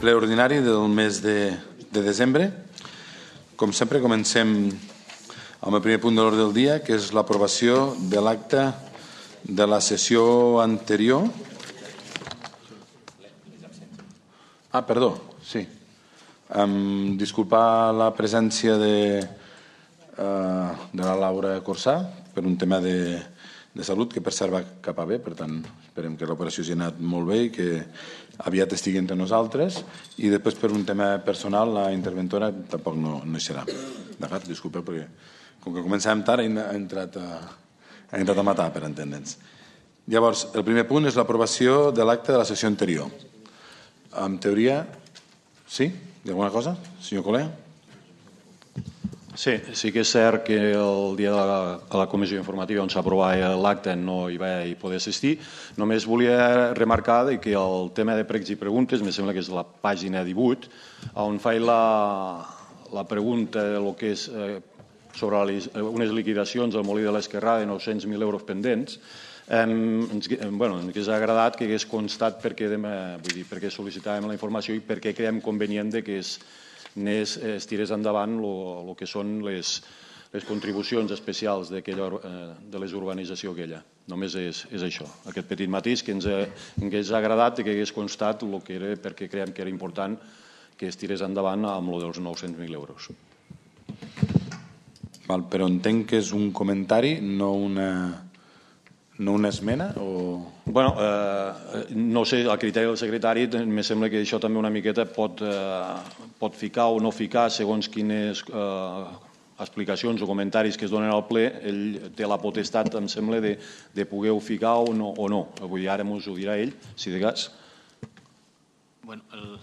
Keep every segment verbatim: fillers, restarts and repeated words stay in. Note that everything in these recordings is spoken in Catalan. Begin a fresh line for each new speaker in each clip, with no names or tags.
ple ordinari del mes de, de desembre. Com sempre, comencem amb el primer punt de l'ordre del dia, que és l'aprovació de l'acte de la sessió anterior. Ah, perdó, sí. Um, disculpar la presència de, uh, de la Laura Corsà per un tema de, de salut que per cert va cap a bé, per tant esperem que l'operació hagi anat molt bé i que aviat estigui entre nosaltres, i després per un tema personal la interventora tampoc no, no hi serà. D'acord, disculpeu, perquè com que començàvem tard ha entrat a, ha entrat a matar, per entendre'ns. Llavors, el primer punt és l'aprovació de l'acte de la sessió anterior. En teoria, sí? Hi ha alguna cosa, senyor Colea?
Sí, sí que és cert que el dia de la, de la comissió informativa on s'aprovava l'acte no hi va hi poder assistir. Només volia remarcar que el tema de pregs i preguntes, em sembla que és la pàgina divuit, on faig la, la pregunta de lo que és eh, sobre les, unes liquidacions al Molí de l'Esquerrà de nou-cents mil euros pendents. Eh, ens, bueno, ens hauria agradat que hagués constat per què, vull dir, per què sol·licitàvem la informació i per què creiem convenient de que es Nes, es tirés endavant el que són les, les contribucions especials de les urbanitzacions aquella. Només és, és això, aquest petit matís que ens hagués agradat que hagués constat el que era, perquè creiem que era important que es tirés endavant amb el dels nou-cents mil euros.
Val, però entenc que és un comentari, no una... No una esmena? O...
Bueno, eh, no sé, el criteri del secretari em sembla que això també una miqueta pot, eh, pot ficar o no ficar segons quines eh, explicacions o comentaris que es donen al ple. Ell té la potestat, em sembla, de, de poder-ho ficar o no. O no. Avui ara ens ho dirà ell, si de cas.
Bueno, el...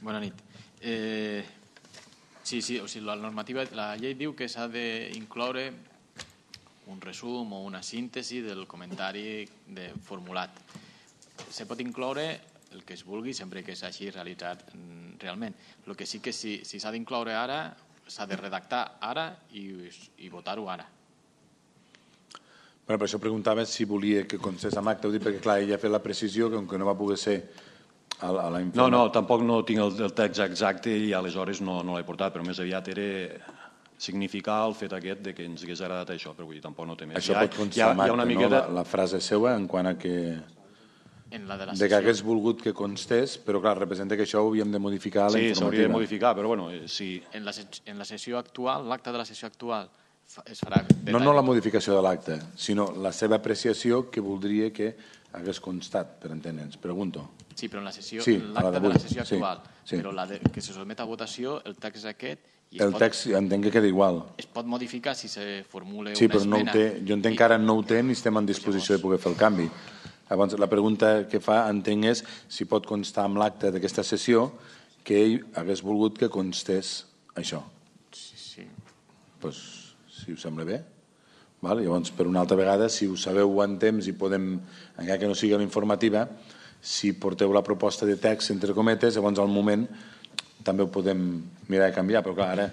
Bona nit. Eh... Sí, sí, o sigui, la normativa, la llei diu que s'ha d'incloure un resum o una síntesi del comentari de formulat. Se pot incloure el que es vulgui sempre que s'hagi realitzat realment. El que sí que si s'ha si d'incloure ara, s'ha de redactar ara i, i votar-ho ara.
Bueno, per això preguntava si volia que constés amb acte, perquè clar, ella ha fet la precisió que com que no va poder ser a la, a la
informació. No, no, tampoc no tinc el, el text exacte i aleshores no, no l'he portat, però més aviat era significar el fet aquest de que ens hagués agradat això, però vull dir, tampoc no té més.
Això pot constar amb acte, no? La, la frase seva en quant a que...
En la de, la
de que hagués volgut que constés, però clar, representa que això ho havíem de modificar a la
sí,
informativa. Sí,
s'hauria de modificar, però bueno, sí.
En la, en la sessió actual, l'acte de la sessió actual es farà...
No, no la modificació de l'acte, sinó la seva apreciació que voldria que hagués constat, per entendre'ns. Pregunto.
Sí, però en la sessió,
sí,
l'acte de la sessió actual,
sí, sí.
Però la de, que se sotmet a votació, el text és aquest.
El pot, text entenc que queda igual.
Es pot modificar si se formula
sí,
una esmena.
No té, jo entenc que ara no ho té ni estem en disposició de poder fer el canvi. Llavors, la pregunta que fa, entenc, és si pot constar amb l'acte d'aquesta sessió que ell hagués volgut que constés això.
Sí, sí.
Pues, si us sembla bé. Val? Llavors, per una altra vegada, si ho sabeu en temps i podem, encara que no sigui la informativa, si porteu la proposta de text, entre cometes, llavors al moment també ho podem mirar de canviar, però clar, ara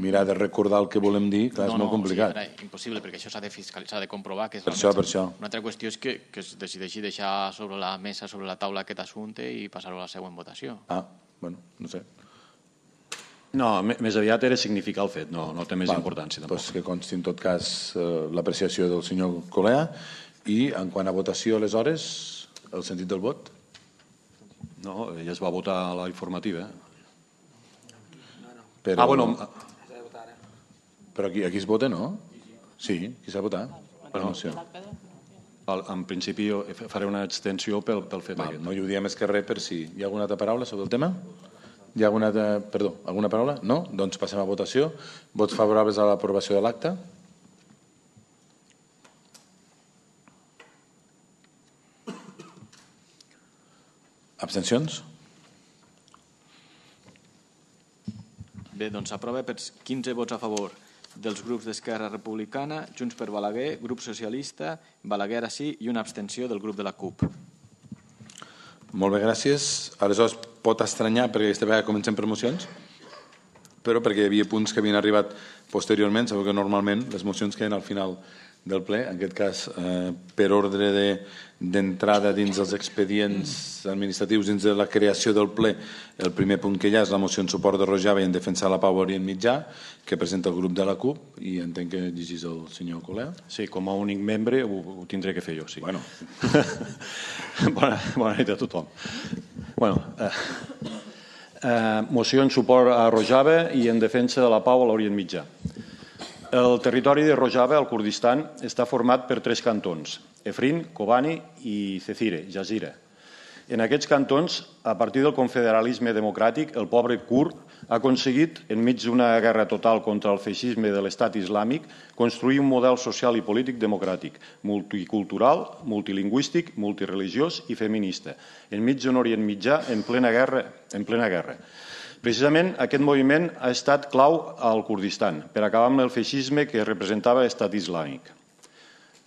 mirar de recordar el que volem dir, clar,
no,
és molt
no,
complicat.
Sí, ara, impossible, perquè això s'ha de fiscalitzar, s'ha de comprovar que és
per això, per això.
Una altra qüestió és que, que es decideixi deixar sobre la mesa, sobre la taula aquest assumpte i passar-ho a la següent votació.
Ah, bueno, no sé.
No, més aviat era significar el fet, no, no té més
Val,
importància tampoc.
Doncs que consti en tot cas eh, l'apreciació del senyor Colea i en quant a votació, aleshores, el sentit del vot?
No, ja es va votar a la informativa, eh?
Però...
Ah, bueno...
Però aquí, aquí es vota, no? Sí, aquí s'ha votat.
Bueno, en principi faré una extensió pel, pel fet
Val,
aquest.
No hi ho diem més que res per si hi ha alguna altra paraula sobre el tema? Hi ha alguna altra... Perdó, alguna paraula? No? Doncs passem a votació. Vots favorables a l'aprovació de l'acte? Abstencions?
Bé, doncs s'aprova per quinze vots a favor dels grups d'Esquerra Republicana, Junts per Balaguer, Grup Socialista, Balaguer ara sí i una abstenció del grup de la C U P.
Molt bé, gràcies. Aleshores, pot estranyar, perquè aquesta vegada comencem per mocions, però perquè hi havia punts que havien arribat posteriorment, sabeu que normalment les mocions queden al final del ple, en aquest cas per ordre d'entrada dins els expedients administratius, dins de la creació del ple. El primer punt que hi ha és la moció en suport de Rojava i en defensa de la pau a Orient Mitjà, que presenta el grup de la CUP, i entenc que llegís el senyor Colea.
Sí, com a únic membre ho tindré que fer jo, sí.
Bueno.
Bona, bona nit a tothom. Bueno, eh, eh, moció en suport a Rojava i en defensa de la pau a l'Orient Mitjà. El territori de Rojava, al Kurdistan, està format per tres cantons, Efrin, Kobani i Cecire, Jazira. En aquests cantons, a partir del confederalisme democràtic, el poble kurd ha aconseguit, enmig d'una guerra total contra el feixisme de l'estat islàmic, construir un model social i polític democràtic, multicultural, multilingüístic, multireligiós i feminista, enmig d'un Orient Mitjà en plena guerra. En plena guerra. Precisament aquest moviment ha estat clau al Kurdistan per acabar amb el feixisme que representava l'estat islàmic.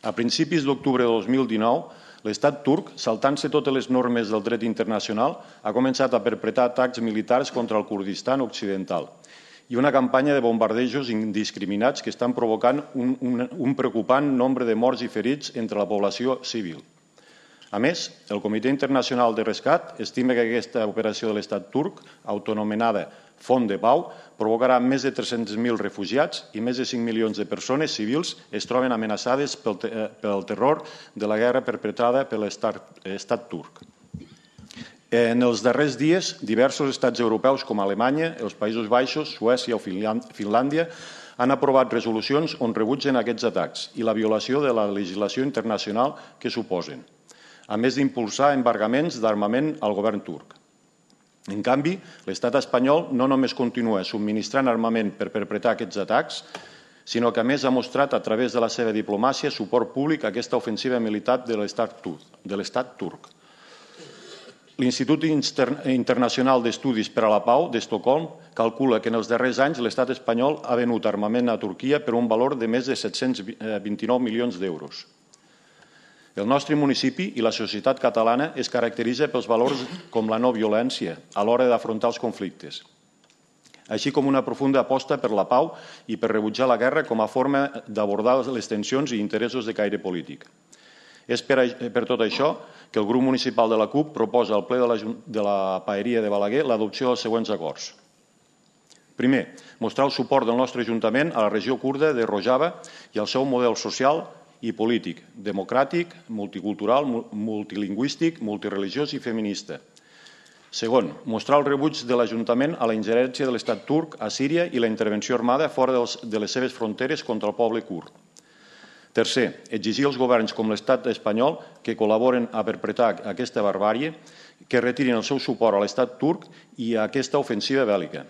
A principis d'octubre de dos mil dinou, l'estat turc, saltant-se totes les normes del dret internacional, ha començat a perpetrar atacs militars contra el Kurdistan occidental i una campanya de bombardejos indiscriminats que estan provocant un, un, un preocupant nombre de morts i ferits entre la població civil. A més, el Comitè Internacional de Rescat estima que aquesta operació de l'estat turc, autonomenada Font de Pau, provocarà més de tres-cents mil refugiats i més de cinc milions de persones civils es troben amenaçades pel, pel terror de la guerra perpetrada per l'estat turc. En els darrers dies, diversos estats europeus com Alemanya, els Països Baixos, Suècia o Finlàndia han aprovat resolucions on rebutgen aquests atacs i la violació de la legislació internacional que suposen, a més d'impulsar embargaments d'armament al govern turc. En canvi, l'estat espanyol no només continua subministrant armament per perpetrar aquests atacs, sinó que a més ha mostrat a través de la seva diplomàcia suport públic a aquesta ofensiva militar de l'estat turc. L'Institut Internacional d'Estudis per a la Pau d'Estocolm calcula que en els darrers anys l'estat espanyol ha venut armament a Turquia per un valor de més de set-cents vint-i-nou milions d'euros. El nostre municipi i la societat catalana es caracteritza pels valors com la no violència a l'hora d'afrontar els conflictes, així com una profunda aposta per la pau i per rebutjar la guerra com a forma d'abordar les tensions i interessos de caire polític. És per, per tot això que el grup municipal de la CUP proposa al ple de la, de la Paeria de Balaguer l'adopció dels següents acords. Primer, mostrar el suport del nostre Ajuntament a la regió kurda de Rojava i al seu model social i polític, democràtic, multicultural, multilingüístic, multireligiós i feminista. Segon, mostrar el rebuig de l'Ajuntament a la ingerència de l'estat turc a Síria i la intervenció armada fora de les seves fronteres contra el poble kurd. Tercer, exigir als governs com l'estat espanyol que col·laboren a perpetrar aquesta barbàrie, que retirin el seu suport a l'estat turc i a aquesta ofensiva bèl·lica.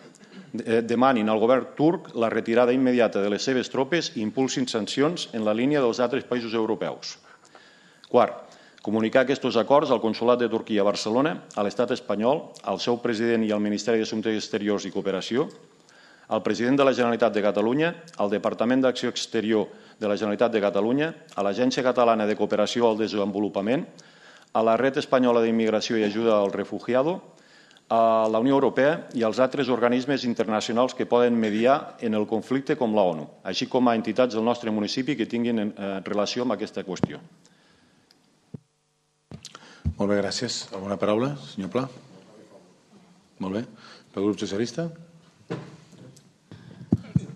Demanin al govern turc la retirada immediata de les seves tropes i impulsin sancions en la línia dels altres països europeus. Quart, comunicar aquests acords al Consolat de Turquia a Barcelona, a l'estat espanyol, al seu president i al Ministeri d'Assumptes Exteriors i Cooperació, al president de la Generalitat de Catalunya, al Departament d'Acció Exterior de la Generalitat de Catalunya, a l'Agència Catalana de Cooperació al Desenvolupament, a la Red Espanyola d'Immigració i Ajuda al Refugiado, a la Unió Europea i als altres organismes internacionals que poden mediar en el conflicte com la ONU, així com a entitats del nostre municipi que tinguin relació amb aquesta qüestió.
Molt bé, gràcies. Alguna paraula, senyor Pla? Molt bé. Pel grup socialista?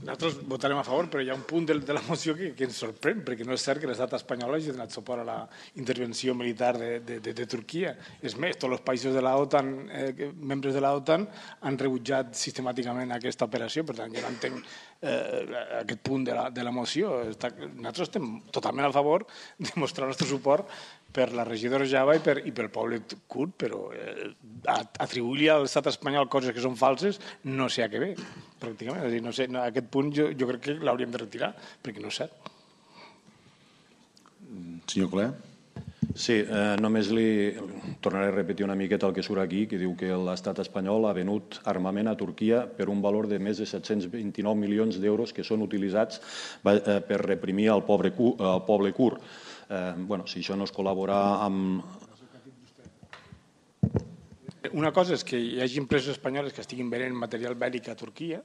Nosaltres votarem a favor, però hi ha un punt de, de la moció que, que ens sorprèn, perquè no és cert que l'estat espanyol hagi donat suport a la intervenció militar de, de, de, de Turquia. És més, tots els països de la OTAN, eh, membres de la OTAN, han rebutjat sistemàticament aquesta operació. Per tant, jo no entenc eh, aquest punt de la, de la moció. Està, nosaltres estem totalment a favor de mostrar el nostre suport per la regió de Rojava i, per, i pel poble kurd, però eh, atribuir-li a l'estat espanyol coses que són falses no sé a què ve, pràcticament. És a dir, no sé, no, aquest punt jo, jo crec que l'hauríem de retirar, perquè no és cert.
Senyor Colea?
Sí, eh, només li tornaré a repetir una miqueta el que surt aquí, que diu que l'estat espanyol ha venut armament a Turquia per un valor de més de set-cents vint-i-nou milions d'euros que són utilitzats per reprimir el poble, el poble kurd. Eh, bueno, si això no és col·laborar amb...
Una cosa és que hi hagi empreses espanyoles que estiguin venent material bèl·lic a Turquia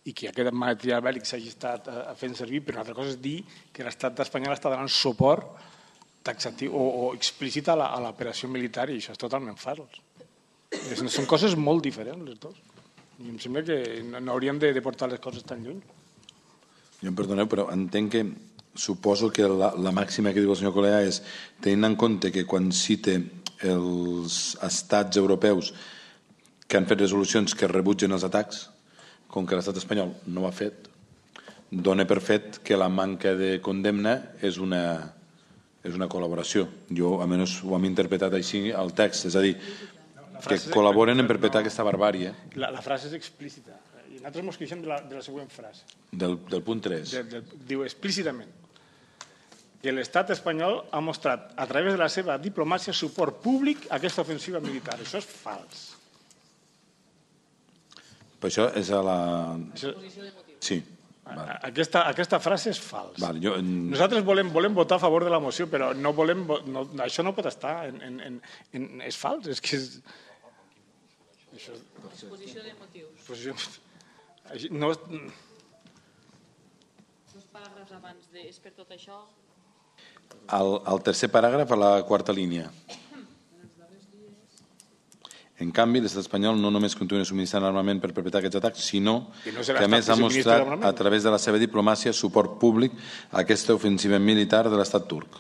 i que aquest material bèl·lic s'hagi estat fent servir, però una altra cosa és dir que l'estat espanyol està donant suport taxatiu o, o explícit a l'operació militar, i això és totalment fals. Són coses molt diferents, les dues. I em sembla que no hauríem de portar les coses tan lluny.
Jo em perdoneu, però entenc que suposo que la, la màxima que diu el senyor Colea és tenint en compte que quan cite els estats europeus que han fet resolucions que rebutgen els atacs, com que l'estat espanyol no ho ha fet, dona per fet que la manca de condemna és una, és una col·laboració. Jo, almenys, ho hem interpretat així al text, és a dir, que col·laboren en perpetrar aquesta barbàrie.
La, la frase és explícita. I nosaltres ens queixem de la, de la següent frase.
Del, del punt tres.
De, de, diu explícitament que l'estat espanyol ha mostrat a través de la seva diplomàcia suport públic a aquesta ofensiva militar. Això és fals.
Per això és a la... Sí.
Vale. Aquesta, aquesta frase és fals.
Vale, jo...
Nosaltres volem, volem votar a favor de la moció, però no volem, no, això no pot estar. En, en, en, en, és fals. És que és... Això...
Exposició de motius.
Exposició... No...
Dos paràgrafs abans de és per tot això...
El, el tercer paràgraf a la quarta línia. En canvi, l'estat espanyol no només continua subministrant armament per perpetrar aquests atacs, sinó que, no que a més ha mostrat a través de la seva diplomàcia suport públic a aquesta ofensiva militar de l'estat turc.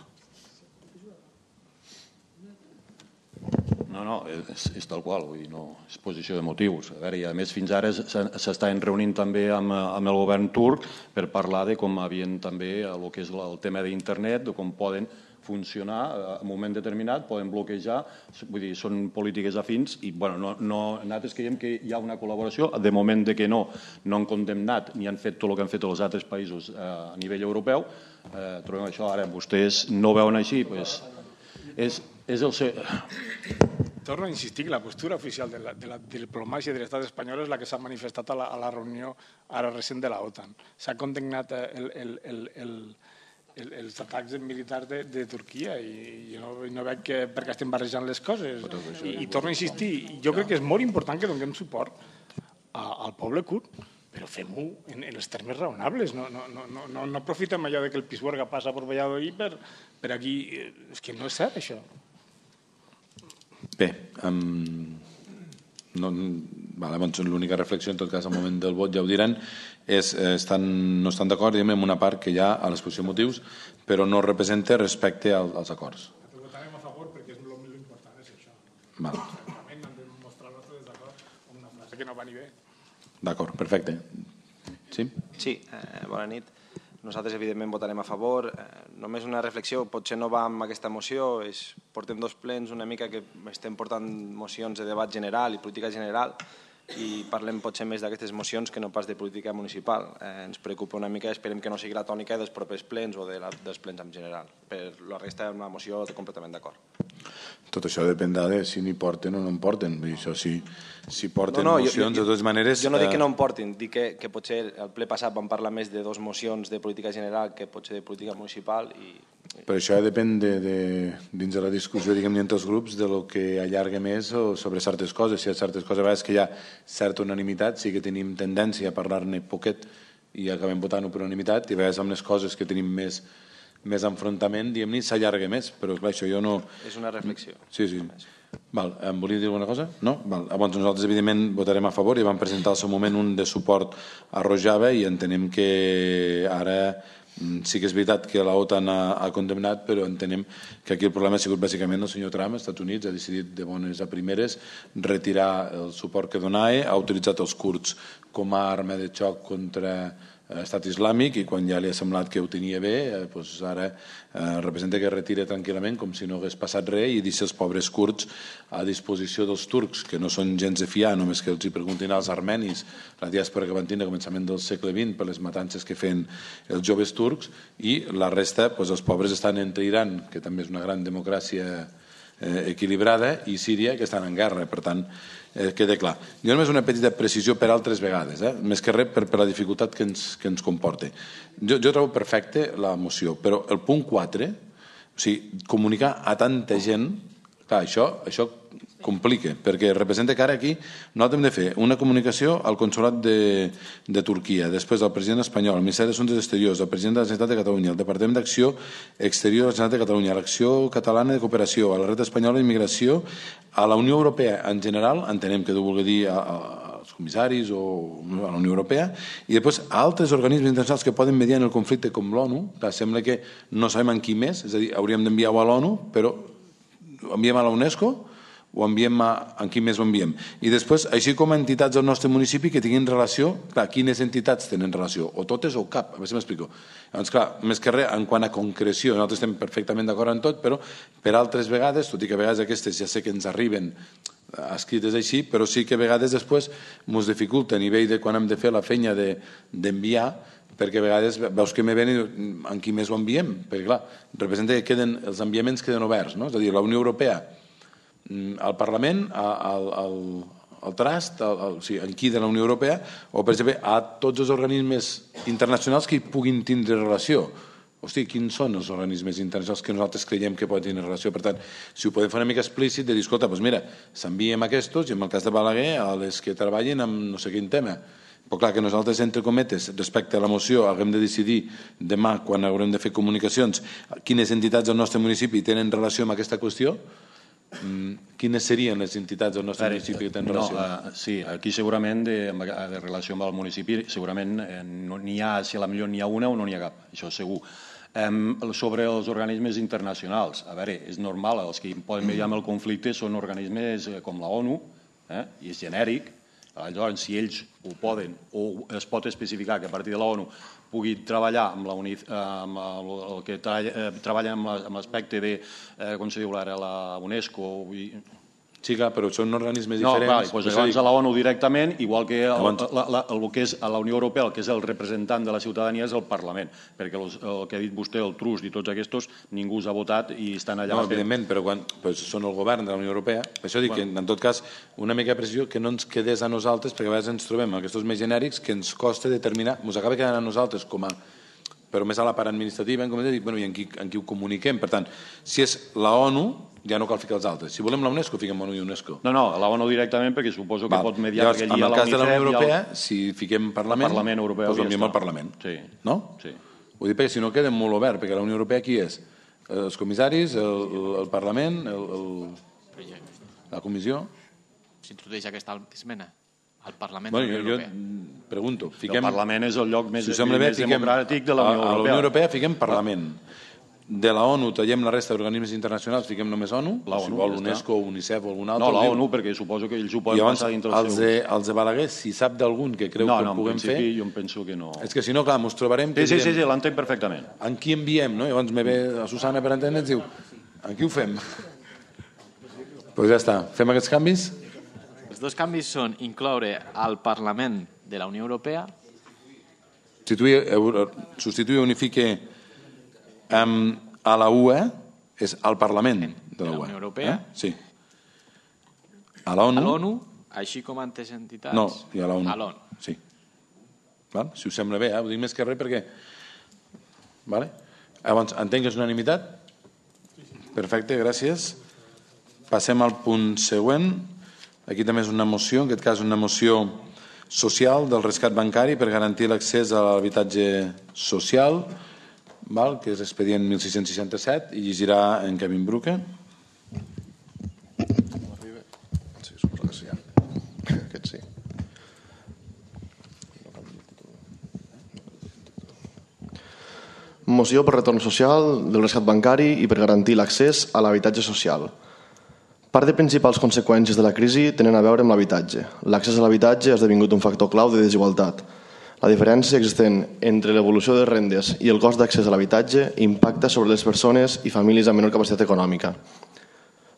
No, no, és, és tal qual, vull dir, no, és posició de motius. A veure, i a més fins ara s'estaven reunint també amb, amb el govern turc per parlar de com havien també el que és el tema d'internet, de com poden funcionar en un moment determinat, poden bloquejar, vull dir, són polítiques afins i, bueno, no, no, nosaltres creiem que hi ha una col·laboració, de moment de que no, no han condemnat ni han fet tot el que han fet els altres països eh, a nivell europeu, eh, trobem això, ara vostès no veuen així, doncs és, és el ser...
Torno a insistir que la postura oficial de la, de la diplomàcia de l'estat espanyol és la que s'ha manifestat a la, a la reunió ara recent de la OTAN. S'ha condemnat el, el, el, el, el, els atacs militars de, de Turquia i jo no, no veig que, per què estem barrejant les coses. I, I torno a insistir, jo crec que és molt important que donem suport a, al poble kurd, però fem-ho en, en els termes raonables. No, no, no, no, no aprofitem allò de que el Pisuerga passa per Valladolid per, per aquí. És que no és cert, això.
Bé, um, no, vale, doncs l'única reflexió, en tot cas, al moment del vot ja ho diran, és, eh, estan, no estan d'acord amb una part que hi ha a l'exposició de motius, però no representa respecte al, als acords.
Ho votarem a favor perquè és l'important, és això.
Vale.
Realment hem de mostrar el nostre desacord amb una frase que no va ni bé.
D'acord, perfecte. Sí?
Sí, eh, bona nit. Nosaltres, evidentment, votarem a favor. Eh, només una reflexió, potser no va amb aquesta moció, és, portem dos plens una mica que estem portant mocions de debat general i política general i parlem potser més d'aquestes mocions que no pas de política municipal. Eh, ens preocupa una mica, esperem que no sigui la tònica dels propers plens o de la, dels plens en general. Per la resta, una moció completament d'acord.
Tot això dependrà de si n'hi porten o no en porten. Vull dir, això, si, si porten
no, no,
mocions,
jo, jo,
de totes maneres...
Jo no dic que no en portin, dic que, que potser el ple passat vam parlar més de dos mocions de política general que potser de política municipal. I...
Però això depèn de, de, dins de la discussió, diguem, entre els grups, de lo que allarga més o sobre certes coses. Si hi ha certes coses, a vegades que hi ha certa unanimitat, sí que tenim tendència a parlar-ne poquet i acabem votant-ho per unanimitat, i a vegades amb les coses que tenim més... més enfrontament, diguem-ne, s'allarga més, però clar, això jo no...
És una reflexió.
Sí, sí. Val, em volia dir alguna cosa? No? Val. Llavors nosaltres, evidentment, votarem a favor i vam presentar al seu moment un de suport a Rojava i entenem que ara sí que és veritat que la OTAN ha, ha condemnat, però entenem que aquí el problema ha sigut bàsicament el senyor Trump, als Estats Units, ha decidit de bones a primeres retirar el suport que donava, ha utilitzat els kurds com a arma de xoc contra estat islàmic i quan ja li ha semblat que ho tenia bé, eh, doncs ara eh, representa que es retira tranquil·lament com si no hagués passat res i deixa els pobres kurds a disposició dels turcs, que no són gens de fiar, només que els hi preguntin als armenis, la diàspora que van tenir a començament del segle vint per les matances que feien els joves turcs, i la resta, doncs, els pobres estan entre Iran, que també és una gran democràcia eh, equilibrada, i Síria, que estan en guerra. Per tant, eh, queda clar. Jo només una petita precisió per altres vegades, eh? Més que res per, per la dificultat que ens, que ens comporta. Jo, jo trobo perfecte la moció, però el punt quatre, o sigui, comunicar a tanta gent, clar, això, això complica, perquè representa que ara aquí nosaltres hem de fer una comunicació al Consolat de, de Turquia, després al president espanyol, al Ministeri d'Assumptes Exteriors, al president de la Generalitat de Catalunya, al Departament d'Acció Exterior de la Generalitat de Catalunya, a l'Acció Catalana de Cooperació, a la Red Espanyola d'Immigració, a la Unió Europea en general, entenem que deu voler dir a, a, als comissaris o a la Unió Europea, i després a altres organismes internacionals que poden mediar en el conflicte com l'ONU. Sembla que no sabem en qui més, és a dir, hauríem d'enviar-ho a l'ONU, però ho enviem a la UNESCO, ho enviem a, en qui més ho enviem. I després, així com a entitats del nostre municipi que tinguin relació, clar, quines entitats tenen relació? O totes o cap, a veure si m'explico. Llavors, clar, més que res, en quant a concreció, nosaltres estem perfectament d'acord en tot, però per altres vegades, tot i que a vegades aquestes ja sé que ens arriben escrites així, però sí que a vegades després ens dificulta a nivell de quan hem de fer la feina d'enviar, perquè a vegades veus que me ven i en qui més ho enviem, perquè clar, representa que queden, els enviaments queden oberts, no? És a dir, la Unió Europea, al Parlament, al, al, al Trust, al, al, o sigui, aquí de la Unió Europea, o per exemple a tots els organismes internacionals que hi puguin tindre relació. Hosti, quins són els organismes internacionals que nosaltres creiem que poden tenir relació? Per tant, si ho podem fer una mica explícit, de dir, escolta, doncs mira, s'enviem aquests, i en el cas de Balaguer, a les que treballen amb no sé quin tema. Però clar, que nosaltres, entre cometes, respecte a la moció, haguem de decidir demà, quan haurem de fer comunicacions, quines entitats del nostre municipi tenen relació amb aquesta qüestió. Quines serien les entitats del nostre municipi que tenen relació?
No, uh, sí, aquí segurament de, de relació amb el municipi segurament eh, no n'hi ha, si a la millor n'hi ha una o no n'hi ha cap, això segur. Um, sobre els organismes internacionals, a veure, és normal, els que poden mediar amb el conflicte són organismes com la ONU, eh, i és genèric. Llavors, si ells ho poden o es pot especificar que a partir de la ONU pugui treballar amb, la uni, amb el, el que tra, eh, treballa amb l'aspecte de, eh, com se diu ara, la UNESCO. I...
Sí, clar, però són organismes
no,
diferents.
Clar, doncs llavors a la ONU directament, igual que el, la, la, el que és a la Unió Europea, el que és el representant de la ciutadania és el Parlament, perquè el, el que ha dit vostè, el Trust i tots aquests, ningú els ha votat i estan allà...
No, evidentment, però quan pues, són el govern de la Unió Europea, per això dic bueno. que, en tot cas, una mica de precisió que no ens quedés a nosaltres, perquè a vegades ens trobem aquests més genèrics que ens costa determinar, ens acaba quedant a nosaltres com a però més a la part administrativa, com dic, bueno, i en qui, en qui ho comuniquem. Per tant, si és la ONU, ja no cal ficar els altres. Si volem la UNESCO, fiquem ONU i UNESCO.
No, no, la ONU directament, perquè suposo que Val. pot mediar...
Llavors, en el cas de la Unió Europea, el... si fiquem Parlament, el Parlament Europeu, doncs enviem al Parlament.
Sí.
No?
Sí.
Ho dic perquè si no queda molt obert, perquè la Unió Europea qui és? Els comissaris, el, el Parlament, el, el, la Comissió...
S'introdueix aquesta esmena al Parlament
bueno,
de la Unió
jo,
Europea.
Jo pregunto, fiquem...
El Parlament és el lloc més,
si
més
bé,
democràtic de la Unió Europea.
A la Unió Europea fiquem Parlament. De la ONU tallem la resta d'organismes internacionals, fiquem només ONU,
la
si
ONU,
vol
ja
UNESCO o UNICEF o algun altre.
No, la ONU, perquè suposo que ells ho poden
llavors,
passar dintre
el
el
seu... Els de, els de Balaguer, si sap d'algun que creu
no,
que
no,
ho puguem fer...
No, en principi jo em penso que no...
És que si no, clar, ens trobarem...
Sí, sí, sí, sí l'entenc perfectament.
En qui enviem, no? Llavors me ve a Susana per entendre i ens diu, en qui ho fem? Doncs pues ja està, fem aquests canvis?
Els dos canvis són incloure al Parlament de la Unió Europea,
substituir, substituir unifique um, a la U E és al Parlament de la,
de la
U E.
Unió Europea,
eh? Sí. A l'ONU.
A l'ONU, així com a altres entitats.
No, i a l'ONU.
A l'ONU.
Sí. Val? Si us sembla bé, eh? Ho dic més que res perquè... Vale? Llavors, entenc que és unanimitat? Perfecte, gràcies. Passem al punt següent. Aquí també és una moció, en aquest cas una moció social del rescat bancari per garantir l'accés a l'habitatge social, val? Que és expedient mil sis-cents seixanta-set, i llegirà en Kevin Bruca.
Sí, suposo que sí. Aquest sí. Moció per retorn social del rescat bancari i per garantir l'accés a l'habitatge social. Part de principals conseqüències de la crisi tenen a veure amb l'habitatge. L'accés a l'habitatge ha esdevingut un factor clau de desigualtat. La diferència existent entre l'evolució de rendes i el cost d'accés a l'habitatge impacta sobre les persones i famílies amb menor capacitat econòmica.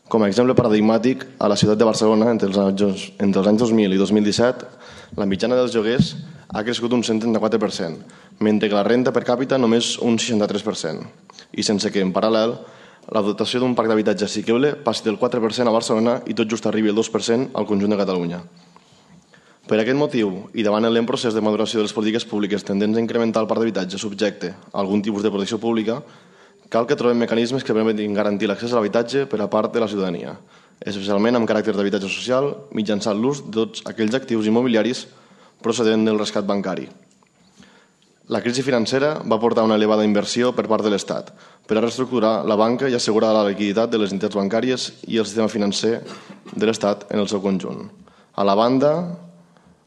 Com a exemple paradigmàtic, a la ciutat de Barcelona, entre els anys, entre els anys dos mil i dos mil disset, la mitjana dels lloguers ha crescut un cent trenta-quatre per cent, mentre que la renda per càpita només un seixanta-tres per cent. I sense que, en paral·lel, la dotació d'un parc d'habitatge assequible passi del quatre per cent a Barcelona i tot just arribi al dos per cent al conjunt de Catalunya. Per aquest motiu, i davant el lent procés de maduració de les polítiques públiques tendents a incrementar el parc d'habitatge subjecte a algun tipus de protecció pública, cal que trobem mecanismes que permetin garantir l'accés a l'habitatge per a part de la ciutadania. especialment amb caràcter d'habitatge social, mitjançant l'ús de tots aquells actius immobiliaris procedent del rescat bancari. La crisi financera va portar una elevada inversió per part de l'Estat per a reestructurar la banca i assegurar la liquiditat de les entitats bancàries i el sistema financer de l'Estat en el seu conjunt. A la banda,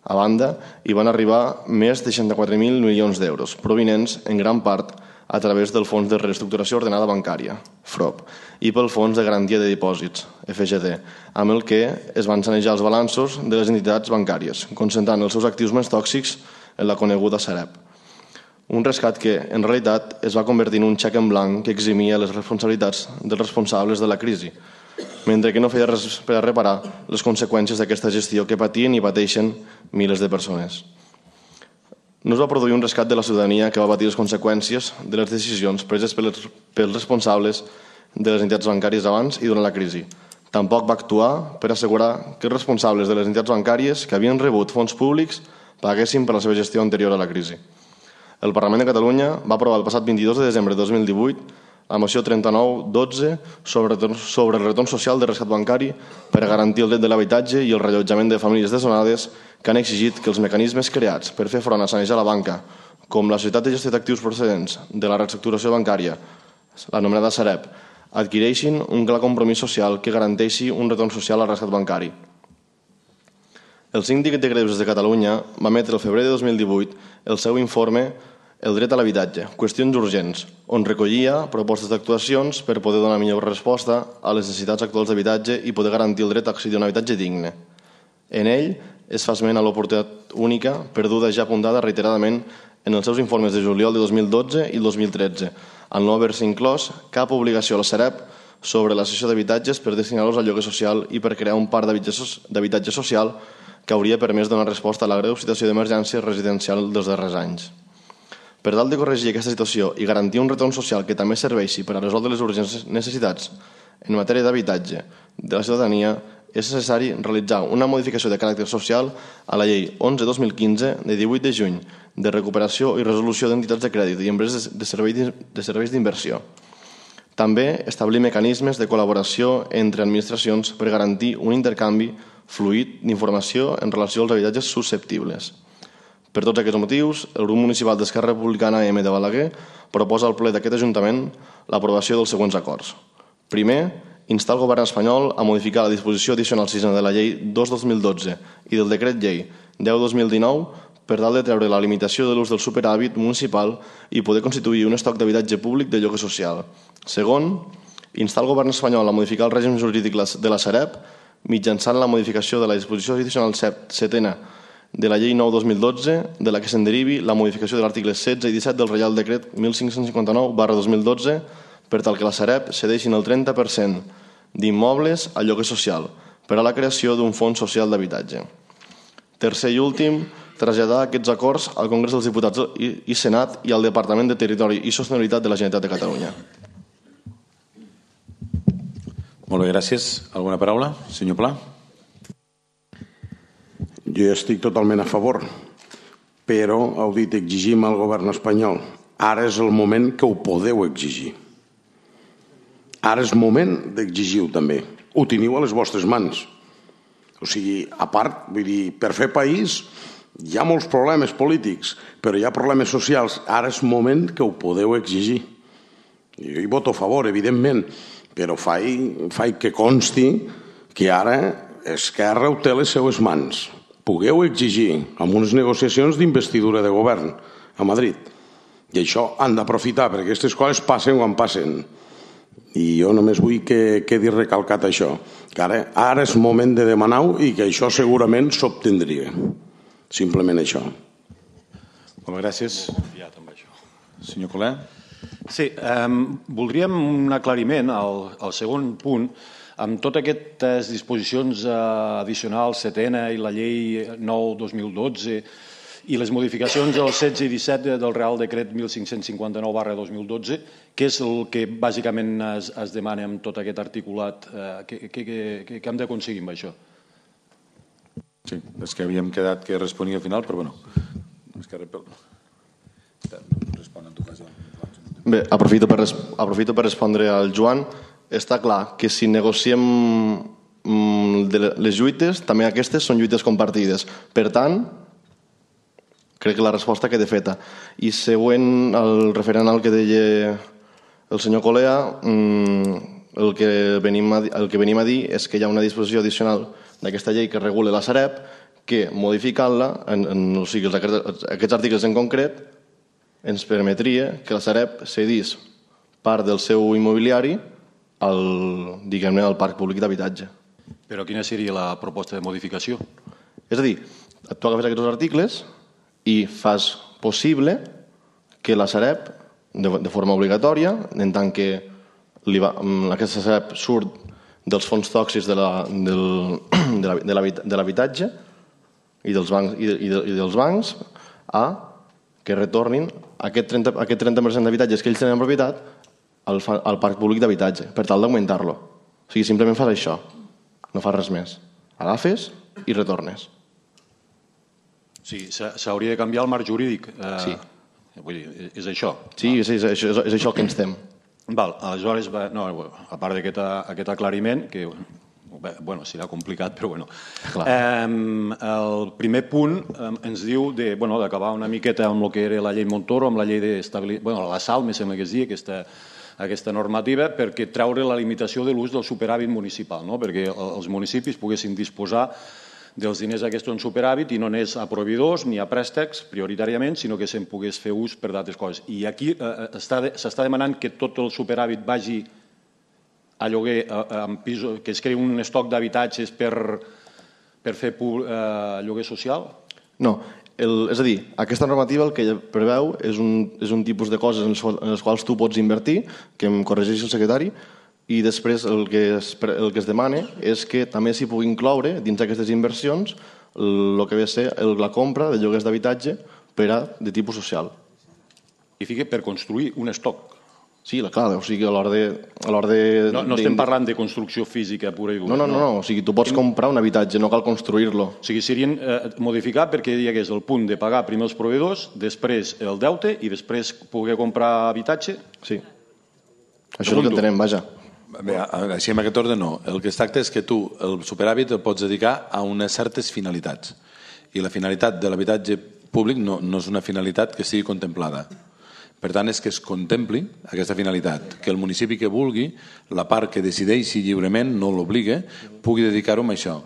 a banda hi van arribar més de seixanta-quatre mil milions d'euros, provinents en gran part a través del Fons de Reestructuració Ordenada Bancària, F R O B, i pel Fons de Garantia de Dipòsits, F G D, amb el que es van sanejar els balanços de les entitats bancàries, concentrant els seus actius més tòxics en la coneguda Sareb. Un rescat que, en realitat, es va convertir en un xec en blanc que eximia les responsabilitats dels responsables de la crisi, mentre que no feia res per a reparar les conseqüències d'aquesta gestió que patien i pateixen milers de persones. No es va produir un rescat de la ciutadania que va patir les conseqüències de les decisions preses pels responsables de les entitats bancàries abans i durant la crisi. Tampoc va actuar per assegurar que els responsables de les entitats bancàries que havien rebut fons públics paguessin per la seva gestió anterior a la crisi. El Parlament de Catalunya va aprovar el passat vint-i-dos de desembre de dos mil divuit la moció trenta-nou dotze sobre, sobre el retorn social de rescat bancari per a garantir el dret de l'habitatge i el reallotjament de famílies desnonades que han exigit que els mecanismes creats per fer front a sanejar la banca, com la Societat de Gestió d'Actius Procedents de la Reestructuració Bancària, l'anomenada Sareb, adquireixin un clar compromís social que garanteixi un retorn social al rescat bancari. El Síndic de Greuges de Catalunya va emetre el febrer de dos mil divuit el seu informe El dret a l'habitatge, qüestions urgents, on recollia propostes d'actuacions per poder donar millor resposta a les necessitats actuals d'habitatge i poder garantir el dret a accedir a un habitatge digne. En ell es fa esment a l'oportunitat única perduda ja apuntada reiteradament en els seus informes de juliol de dos mil dotze i el dos mil tretze, al no haver-se inclòs cap obligació a la Sareb sobre la cessió d'habitatges per destinar-los al lloguer social i per crear un parc d'habitatge social que hauria permès donar resposta a la greu situació d'emergència residencial dels darrers anys. Per tal de corregir aquesta situació i garantir un retorn social que també serveixi per a resoldre les urgents necessitats en matèria d'habitatge de la ciutadania, és necessari realitzar una modificació de caràcter social a la llei onze dos mil quinze de divuit de juny de recuperació i resolució d'entitats de crèdit i empreses de serveis d'inversió. També establir mecanismes de col·laboració entre administracions per garantir un intercanvi fluid d'informació en relació als habitatges susceptibles. Per tots aquests motius, el grup municipal d'Esquerra Republicana M de Balaguer proposa al ple d'aquest Ajuntament l'aprovació dels següents acords. Primer, instar el govern espanyol a modificar la disposició addicional sisena de la llei dos dos mil dotze i del decret llei deu dos mil dinou per tal de treure la limitació de l'ús del superàvit municipal i poder constituir un estoc d'habitatge públic de lloguer social. Segon, instar el govern espanyol a modificar el règim jurídic de la Sareb mitjançant la modificació de la disposició addicional setena de la llei nou dos mil dotze, de la que se'n derivi la modificació de l'article setze i disset del Reial Decret mil cinc-cents cinquanta-nou barra dos mil dotze per tal que la Sareb cedeixin el trenta per cent d'immobles al lloguer social per a la creació d'un fons social d'habitatge. Tercer i últim, traslladar aquests acords al Congrés dels Diputats i Senat i al Departament de Territori i Sostenibilitat de la Generalitat de Catalunya.
Molt bé, gràcies. Alguna paraula? Senyor Pla.
Jo estic totalment a favor, però heu dit exigim al govern espanyol. Ara és el moment que ho podeu exigir. Ara és moment d'exigir-ho també. Ho teniu a les vostres mans. O sigui, a part, vull dir, per fer país hi ha molts problemes polítics, però hi ha problemes socials. Ara és moment que ho podeu exigir. Jo hi voto a favor, evidentment, però faig, faig que consti que ara Esquerra ho té a les seues mans. Pugueu exigir amb unes negociacions d'investidura de govern a Madrid. I això han d'aprofitar, perquè aquestes coses passen quan passen. I jo només vull que quedi recalcat això, que ara, ara és moment de demanar-ho i que això segurament s'obtindria. Simplement això.
Molt bé, gràcies. Senyor Colé.
Sí, eh, voldríem un aclariment al, al segon punt. Amb totes aquestes disposicions addicionals, setena i la llei nou dos mil dotze i les modificacions del setze i disset del Real Decret mil cinc-cents cinquanta-nou barra dos mil dotze, què és el que bàsicament es, es demana amb tot aquest articulat? Eh, què, què, què, què hem d'aconseguir amb això?
Sí, és que havíem quedat que responia al final, però bueno, és que respon en tu cas.
Bé, aprofito per, aprofito per respondre al Joan. Està clar que si negociem les lluites, també aquestes són lluites compartides. Per tant, crec que la resposta queda feta. I següent, el referent al que deia el senyor Colea, el que venim a, el que venim a dir és que hi ha una disposició addicional d'aquesta llei que regula la Sareb que, modificant-la, en, en, o sigui, aquests articles en concret, ens permetria que la Sareb cedís part del seu immobiliari al, diguem-ne, al parc públic d'habitatge.
Però quina seria la proposta de modificació?
És a dir, tu agafes aquests articles i fas possible que la Sareb, de, de forma obligatòria, en tant que li va, aquesta Sareb surt dels fons tòxics de, la, del, de l'habitatge i dels bancs, i, i, de, i dels bancs a que retornin aquest trenta, aquest trenta per cent d'habitatges que ells tenen en propietat al, al parc públic d'habitatge, per tal d'augmentar-lo. O sigui, simplement fas això, no fas res més. Agafes i retornes.
Sí, s'hauria de canviar el marc jurídic. Eh,
sí.
Vull dir, és això.
Sí, és, és, és, és això que ens tem.
Val, aleshores, no, a part d'aquest aquest aclariment, que bé, bueno, serà complicat, però bueno. Eh, el primer punt eh, ens diu de, bueno, d'acabar una miqueta amb el que era la llei Montoro, amb la llei d'estabilitat, bueno, la SAL, me sembla que es diu, aquesta, aquesta normativa, perquè treure la limitació de l'ús del superàvit municipal, no? Perquè els municipis poguessin disposar dels diners aquests en superàvit i no anés a proveïdors ni a préstecs prioritàriament, sinó que se'n pogués fer ús per d'altres coses. I aquí eh, s'està demanant que tot el superàvit vagi a lloguer, eh, en pisos, que es creï un estoc d'habitatges per, per fer eh, lloguer social?
No, el, és a dir, aquesta normativa el que preveu és un, és un tipus de coses en les, en les quals tu pots invertir, que em corregeixi el secretari, i després el que es, el que es demana és que també s'hi pugui incloure dins d'aquestes inversions el que ve a ser el, la compra de lloguers d'habitatge per a de tipus social.
I fica per construir un estoc.
Sí, clar, o sigui, a l'hora de... A l'hora de
no, no estem de, parlant de construcció física pura i dura.
No, no, no, no, o sigui, tu pots comprar un habitatge, no cal construir-lo.
O sigui, serien eh, modificar perquè hi hagués el punt de pagar primer els proveïdors, després el deute i després poder comprar habitatge?
Sí. Això és el que entenem, vaja.
Bé, així amb aquest ordre no. El que es tracta és que tu el superàvit el pots dedicar a unes certes finalitats i la finalitat de l'habitatge públic no, no és una finalitat que sigui contemplada. Per tant, és que es contempli aquesta finalitat, que el municipi que vulgui, la part que decideixi lliurement, no l'obliga, pugui dedicar-ho a això.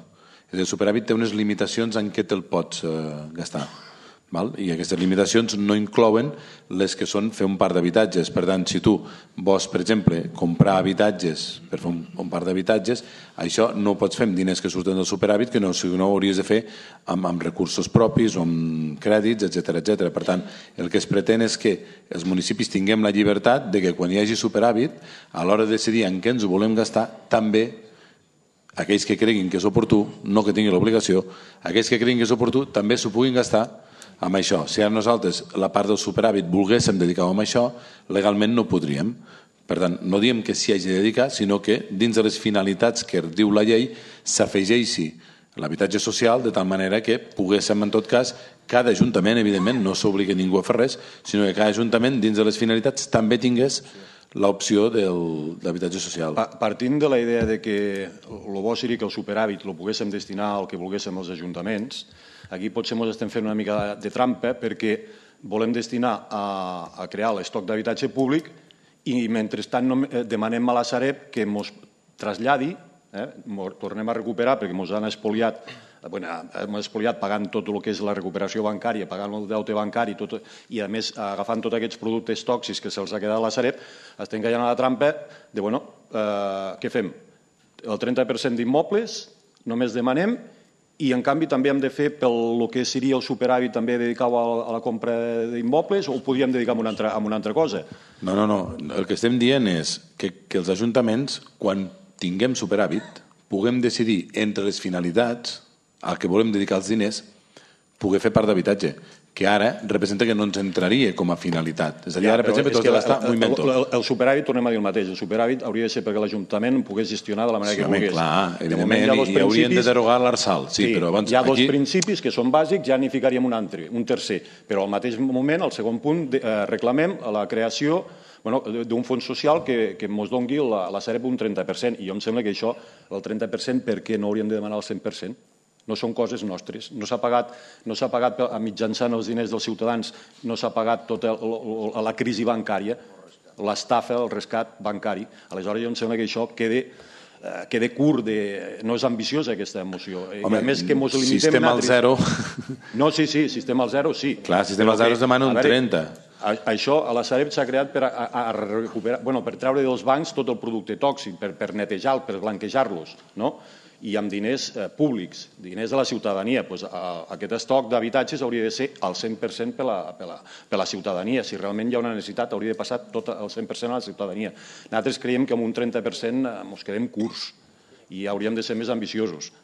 El superàvit té unes limitacions en què te'l pots eh, gastar. Val? I aquestes limitacions no inclouen les que són fer un parc d'habitatges. Per tant, si tu vols, per exemple, comprar habitatges per fer un, un parc d'habitatges, això no ho pots fer amb diners que surten del superàvit, que no, si no ho hauries de fer amb, amb recursos propis o amb crèdits, etcètera, etcètera. Per tant, el que es pretén és que els municipis tinguem la llibertat de que quan hi hagi superàvit, a l'hora de decidir en què ens ho volem gastar, també aquells que creguin que és oportú, no que tinguin l'obligació, aquells que creguin que és oportú també s'ho puguin gastar amb això. Si ara nosaltres la part del superàvit volguéssim dedicar-ho amb això, legalment no podríem. Per tant, no diem que s'hi hagi de dedicar, sinó que dins de les finalitats que diu la llei s'afegeixi l'habitatge social de tal manera que poguéssim, en tot cas, cada ajuntament, evidentment, no s'obliga ningú a fer res, sinó que cada ajuntament, dins de les finalitats, també tingués l'opció de l'habitatge social.
Partint de la idea de que el bo seria que el superàvit el poguéssim destinar al que volguéssim els ajuntaments, aquí potser ens estem fent una mica de trampa perquè volem destinar a, a crear l'estoc d'habitatge públic i mentrestant no, demanem a la Sareb que ens traslladi, eh, tornem a recuperar perquè ens han espoliat, bueno, hem espoliat pagant tot el que és la recuperació bancària, pagant el deute bancari tot, i a més agafant tots aquests productes tòxics que se'ls ha quedat a la Sareb, estem caient a la trampa de, bueno, eh, què fem? El trenta per cent d'immobles només demanem i en canvi també hem de fer pel que seria el superàvit també dedicar-ho a la compra d'immobles o ho podríem dedicar a una, altra, a una altra cosa?
No, no, no. El que estem dient és que, que els ajuntaments, quan tinguem superàvit, puguem decidir entre les finalitats al que volem dedicar els diners, poder fer part d'habitatge, que ara representa que no ens entraria com a finalitat. És a dir, ara, per exemple, tot està molt invento.
El superàvit, tornem a dir el mateix, el superàvit hauria de ser perquè l'Ajuntament pogués gestionar de la manera que volgués.
Sí, clar, evidentment, i haurien de derogar l'Arsal. Sí, però abans...
Hi ha dos principis que són bàsics, ja n'hi ficaríem un altre, un tercer. Però al mateix moment, al segon punt, reclamem la creació d'un fons social que ens doni la Sareb un trenta per cent. I jo em sembla que això, el trenta per cent, per què no hauríem de demanar el cent per cent? No són coses nostres. No s'ha pagat, no s'ha pagat mitjançant els diners dels ciutadans, no s'ha pagat tota la crisi bancària, l'estafa, el rescat bancari. Aleshores, jo em sembla que això queda queda curt, no és ambiciosa aquesta moció.
Home, sistema al zero...
No, sí, sí, sistema al zero, sí.
Clar, sistema al zero es demana un trenta.
Això a la Sareb s'ha creat per recuperar, bueno, per treure dels bancs tot el producte tòxic, per netejar, per blanquejar-los, no? I amb diners públics, diners de la ciutadania. Aquest estoc d'habitatges hauria de ser al cent per cent per la ciutadania. Si realment hi ha una necessitat, hauria de passar tot el cent per cent a la ciutadania. Nosaltres creiem que amb un trenta per cent ens quedem curts i hauríem de ser més ambiciosos.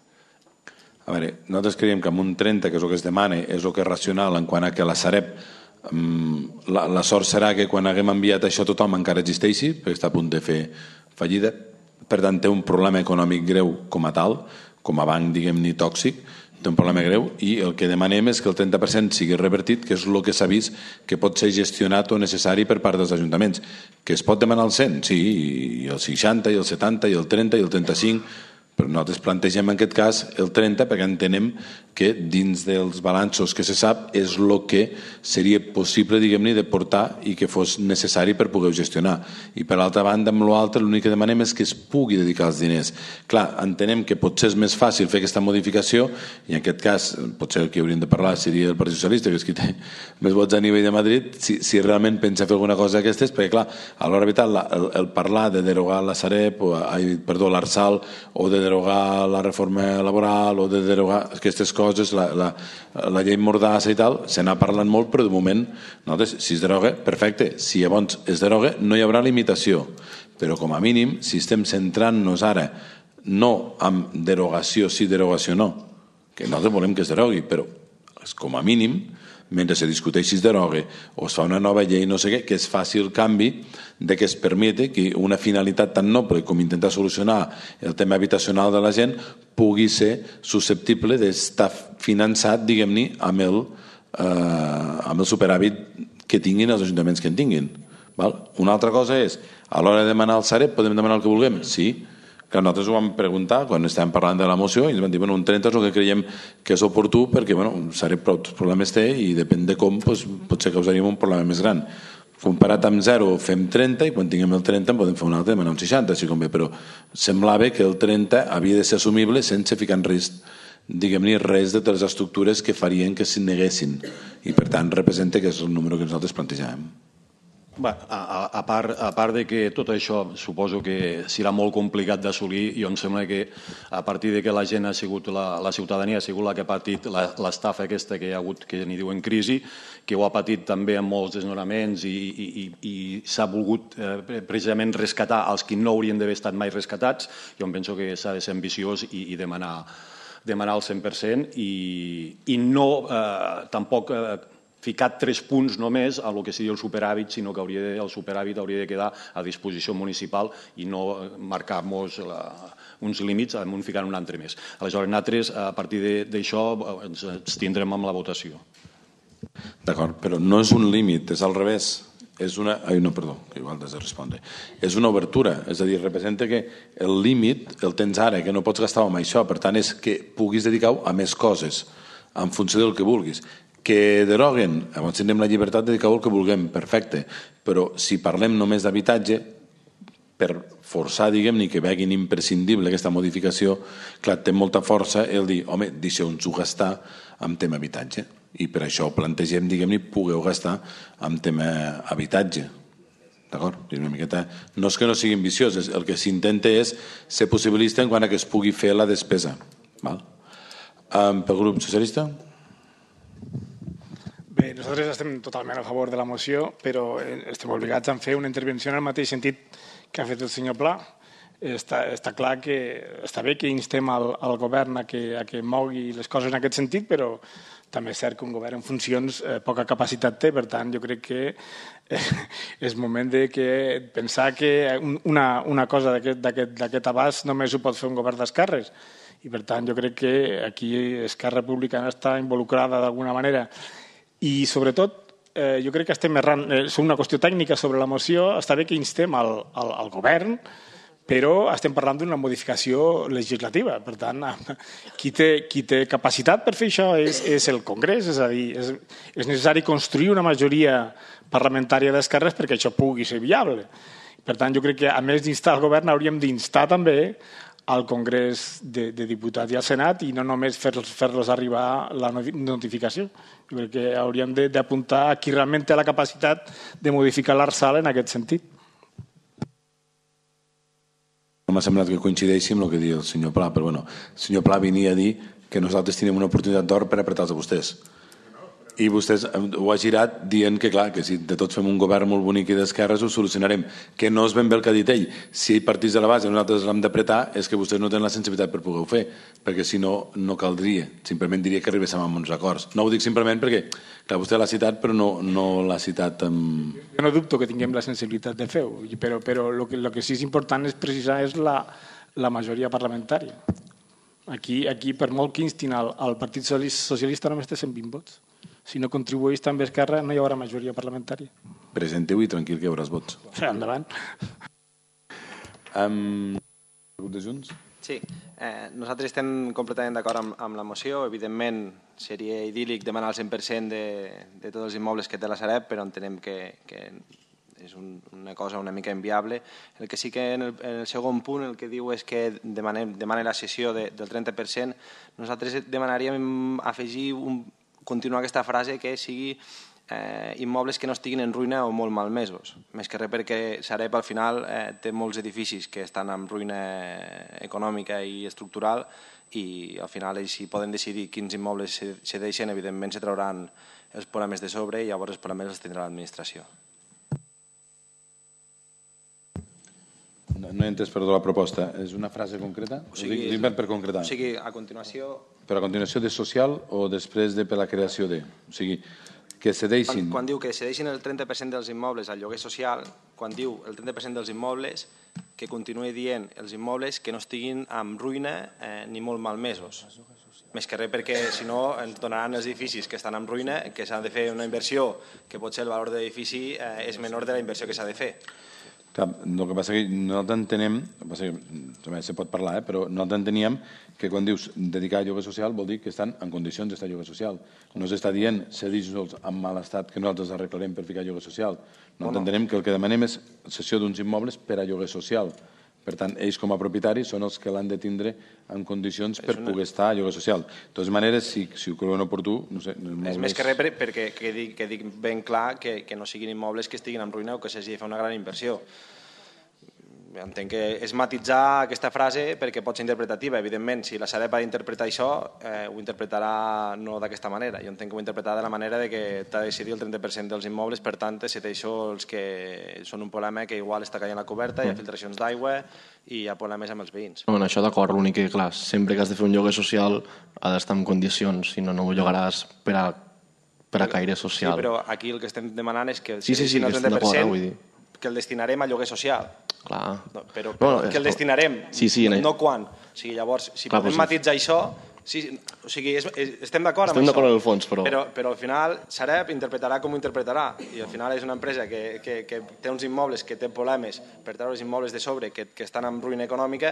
A veure, nosaltres creiem que amb un trenta, que és el que es demana, és el que és racional en quant a que la Sareb, la sort serà que quan haguem enviat això tothom encara existeixi, perquè està a punt de fer fallida. Per tant, té un problema econòmic greu com a tal, com a banc, diguem-ne, tòxic, té un problema greu, i el que demanem és que el trenta per cent sigui revertit, que és el que s'ha vist que pot ser gestionat o necessari per part dels ajuntaments. Que es pot demanar el cent, sí, i el seixanta, i el setanta, i el trenta, i el trenta-cinc, però nosaltres plantegem en aquest cas el trenta perquè entenem que dins dels balanços que se sap és el que seria possible, diguem-ne, de portar i que fos necessari per poder gestionar. I per l'altra banda, amb l'altre, l'únic que demanem és que es pugui dedicar els diners. Clar, entenem que potser és més fàcil fer aquesta modificació i en aquest cas, potser el que hauríem de parlar seria el Partit Socialista, que és qui té més vots a nivell de Madrid, si, si realment pensa fer alguna cosa d'aquestes, perquè clar, a l'hora de veritat, el, el parlar de derogar la Sareb, o, ai, perdó, l'Arsal, o de derogar la reforma laboral, o de derogar aquestes coses, la, la, la llei Mordassa i tal, se n'ha parlat molt, però de moment, nosaltres, si es deroga, perfecte. Si llavors es deroga, no hi haurà limitació. Però com a mínim, si estem centrant-nos ara no amb derogació, sí, derogació no, que nosaltres volem que es derogui, però com a mínim, mentre se discuteixi es derogue o es fa una nova llei, no sé què, que es faci el canvi de que es permeti que una finalitat tan noble com intentar solucionar el tema habitacional de la gent pugui ser susceptible d'estar finançat, diguem-ne, amb, el, eh, amb el superàvit que tinguin els ajuntaments que en tinguin. Val? Una altra cosa és, a l'hora de demanar el Sareb, podem demanar el que vulguem? Sí. Que nosaltres ho vam preguntar quan estàvem parlant de la moció i ens van dir, bueno, un trenta és el que creiem que és oportú perquè, bueno, Sareb prou problemes té i depèn de com, doncs, potser causaríem un problema més gran. Comparat amb zero fem trenta i quan tinguem el trenta en podem fer un altre, demanar un seixanta, si convé, però semblava que el trenta havia de ser assumible sense ficar en risc, diguem-ne, res de les estructures que farien que s'hi neguessin i per tant representa que és el número que nosaltres plantejàvem.
Bé, a, a, part, a part de que tot això suposo que serà molt complicat d'assolir, jo em sembla que a partir de que la gent ha sigut, la, la ciutadania ha sigut la que ha patit l'estafa aquesta que hi ha hagut, que n'hi diuen crisi, que ho ha patit també amb molts desnonaments i, i, i, i s'ha volgut eh, precisament rescatar els que no haurien d'haver estat mai rescatats, jo em penso que s'ha de ser ambiciós i, i demanar, demanar el cent per cent i, i no eh, tampoc... Eh, ficat tres punts només a lo que seria el superàvit, sinó que hauria de, el superàvit hauria de quedar a disposició municipal i no marcar-nos uns límits amb un ficant un altre més. Aleshores, nosaltres, a partir d'això, ens, ens tindrem amb la votació.
D'acord, però no és un límit, és al revés. És una... Ai, no, perdó, que igual has de respondre. És una obertura, és a dir, representa que el límit el tens ara, que no pots gastar amb això, per tant, és que puguis dedicar-ho a més coses, en funció del que vulguis. Que deroguen, llavors tindrem la llibertat de dedicar-ho al que vulguem, perfecte, però si parlem només d'habitatge, per forçar, diguem-ne, que veguin imprescindible aquesta modificació, clar, té molta força el dir, home, deixeu-nos-ho gastar en tema habitatge, i per això plantegem, diguem-ne, pugueu gastar en tema habitatge. D'acord? Una miqueta... No és que no sigui ambiciós, el que s'intenta és ser possibilista en quant a que es pugui fer la despesa. Val? Um, pel grup socialista?
Bé, nosaltres estem totalment a favor de la moció, però estem obligats a fer una intervenció en el mateix sentit que ha fet el senyor Pla. Està, està clar que està bé que instem al, al govern a que, a que mogui les coses en aquest sentit, però també és cert que un govern en funcions eh, poca capacitat té, per tant jo crec que eh, és moment de que pensar que una, una cosa d'aquest abast només ho pot fer un govern d'esquerres, i per tant jo crec que aquí Esquerra Republicana està involucrada d'alguna manera, i sobretot eh, jo crec que estem errant, eh, és una qüestió tècnica sobre la moció, està bé que instem al, al, al govern, però estem parlant d'una modificació legislativa. Per tant, qui té, qui té capacitat per fer això és, és el Congrés, és a dir, és, és necessari construir una majoria parlamentària d'esquerres perquè això pugui ser viable. Per tant, jo crec que a més d'instar el govern hauríem d'instar també al Congrés de, de Diputats i al Senat i no només fer-los fer-los arribar la notificació. Jo crec que hauríem d'apuntar a qui realment té la capacitat de modificar l'Arsal en aquest sentit.
No m'ha semblat que coincideixi amb el que diu el senyor Pla, però bueno, el senyor Pla venia a dir que nosaltres teníem una oportunitat d'or per apretar-los a vostès. I vostès ho ha girat dient que, clar, que si de tots fem un govern molt bonic i d'esquerres ho solucionarem, que no és ben bé el que ha dit ell. Si ell partís de la base i nosaltres l'hem d'apretar és que vostès no tenen la sensibilitat per poder-ho fer, perquè si no, no caldria. Simplement diria que arribéssim a uns acords. No ho dic simplement perquè, clar, vostè l'ha citat, però no, no l'ha citat amb...
Jo no dubto que tinguem la sensibilitat de fer-ho, però, però el, que, el que sí és important és precisar és la, la majoria parlamentària. Aquí, aquí, per molt que instin al, al Partit Socialista, només té cent vint vots. Si no contribueix també Esquerra, no hi haurà majoria parlamentària.
Presenteu i tranquil que hi hauràs vots.
Endavant.
Um, de Junts?
Sí, eh, nosaltres estem completament d'acord amb, amb la moció. Evidentment, seria idíl·lic demanar el cent per cent de, de tots els immobles que té la Sareb, però entenem que, que és un, una cosa una mica inviable. El que sí que en el, en el segon punt el que diu és que demanem, demana la cessió de, del trenta per cent. Nosaltres demanaríem afegir un continuar aquesta frase que sigui eh, immobles que no estiguin en ruïna o molt malmesos. Més que res perquè Sareb al final eh, té molts edificis que estan en ruïna econòmica i estructural i al final ells si poden decidir quins immobles se deixen, evidentment se trauran els problemes de sobre i llavors els problemes els tindrà l'administració.
No, no he entès, perdó, la proposta. És una frase concreta? O sigui, ho dic per concretar.
O sigui, a continuació...
Però a continuació de social o després de per la creació de... O sigui, que cedeixin...
Quan, quan diu que cedeixin el trenta per cent dels immobles al lloguer social, quan diu el trenta per cent dels immobles, que continuï dient els immobles que no estiguin en ruïna eh, ni molt malmesos. Més que res perquè, si no, ens donaran els edificis que estan en ruïna, que s'ha de fer una inversió, que potser el valor de l'edifici eh, és menor de la inversió que s'ha de fer.
Clar, el que passa que no t'entenem, també se pot parlar, eh, però no t'enteníem que quan dius dedicar a lloguer social vol dir que estan en condicions d'estar a lloguer social. No s'està dient cedir-los en mal estat que nosaltres arreglarem per ficar lloguer social. No t'entenem que el que demanem és cessió d'uns immobles per a lloguer social. Per tant, ells com a propietaris són els que l'han de tindre en condicions per una... poder estar a lloguer social. De totes maneres, si, si ho creuen oportú... No sé,
és més que res per, perquè que dic, que dic ben clar que, que no siguin immobles que estiguin en ruïna o que s'hagi de fer una gran inversió. Entenc que és matitzar aquesta frase perquè pot ser interpretativa. Evidentment, si la Sareb ha d'interpretar això, eh, ho interpretarà no d'aquesta manera. Jo entenc que ho interpretarà de la manera de que t'ha de decidir el trenta per cent dels immobles, per tant, se té això els que són un problema que igual està caient la coberta, hi ha filtracions d'aigua i hi ha problemes amb els veïns.
No, en això d'acord, l'únic que, clar, sempre que has de fer un lloguer social ha d'estar en condicions, si no, no ho llogaràs per a, per a caire social.
Sí, però aquí el que estem demanant és que el
sí, sí, sí, que estem d'acord, eh, vull dir.
Que el destinarem a lloguer social.
Clar.
No, però però no, que el destinarem,
sí, sí,
no, no quan. O sigui, llavors, si
clar,
podem
doncs
matitzar això, sí, o sigui, és, és, estem d'acord amb
estem
això.
Estem d'acord en el fons, però...
però... Però al final Sareb interpretarà com ho interpretarà i al final és una empresa que, que, que té uns immobles que té problemes per treure els immobles de sobre que, que estan en ruïna econòmica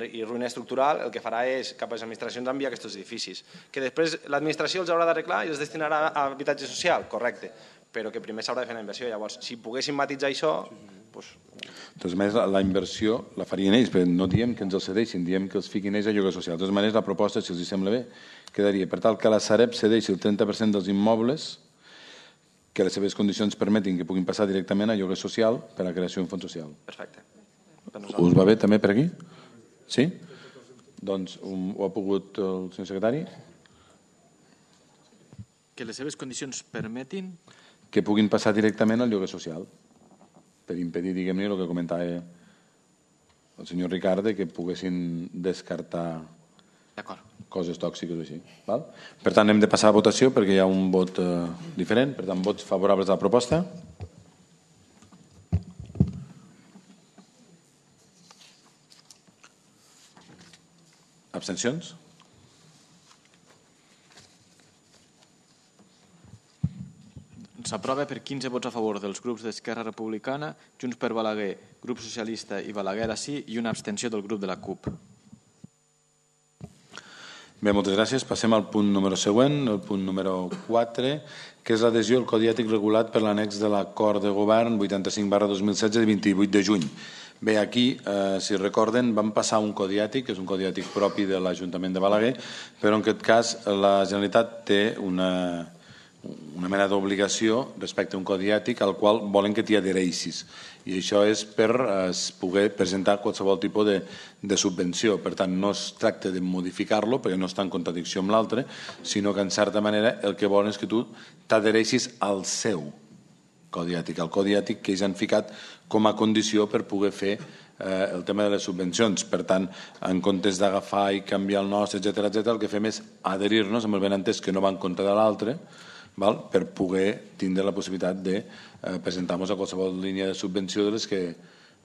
i ruïna estructural, el que farà és cap a les administracions enviar aquests edificis. Que després l'administració els haurà d'arreglar i els destinarà a habitatge social, correcte, però que primer s'haurà de fer la inversió. Llavors, si poguéssim matitzar això... Doncs...
De totes maneres, la inversió la farien ells, però no diem que ens els cedeixin, diem que els fiquin ells a lloguer social. De totes maneres, la proposta, si els sembla bé, quedaria per tal que la Sareb cedeixi el trenta per cent dels immobles que les seves condicions permetin que puguin passar directament a lloguer social per a la creació d'un fons social.
Perfecte.
Us va bé també per aquí? Sí? Doncs ho ha pogut el senyor secretari?
Que les seves condicions permetin...
Que puguin passar directament al lloguer social, per impedir, diguem-ne, el que comentava el senyor Ricard, que poguessin descartar...
D'acord.
coses tòxiques o així. Val? Per tant, hem de passar a votació perquè hi ha un vot eh, diferent. Per tant, vots favorables a la proposta. Abstencions?
S'aprova per quinze vots a favor dels grups d'Esquerra Republicana, Junts per Balaguer, Grup Socialista i Balaguer a sí i una abstenció del grup de la CUP.
Bé, moltes gràcies. Passem al punt número següent, el punt número quatre, que és l'adhesió al Codi Ètic regulat per l'annex de l'acord de govern vuitanta-cinc barra dos mil setze de vint-i-vuit de juny. Bé, aquí, eh, si recorden, vam passar un Codi Ètic, que és un Codi Ètic propi de l'Ajuntament de Balaguer, però en aquest cas la Generalitat té una... una mena d'obligació respecte a un codi ètic al qual volen que t'hi adhereixis. I això és per eh, poder presentar qualsevol tipus de, de subvenció. Per tant, no es tracta de modificar-lo, perquè no està en contradicció amb l'altre, sinó que, en certa manera, el que volen és que tu t'adhereixis al seu codi ètic, al codi ètic que ells han ficat com a condició per poder fer eh, el tema de les subvencions. Per tant, en comptes d'agafar i canviar el nostre, etcètera, etcètera, el que fem és adherir-nos amb el benentès que no va en compte de l'altre, val? Per poder tindre la possibilitat de eh, presentar-nos a qualsevol línia de subvenció de les, que,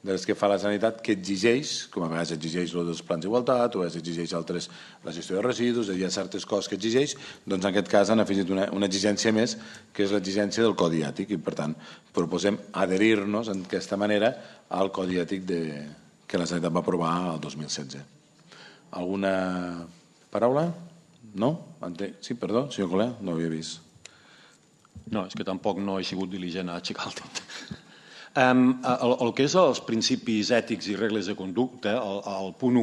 de les que fa la Generalitat, que exigeix, com a vegades exigeix el dels plans d'igualtat o exigeix altres, la gestió de residus, hi ha certes coses que exigeix, doncs en aquest cas han afegit una, una exigència més, que és l'exigència del Codi Ètic, i per tant proposem adherir-nos d'aquesta manera al Codi Ètic de, que la Generalitat va aprovar el dos mil setze. Alguna paraula? No? Sí, perdó, senyor Colea, no ho havia vist.
No, és que tampoc no he sigut diligent a aixecar el dit. Um, el, el que és els principis ètics i regles de conducta, el, el punt u,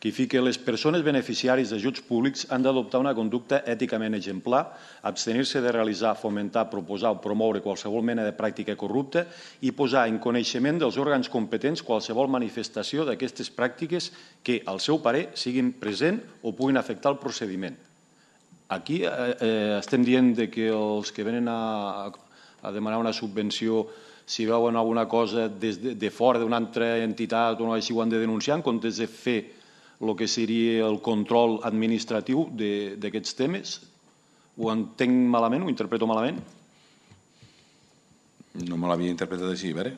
que fica les persones beneficiàries d'ajuts públics han d'adoptar una conducta èticament exemplar, abstenir-se de realitzar, fomentar, proposar o promoure qualsevol mena de pràctica corrupta i posar en coneixement dels òrgans competents qualsevol manifestació d'aquestes pràctiques que, al seu parer, siguin present o puguin afectar el procediment. Aquí eh, eh, estem dient de que els que venen a, a demanar una subvenció, si veuen alguna cosa des de, de fora d'una altra entitat o així ho han de denunciar, en comptes de fer el que seria el control administratiu d'aquests temes. Ho entenc malament, ho interpreto malament?
No me l'havia interpretat així, a veure.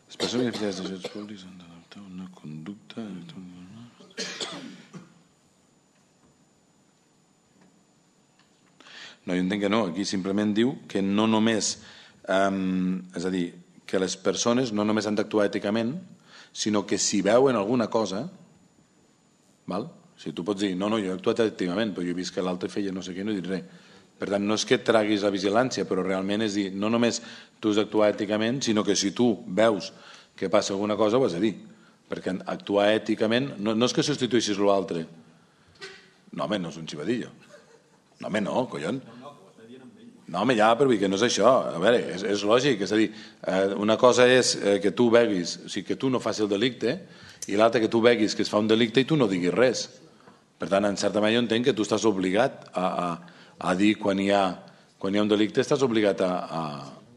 Les persones beneficiàries d'ajuts públics han d'adoptar una conducta... No, jo entenc que no. Aquí simplement diu que no només, eh, és a dir, que les persones no només han d'actuar èticament, sinó que si veuen alguna cosa, val? Si tu pots dir, no, no, jo he actuat èticament, però jo he vist que l'altre feia no sé què, no he dit res. Per tant, no és que et traguis la vigilància, però realment és dir, no només tu has d'actuar èticament, sinó que si tu veus que passa alguna cosa, ho has de dir. Perquè actuar èticament no, no és que substitueixis l'altre. No, home, no és un xivadillo. No, home, no, collons. No, home, ja, però que no és això. A veure, és, és lògic. És a dir, eh, una cosa és eh, que tu veguis, o sigui, que tu no facis el delicte, i l'altra que tu veguis que es fa un delicte i tu no diguis res. Per tant, en certa manera jo entenc que tu estàs obligat a, a, a dir quan hi, ha, quan hi ha un delicte, estàs obligat a, a,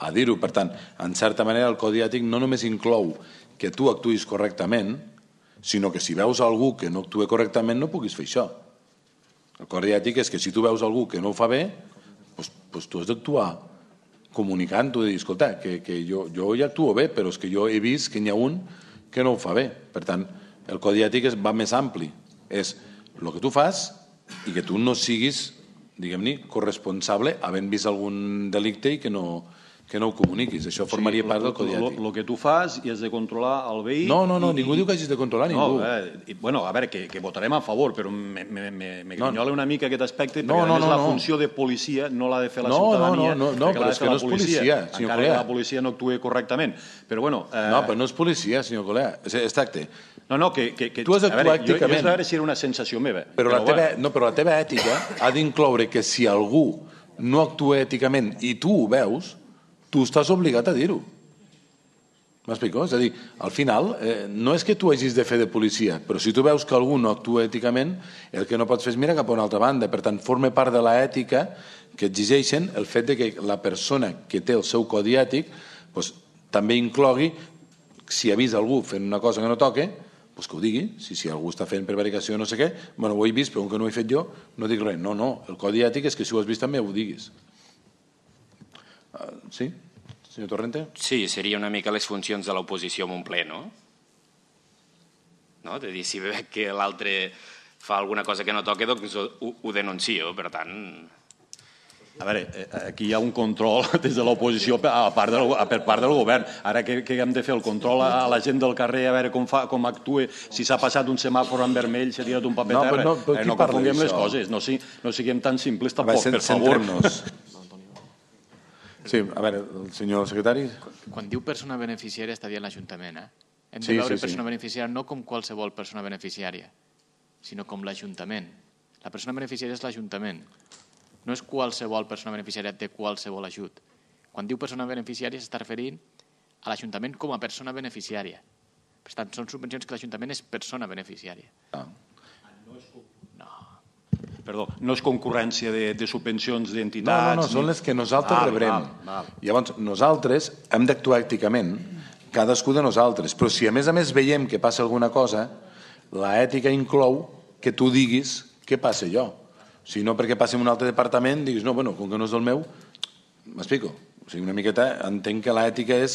a dir-ho. Per tant, en certa manera el Codi Ètic no només inclou que tu actuïs correctament, sinó que si veus algú que no actua correctament no puguis fer això. El Codi Ètic és que si tu veus algú que no ho fa bé, doncs, doncs tu has d'actuar comunicant, tu de dir, escolta, que, que jo, jo ja actuo bé, però és que jo he vist que n'hi ha un que no ho fa bé. Per tant, el Codi Ètic va més ampli. És el que tu fas i que tu no siguis, diguem-ne, corresponsable havent vist algun delicte i que no, que no ho comuniquis. Això formaria sí, part del Codi Ètic.
El que tu fas i has de controlar el veí...
No, no, no,
i...
ningú diu que hagis de controlar ningú.
No, eh, bueno, a veure, que, que votarem a favor, però me, me, me, me grinyola no. una mica aquest aspecte,
no,
perquè
no,
a més
no,
la
no.
funció de policia no l'ha de fer la
no,
ciutadania,
no, no, no, no, però és que no és policia, policia senyor
encara
Colea.
que la policia no actuï correctament. Però bueno... Eh...
No, però no és policia, senyor Colea. És tracte.
No, no, que... que, que
tu has d'actuar èticament.
Jo, jo veure si era una sensació meva.
Però, però, la teva, no, però la teva ètica ha d'incloure que si algú no actua èticament i tu ho veus, tu estàs obligat a dir-ho. M'explico? És a dir, al final, eh, no és que tu hagis de fer de policia, però si tu veus que algú no actua èticament, el que no pots fer és mirar cap a una altra banda. Per tant, forma part de l'ètica que exigeixen el fet de que la persona que té el seu codi ètic doncs, també inclogui, si ha vist algú fent una cosa que no toque, doncs que ho digui. Si, si algú està fent prevaricació o no sé què, bueno, ho he vist, però com que no ho he fet jo, no dic res. No, no, el codi ètic és que si ho has vist també ho diguis. Uh, sí? Senyor Torrente?
Sí, seria una mica les funcions de l'oposició en un ple, no? No? De dir, si veig que l'altre fa alguna cosa que no toca, doncs ho, ho denuncio, per tant...
A veure, aquí hi ha un control des de l'oposició per part del govern. Ara que hem de fer el control a la gent del carrer, a veure com actua, si s'ha passat un semàfor en vermell, s'ha tirat un paper a terra. No confonguem les coses, no siguem tan simples tampoc, per favor.
Sí, a veure, el senyor secretari.
Quan diu persona beneficiària està dient l'Ajuntament, eh? Hem de veure persona beneficiària no com qualsevol persona beneficiària, sinó com l'Ajuntament. La persona beneficiària és l'Ajuntament. No és qualsevol persona beneficiària de qualsevol ajut. Quan diu persona beneficiària s'està referint a l'Ajuntament com a persona beneficiària. Per tant, són subvencions que l'Ajuntament és persona beneficiària.
Ah.
No.
Perdó, no és concurrència de subvencions d'entitats...
No, no, no, són les que nosaltres rebrem. Llavors, nosaltres hem d'actuar èticament, cadascú de nosaltres, però si a més a més veiem que passa alguna cosa, l'ètica inclou que tu diguis què passa allò. Si no perquè passi en un altre departament, diguis, no, bueno, com que no és del meu, m'explico. O sigui, una miqueta entenc que l'ètica és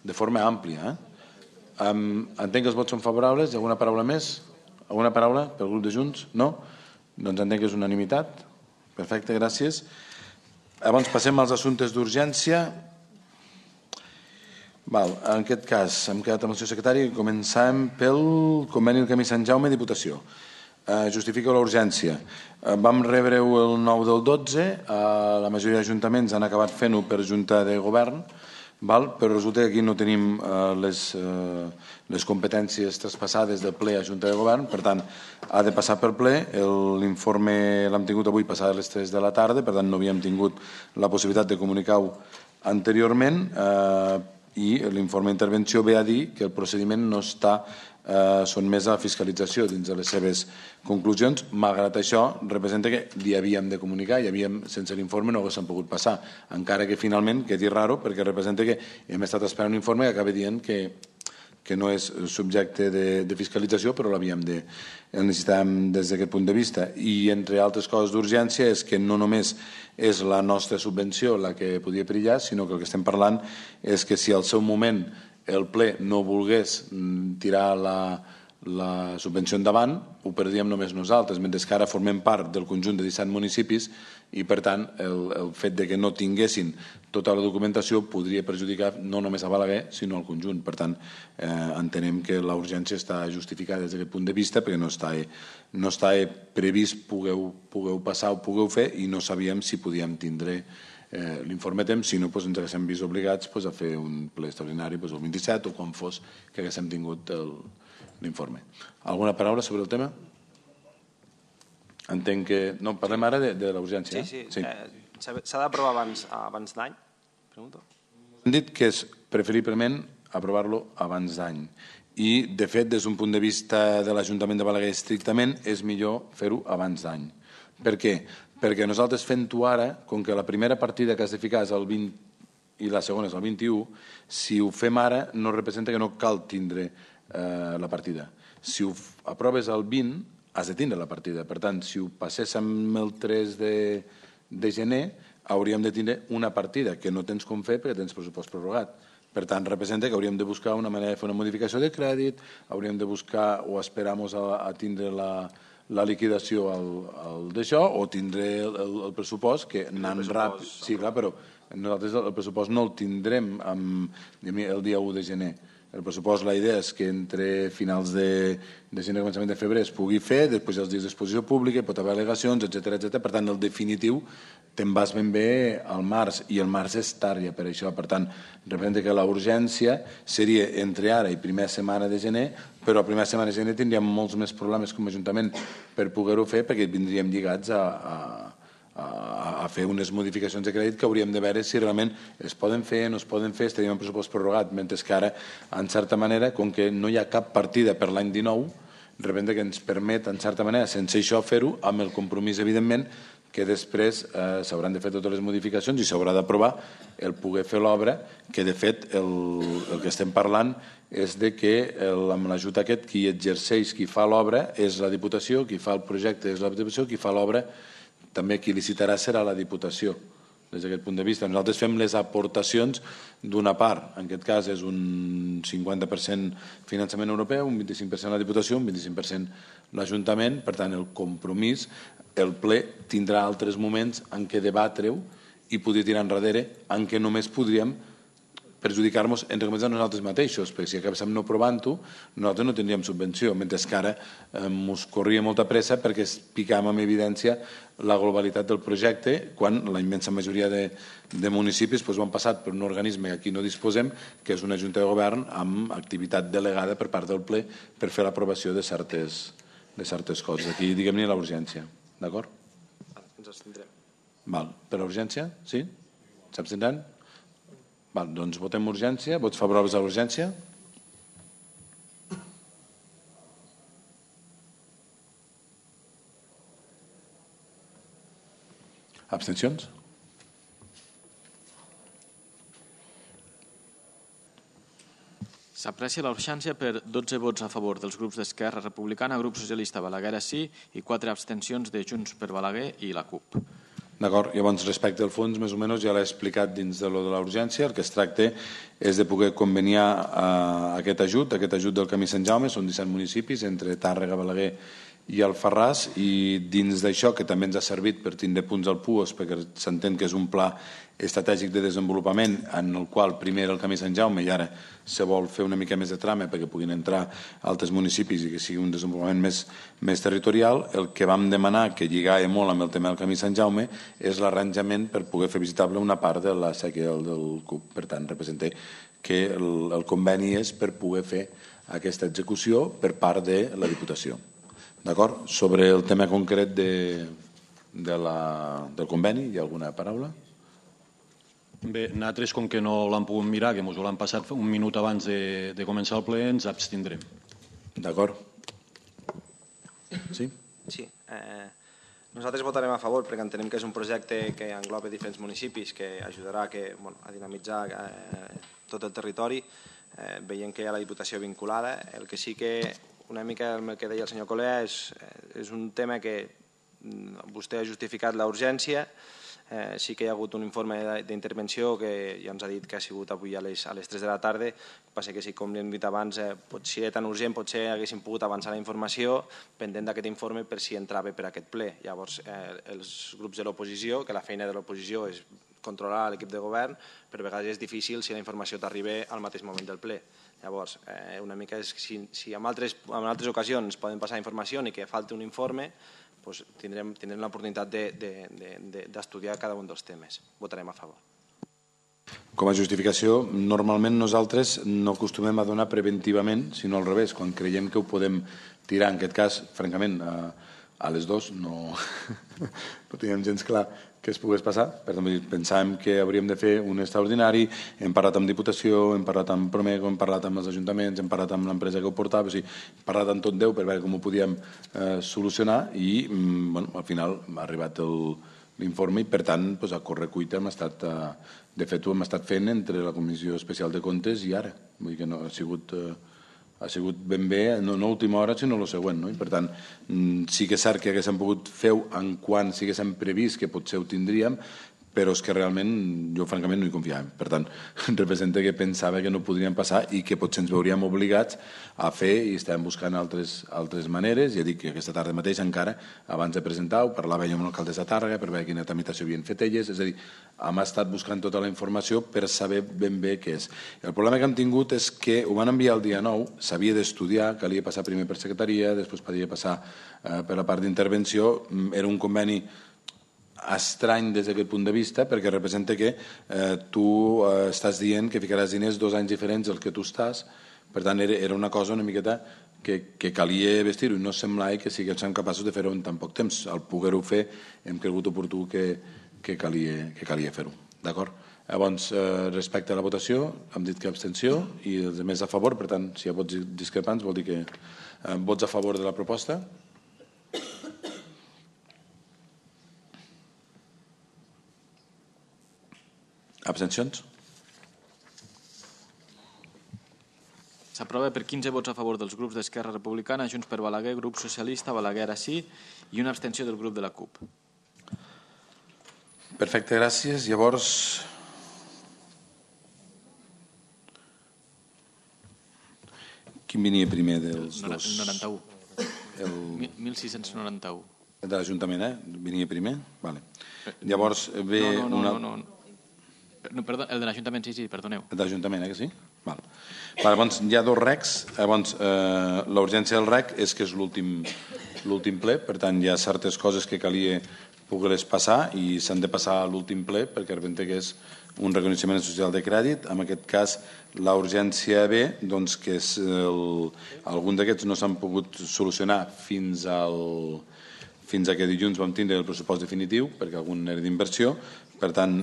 de forma àmplia. Entenc que els vots són favorables. Hi ha alguna paraula més? Alguna paraula pel grup de Junts? No? Doncs entenc que és unanimitat. Perfecte, gràcies. Llavors passem als assumptes d'urgència. En aquest cas, hem quedat amb el senyor secretari i començem pel conveni del Camí Sant Jaume, Diputació. Justifica la urgència. Vam rebre-ho el nou del dotze, la majoria d'ajuntaments han acabat fent-ho per Junta de Govern, però resulta que aquí no tenim les competències traspassades del ple a Junta de Govern, per tant, ha de passar per ple. L'informe l'hem tingut avui passat a les tres de la tarda, per tant, no havíem tingut la possibilitat de comunicar-ho anteriorment, i l'informe d'intervenció ve a dir que el procediment no està sotmès a fiscalització dins de les seves conclusions. Malgrat això, representa que li havíem de comunicar i sense l'informe no haguéssim pogut passar, encara que finalment quedi raro, perquè representa que hem estat esperant un informe que acaba dient que no és subjecte de fiscalització, però l'havíem de necessitàvem des d'aquest punt de vista. I entre altres coses d'urgència és que no només és la nostra subvenció la que podia perillar, sinó que el que estem parlant és que si al seu moment el ple no volgués tirar la subvenció endavant, ho perdíem només nosaltres, mentre que ara formem part del conjunt de disset municipis i, per tant, el fet que no tinguessin tota la documentació podria perjudicar no només a Balaguer, sinó al conjunt. Per tant, entenem que la urgència està justificada des d'aquest punt de vista perquè no està previst pogueu passar o pogueu fer i no sabíem si podíem tindre l'informe a temps, si no ens haguéssim vist obligats a fer un ple extraordinari el vint-i-set o quan fos que haguéssim tingut l'informe. Alguna paraula sobre el tema? Entenc que... No, parlem ara de la urgència.
Sí, sí. S'ha d'aprovar abans d'any? Pregunto.
Hem dit que és preferiblement aprovar-lo abans d'any. I, de fet, des d'un punt de vista de l'Ajuntament de Balaguer estrictament, és millor fer-ho abans d'any. Per què? Perquè nosaltres fent-ho ara, com que la primera partida que has de ficar és el vint i la segona és el vint-i-u, si ho fem ara no representa que no cal tindre la partida. Si ho aproves el vint, has de tindre la partida. Per tant, si ho passéssim el tres de gener, hauríem de tindre una partida, que no tens com fer perquè tens pressupost prorrogat. Per tant, representa que hauríem de buscar una manera de fer una modificació de crèdit, hauríem de buscar o esperar-nos a tindre la la liquidació d'això o tindré el pressupost que anant ràpid... Sí, clar, però nosaltres el pressupost no el tindrem el dia u de gener. El pressupost, la idea és que entre finals de gener i començament de febrer es pugui fer, després els dies d'exposició pública, hi pot haver al·legacions, etcètera. Per tant, el definitiu te'n vas ben bé al març, i el març és tard ja per això. Per tant, representa que la urgència seria entre ara i primera setmana de gener, però a primera setmana de gener tindríem molts més problemes com a Ajuntament per poder-ho fer, perquè vindríem lligats a fer unes modificacions de crèdit que hauríem de veure si realment es poden fer, no es poden fer, estaríem en pressupost prorrogat, mentre que ara, en certa manera, com que no hi ha cap partida per l'any dinou, representa que ens permet, en certa manera, sense això fer-ho, amb el compromís, evidentment, que després eh, s'hauran de fer totes les modificacions i s'haurà d'aprovar el poder fer l'obra, que de fet el, el que estem parlant és de que el, amb l'ajut aquest qui exerceix, qui fa l'obra és la Diputació, qui fa el projecte és la Diputació, qui fa l'obra també qui licitarà serà la Diputació. Des d'aquest punt de vista, nosaltres fem les aportacions d'una part, en aquest cas és un cinquanta per cent finançament europeu, un vint-i-cinc per cent la Diputació, un vint-i-cinc per cent l'Ajuntament, per tant el compromís, el ple tindrà altres moments en què debatre-ho i poder tirar enrere, en què només podríem perjudicar-nos entre comès a nosaltres mateixos, perquè si acabéssim no provant-ho, nosaltres no tindríem subvenció, mentre que ara ens corria molta pressa perquè picàvem en evidència la globalitat del projecte, quan la immensa majoria de, de municipis doncs, ho han passat per un organisme que aquí no disposem, que és una junta de govern amb activitat delegada per part del ple per fer l'aprovació de certes, de certes coses. Aquí, diguem-ne, la urgència. D'acord?
Ens abstindrem.
Val. Per urgència? Sí? S'abstindran? Val, doncs votem urgència. Vots favorables a l'urgència? Abstencions?
S'aprecia la urgència per dotze vots a favor dels grups d'Esquerra Republicana, Grup Socialista Balaguer sí i quatre abstencions de Junts per Balaguer i la CUP.
D'acord, llavors respecte al fons, més o menys ja l'he explicat dins de lo de la urgència. El que es tracta és de poder conveniar eh, aquest ajut, aquest ajut del Camí Sant Jaume, són disset municipis entre Tàrrega, Balaguer i Alfarràs, i dins d'això, que també ens ha servit per tindre punts al P U O S, perquè s'entén que és un pla estratègic de desenvolupament en el qual primer era el Camí Sant Jaume i ara se vol fer una mica més de trama perquè puguin entrar altres municipis i que sigui un desenvolupament més, més territorial. El que vam demanar, que lligava molt amb el tema del Camí Sant Jaume, és l'arranjament per poder fer visitable una part de la sèquia del, del C U P. Per tant, representa que el, el conveni és per poder fer aquesta execució per part de la Diputació. D'acord? Sobre el tema concret de, de la, del conveni, hi ha alguna paraula?
Bé, nosaltres, com que no l'han pogut mirar, que ens ho l'han passat un minut abans de, de començar el ple, ens abstindrem.
D'acord. Sí?
Sí. Eh, nosaltres votarem a favor perquè entenem que és un projecte que engloba diferents municipis, que ajudarà que, bueno, a dinamitzar eh, tot el territori, eh, veient que hi ha la Diputació vinculada. El que sí que una mica el que deia el senyor Colea és, és un tema que vostè ha justificat la urgència. Eh, sí que hi ha hagut un informe d'intervenció que ja ens ha dit que ha sigut avui a les, a les tres de la tarda. Passa que, si, com li hem dit abans, eh, pot, si era tan urgent, potser haguéssim pogut avançar la informació pendent d'aquest informe per si entrava per aquest ple. Llavors, eh, els grups de l'oposició, que la feina de l'oposició és controlar l'equip de govern, per vegades és difícil si la informació t'arriba al mateix moment del ple. Llavors, eh, una mica és, si, si en, altres, en altres ocasions poden passar informació i que falti un informe, doncs tindrem, tindrem l'oportunitat d'estudiar de, de, de, cada un dels temes. Votarem a favor.
Com a justificació, normalment nosaltres no acostumem a donar preventivament, sinó al revés, quan creiem que ho podem tirar. En aquest cas, francament, a, a les dues no, no teníem gens clar que es pogués passar. Per tant, pensàvem que hauríem de fer un extraordinari, hem parlat amb Diputació, hem parlat amb Promego, hem parlat amb els ajuntaments, hem parlat amb l'empresa que ho portava, o sigui, hem parlat amb tot Déu per veure com ho podíem eh, solucionar i bueno, al final ha arribat l'informe i per tant doncs, a correcuita hem estat, eh, de fet ho hem estat fent entre la Comissió Especial de Comptes i ara, vull dir que no ha sigut... Eh, ha sigut ben bé, no, no a última hora, sinó el següent. No? I per tant, sí que és cert que haguéssim pogut fer-ho en quan si haguéssim previst que potser ho tindríem, però és que realment jo francament no hi confiava. Per tant, representa que pensava que no podrien passar i que potser ens veuríem obligats a fer i estàvem buscant altres, altres maneres. Ja dic que aquesta tarda mateix encara, abans de presentar-ho, parlava jo amb l'alcaldessa de Tàrrega per veure quina tramitació havien fet elles, és a dir, hem estat buscant tota la informació per saber ben bé què és. El problema que hem tingut és que ho van enviar el dia nou, s'havia d'estudiar, calia passar primer per secretaria, després podia passar eh, per la part d'intervenció, era un conveni estrany des d'aquest punt de vista perquè representa que eh, tu eh, estàs dient que ficaràs diners dos anys diferents del que tu estàs, per tant era, era una cosa una miqueta que, que calia vestir-ho i no semblava que siguéssim capaços de fer-ho en tan poc temps. Al poder-ho fer hem cregut oportú que, que calia, que calia fer-ho. D'acord? Llavors, eh, respecte a la votació, hem dit que abstenció i els altres a favor, per tant, si hi ha vots discrepants vol dir que eh, vots a favor de la proposta. Abstencions?
S'aprova per quinze vots a favor dels grups d'Esquerra Republicana, Junts per Balaguer, Grup Socialista, Balaguer sí i una abstenció del grup de la CUP.
Perfecte, gràcies. Llavors, quin venia primer dels
El
dos?
noranta-u.
El
mil sis-cents noranta-u.
de l'Ajuntament, eh? Venia primer? Vale. Llavors ve
No, no,
una...
no, no. No, perdó, el de l'Ajuntament, sí, sí, perdoneu.
El de l'Ajuntament, eh, que sí? Val. Val, llavors, hi ha dos recs. Llavors, eh, la urgència del rec és que és l'últim l'últim ple, per tant, hi ha certes coses que calia poder-les passar i s'han de passar a l'últim ple perquè representa que és un reconeixement social de crèdit. En aquest cas, la urgència B, doncs, que és el... algun d'aquests no s'han pogut solucionar fins al... fins a que dilluns vam tindre el pressupost definitiu, perquè algun era d'inversió. Per tant,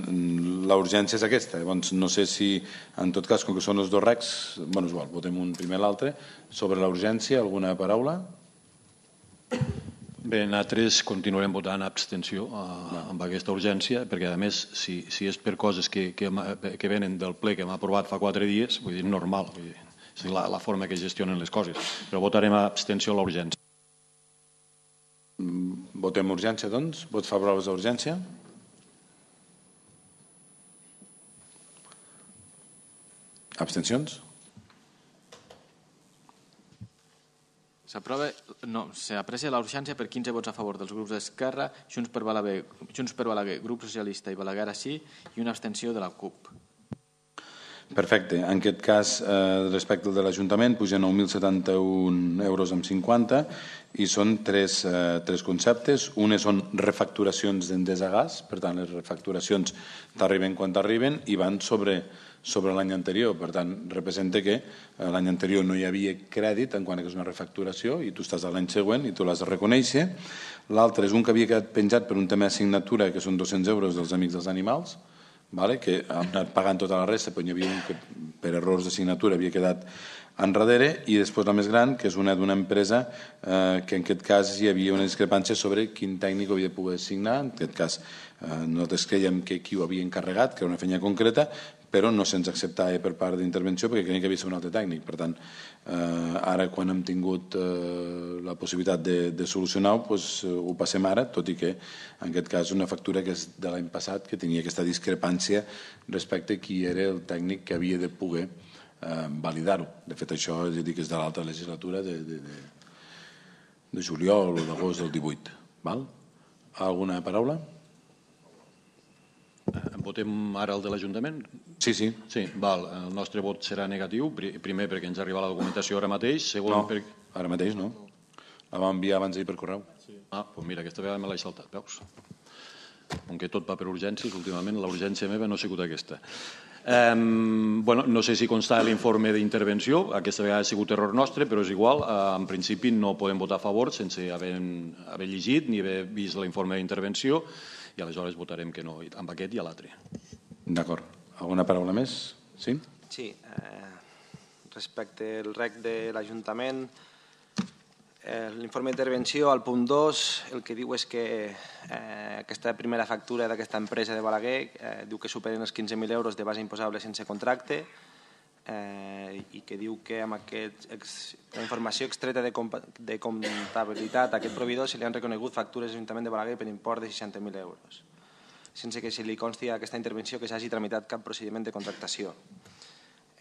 la urgència és aquesta. Llavors, no sé si, en tot cas, com que són els dos recs, bueno, és igual, votem un primer l'altre. Sobre la urgència, alguna paraula?
Bé, nosaltres continuarem votant abstenció eh, amb aquesta urgència, perquè, a més, si, si és per coses que, que, que venen del ple que hem aprovat fa quatre dies, vull dir, normal, vull dir, és la, la forma que gestionen les coses. Però votarem abstenció a la urgència.
Votem urgència, doncs. Vots favorables a urgència? Abstencions?
S'aprova, no, s'aprecia la urgència per quinze vots a favor dels grups d'Esquerra, Junts per Balaguer, Junts per Balaguer, Grup Socialista i Balaguer sí i una abstenció de la CUP.
Perfecte. En aquest cas, eh, respecte al de l'Ajuntament, puja nou mil setanta-un euros amb cinquanta i són tres, eh, tres conceptes. Una són refacturacions d'Endesa Gas, per tant, les refacturacions t'arriben quan t'arriben i van sobre, sobre l'any anterior. Per tant, representa que l'any anterior no hi havia crèdit en quant que és una refacturació i tu estàs a l'any següent i tu l'has de reconèixer. L'altre és un que havia quedat penjat per un tema d'assignatura, que són dos-cents euros dels Amics dels Animals, vale? Que han anat pagant tota la resta, però hi havia un que per errors de signatura havia quedat enrere, i després la més gran, que és una d'una empresa eh, que en aquest cas hi havia una discrepància sobre quin tècnic ho havia de poder assignar. En aquest cas eh, nosaltres creiem que qui ho havia encarregat, que era una feina concreta, però no se'ns acceptava per part d'intervenció perquè creiem que havia de ser un altre tècnic. Per tant, eh, ara quan hem tingut eh, la possibilitat de, de solucionar-ho, doncs, ho passem ara, tot i que en aquest cas una factura que és de l'any passat, que tenia aquesta discrepància respecte a qui era el tècnic que havia de poder eh, validar-ho. De fet, això és a dir que és de l'altra legislatura de, de, de, de juliol o d'agost del divuit. Val? Alguna paraula?
Votem ara el de l'Ajuntament?
Sí, sí.
Sí, val. El nostre vot serà negatiu, primer perquè ens arriba la documentació ara mateix, segon
No,
per...
ara mateix no. La vam enviar abans d'ahir per correu.
Ah, doncs mira, aquesta vegada me l'he saltat, veus? Com que tot va per urgències, últimament la urgència meva no ha sigut aquesta. Eh, bueno, no sé si consta l'informe d'intervenció, aquesta vegada ha sigut error nostre, però és igual, eh, en principi no podem votar a favor sense haver, haver llegit ni haver vist l'informe d'intervenció, i aleshores votarem que no amb aquest i a l'altre.
D'acord. Alguna paraula més? Sí?
Sí. Eh, respecte al rec de l'Ajuntament, eh, l'informe d'intervenció, al punt dos, el que diu és que eh, aquesta primera factura d'aquesta empresa de Balaguer eh, diu que superen els quinze mil euros de base imposable sense contracte, eh, i que diu que amb aquest, ex, la informació extreta de, de comptabilitat a aquest proveïdor se li han reconegut factures a l'Ajuntament de Balaguer per import de seixanta mil euros, sense que se li consti a aquesta intervenció que s'hagi tramitat cap procediment de contractació.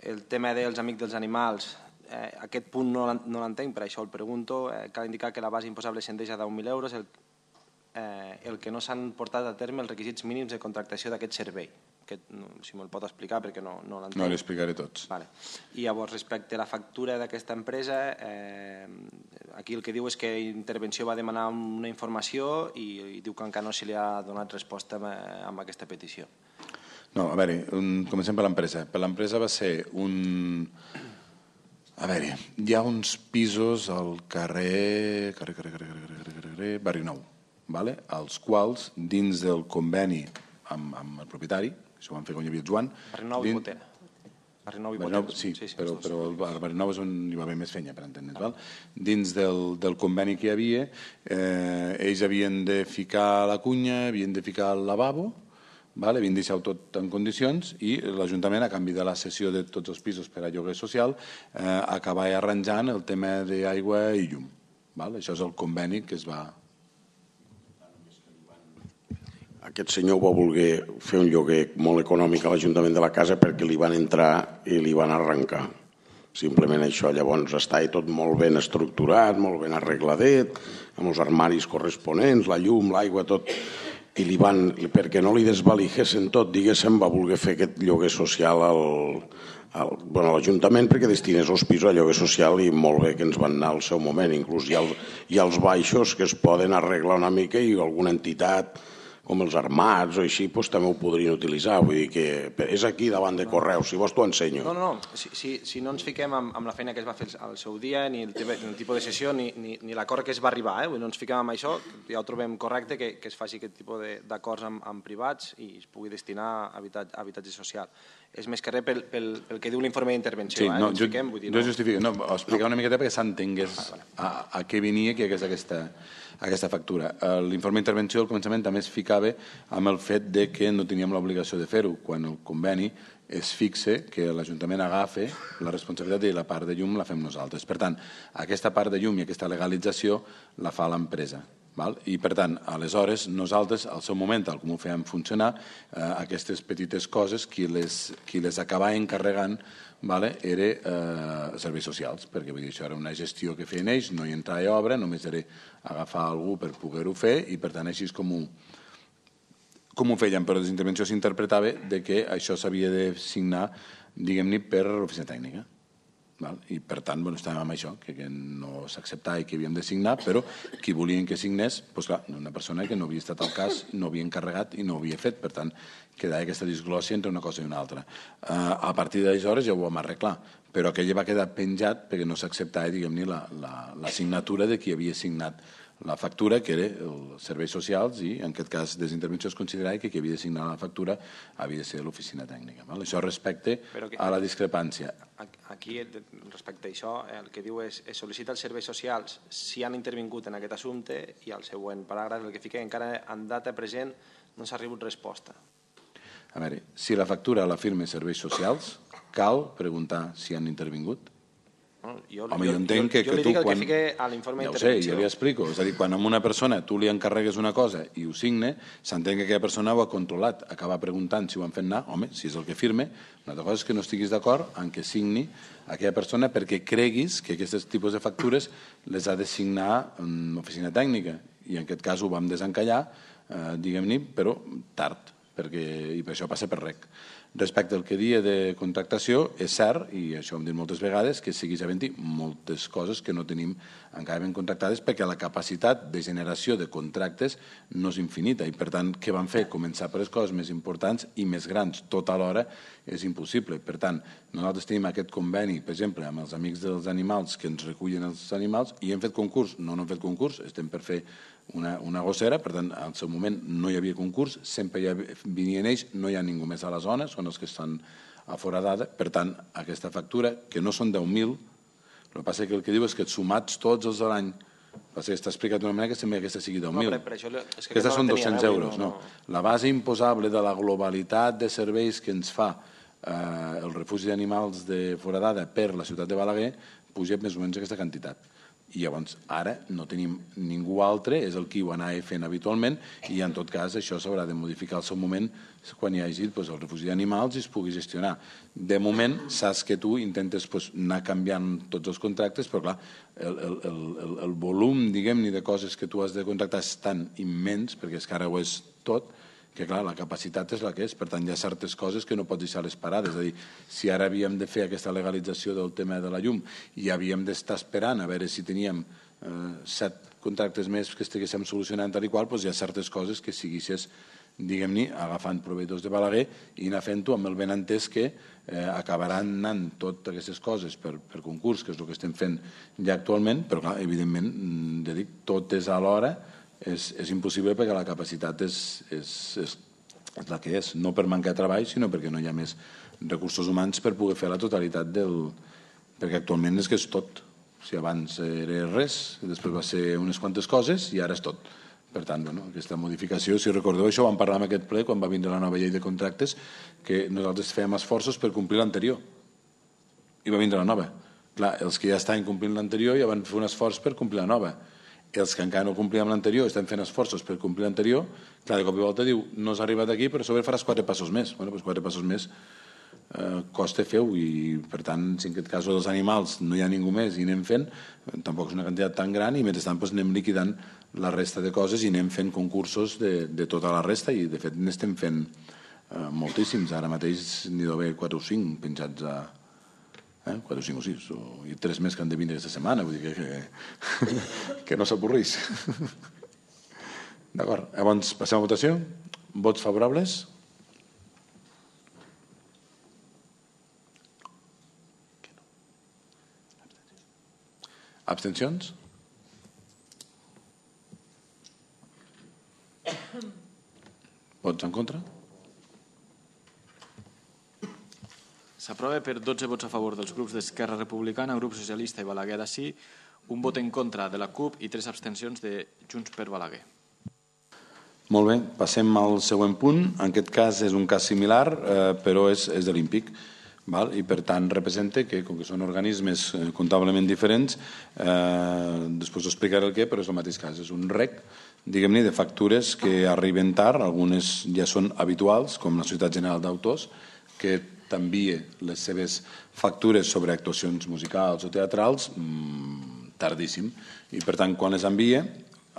El tema dels Amics dels Animals, eh, aquest punt no l'entenc, per això el pregunto. Eh, cal indicar que la base imposable ascendeix a deu mil euros, el, eh, el que no s'han portat a terme els requisits mínims de contractació d'aquest servei. Que, no, si me'l pot explicar, perquè no, no l'entenc.
No, li explicaré tots.
Vale. I llavors, respecte a la factura d'aquesta empresa, eh, aquí el que diu és que Intervenció va demanar una informació i, i diu que encara no se li ha donat resposta amb, amb aquesta petició.
No, a veure, un, comencem per l'empresa. Per l'empresa va ser un... A veure, hi ha uns pisos al carrer... carrer, carrer, carrer, carrer, carrer, carrer, carrer Barri Nou, vale? Els quals, dins del conveni amb, amb el propietari, això ho van fer quan hi havia el Joan...
Barri Nou i Botera. Barri Nou i Botera.
Sí, sí, sí, però, però el Barri Nou és on hi va haver més feina, per entendre's. Val? Dins del, del conveni que hi havia, eh, ells havien de ficar la cunya, havien de ficar el lavabo, vale? havien deixat tot en condicions i l'Ajuntament, a canvi de la cessió de tots els pisos per a lloguer social, eh, acaba arranjant el tema d'aigua i llum. Vale? Això és el conveni que es va...
Aquest senyor va voler fer un lloguer molt econòmic a l'Ajuntament de la casa perquè li van entrar i li van arrencar. Simplement això. Llavors està tot molt ben estructurat, molt ben arregladet, amb els armaris corresponents, la llum, l'aigua, tot. I li van, perquè no li desvaligessin tot, diguéssim, va voler fer aquest lloguer social al, al, bueno, a l'Ajuntament perquè destinés els pisos a lloguer social i molt bé que ens van anar al seu moment. Inclús hi ha, el, hi ha els baixos que es poden arreglar una mica i alguna entitat com els armats o així, doncs, també ho podrien utilitzar. Vull dir que és aquí davant de Correus, si vols t'ho ensenyo.
No, no, no. Si, si, si no ens fiquem amb, amb la feina que es va fer al seu dia, ni el, ni el tipus de sessió, ni, ni, ni l'acord que es va arribar, eh? Vull dir, no ens fiquem amb això, ja ho trobem correcte que, que es faci aquest tipus d'acords amb, amb privats i es pugui destinar a habitatge, a habitatge social. És més que res pel, pel, pel que diu l'informe d'intervenció.
Sí,
eh?
no,
no
jo,
fiquem, vull dir,
jo
no.
justifico, no, ho explicar una miqueta perquè s'entengués
ah, vale.
a, a què venia que és aquesta, aquesta factura. L'informe d'intervenció al començament també es ficava amb el fet de que no teníem l'obligació de fer-ho, quan el conveni es fixe que l'Ajuntament agafa la responsabilitat i la part de llum la fem nosaltres. Per tant, aquesta part de llum i aquesta legalització la fa l'empresa. Val? I per tant, aleshores, nosaltres, al seu moment, tal com ho fèiem funcionar, eh, aquestes petites coses, qui les, qui les acabava encarregant vale, era eh, serveis socials, perquè vull dir, això era una gestió que feien ells, no hi entrava a obra, només era agafar algú per poder-ho fer i per tant així és com ho, com ho feien, però des d'intervenció s'interpretava de que això s'havia de signar, diguem-ne, per l'oficina tècnica. Val? I per tant, bueno, estàvem amb això, que, que no s'acceptava i que havíem de signar, però qui volien que signés, doncs clar, una persona que no havia estat al cas, no havia encarregat i no ho havia fet, per tant, quedava aquesta disglòssia entre una cosa i una altra. Uh, a partir d'aleshores ja ho vam arreglar, però aquella va quedar penjat perquè no s'acceptava, diguem-ne, la, la, la signatura de qui havia signat la factura, que era els serveis socials, i en aquest cas des d'intervenció es considerava que qui havia de signar la factura havia de ser l'oficina tècnica. Val? Això respecte que, a la discrepància.
Aquí, respecte a això, el que diu és es sol·licita als serveis socials si han intervingut en aquest assumpte i al següent paràgraf el que fica encara en data present no s'ha rebut resposta.
A veure, si la factura la firma serveis socials, cal preguntar si han intervingut?
No, jo,
Home, jo,
jo
entenc que,
jo,
que
jo li
tu
dic el
quan...
que fique a l'informe
ja
d'intervenció.
Ja ho sé, ja li explico. És a dir, quan a una persona tu li encarregues una cosa i ho signe, s'entén que aquella persona ho ha controlat. Acaba preguntant si ho han fet anar, home, si és el que firme. Una altra cosa és que no estiguis d'acord en que signi aquella persona perquè creguis que aquests tipus de factures les ha de signar en oficina tècnica. I en aquest cas ho vam desencallar, eh, diguem-ne, però tard, perquè, i per això passa per rec. Respecte al que dia de contractació, és cert, i això ho hem dit moltes vegades, que segueix havent-hi moltes coses que no tenim encara ben contractades perquè la capacitat de generació de contractes no és infinita i per tant què van fer? Començar per les coses més importants i més grans tot alhora és impossible. Per tant, nosaltres tenim aquest conveni, per exemple, amb els Amics dels Animals que ens recullen els animals i hem fet concurs. No, no hem fet concurs, estem per fer una, una gossera, per tant, al seu moment no hi havia concurs, sempre hi havia, venien ells, no hi ha ningú més a la zona, són els que estan a foradada, per tant, aquesta factura, que no són deu mil, el que passa que el que diu és que sumats tots els de l'any, passa que està explicat d'una manera que sembla que aquesta sigui deu mil.
No, per, per això, és que
aquestes
no
són
tenia,
dos-cents
eh?
euros,
no,
no.
no.
La base imposable de la globalitat de serveis que ens fa eh, el refugi d'animals de foradada per la ciutat de Balaguer puja més o menys aquesta quantitat. I llavors ara no tenim ningú altre, és el qui ho anava fent habitualment i en tot cas això s'haurà de modificar al seu moment quan hi hagi doncs, el refugi d'animals i es pugui gestionar. De moment saps que tu intentes doncs, anar canviant tots els contractes, però clar, el, el, el, el volum diguem-ne de coses que tu has de contractar és tan immens, perquè és que ara ho és tot, que clar, la capacitat és la que és, per tant hi ha certes coses que no pots deixar les parades, és a dir, si ara havíem de fer aquesta legalització del tema de la llum i havíem d'estar esperant a veure si teníem eh, set contractes més que estiguéssim solucionant tal i qual, doncs hi ha certes coses que siguissis, diguem-ne, agafant proveïdors de Balaguer i anar fent-ho amb el ben entès que eh, acabaran anant totes aquestes coses per, per concurs, que és el que estem fent ja actualment, però clar, evidentment, ja dic, tot és a l'hora. És, és impossible perquè la capacitat és, és, és, és la que és, no per mancar de treball, sinó perquè no hi ha més recursos humans per poder fer la totalitat del... perquè actualment és que és tot. Si abans era res, després va ser unes quantes coses i ara és tot. Per tant, bueno, aquesta modificació, si recordeu, això ho vam parlar en aquest ple quan va vindre la nova llei de contractes, que nosaltres fèiem esforços per complir l'anterior. I va vindre la nova. Clar, els que ja estaven complint l'anterior ja van fer un esforç per complir la nova. Els que encara no complíem l'anterior estan fent esforços per complir l'anterior. Clar, de cop i volta diu, no has arribat aquí, però a sobre faràs quatre passos més. Bueno, doncs quatre passos més eh, costa feu, i per tant, si en aquest cas dels animals no hi ha ningú més i anem fent, tampoc és una quantitat tan gran, i mentrestant doncs, anem liquidant la resta de coses i anem fent concursos de, de tota la resta, i de fet n'estem fent eh, moltíssims. Ara mateix n'hi deu haver quatre o cinc penjats a Eh? quatre, cinc o sis, o, i tres més que han de vindre aquesta setmana, vull dir que, que, que no s'avorrís. D'acord, llavors passem a votació. Vots favorables? Abstencions? Vots en contra?
S'aprova per dotze vots a favor dels grups d'Esquerra Republicana, Grup Socialista i Balaguer sí, un vot en contra de la CUP i tres abstencions de Junts per Balaguer.
Molt bé, passem al següent punt. En aquest cas és un cas similar, eh, però és, és de l'Ímpic. Val? I per tant representa que, com que són organismes comptablement diferents, eh, després us explicaré el què, però és el mateix cas. És un rec, diguem-ne, de factures que arriben tard, algunes ja són habituals, com la Societat General d'Autors, que t'envia les seves factures sobre actuacions musicals o teatrals mmm, tardíssim. I per tant, quan les envia,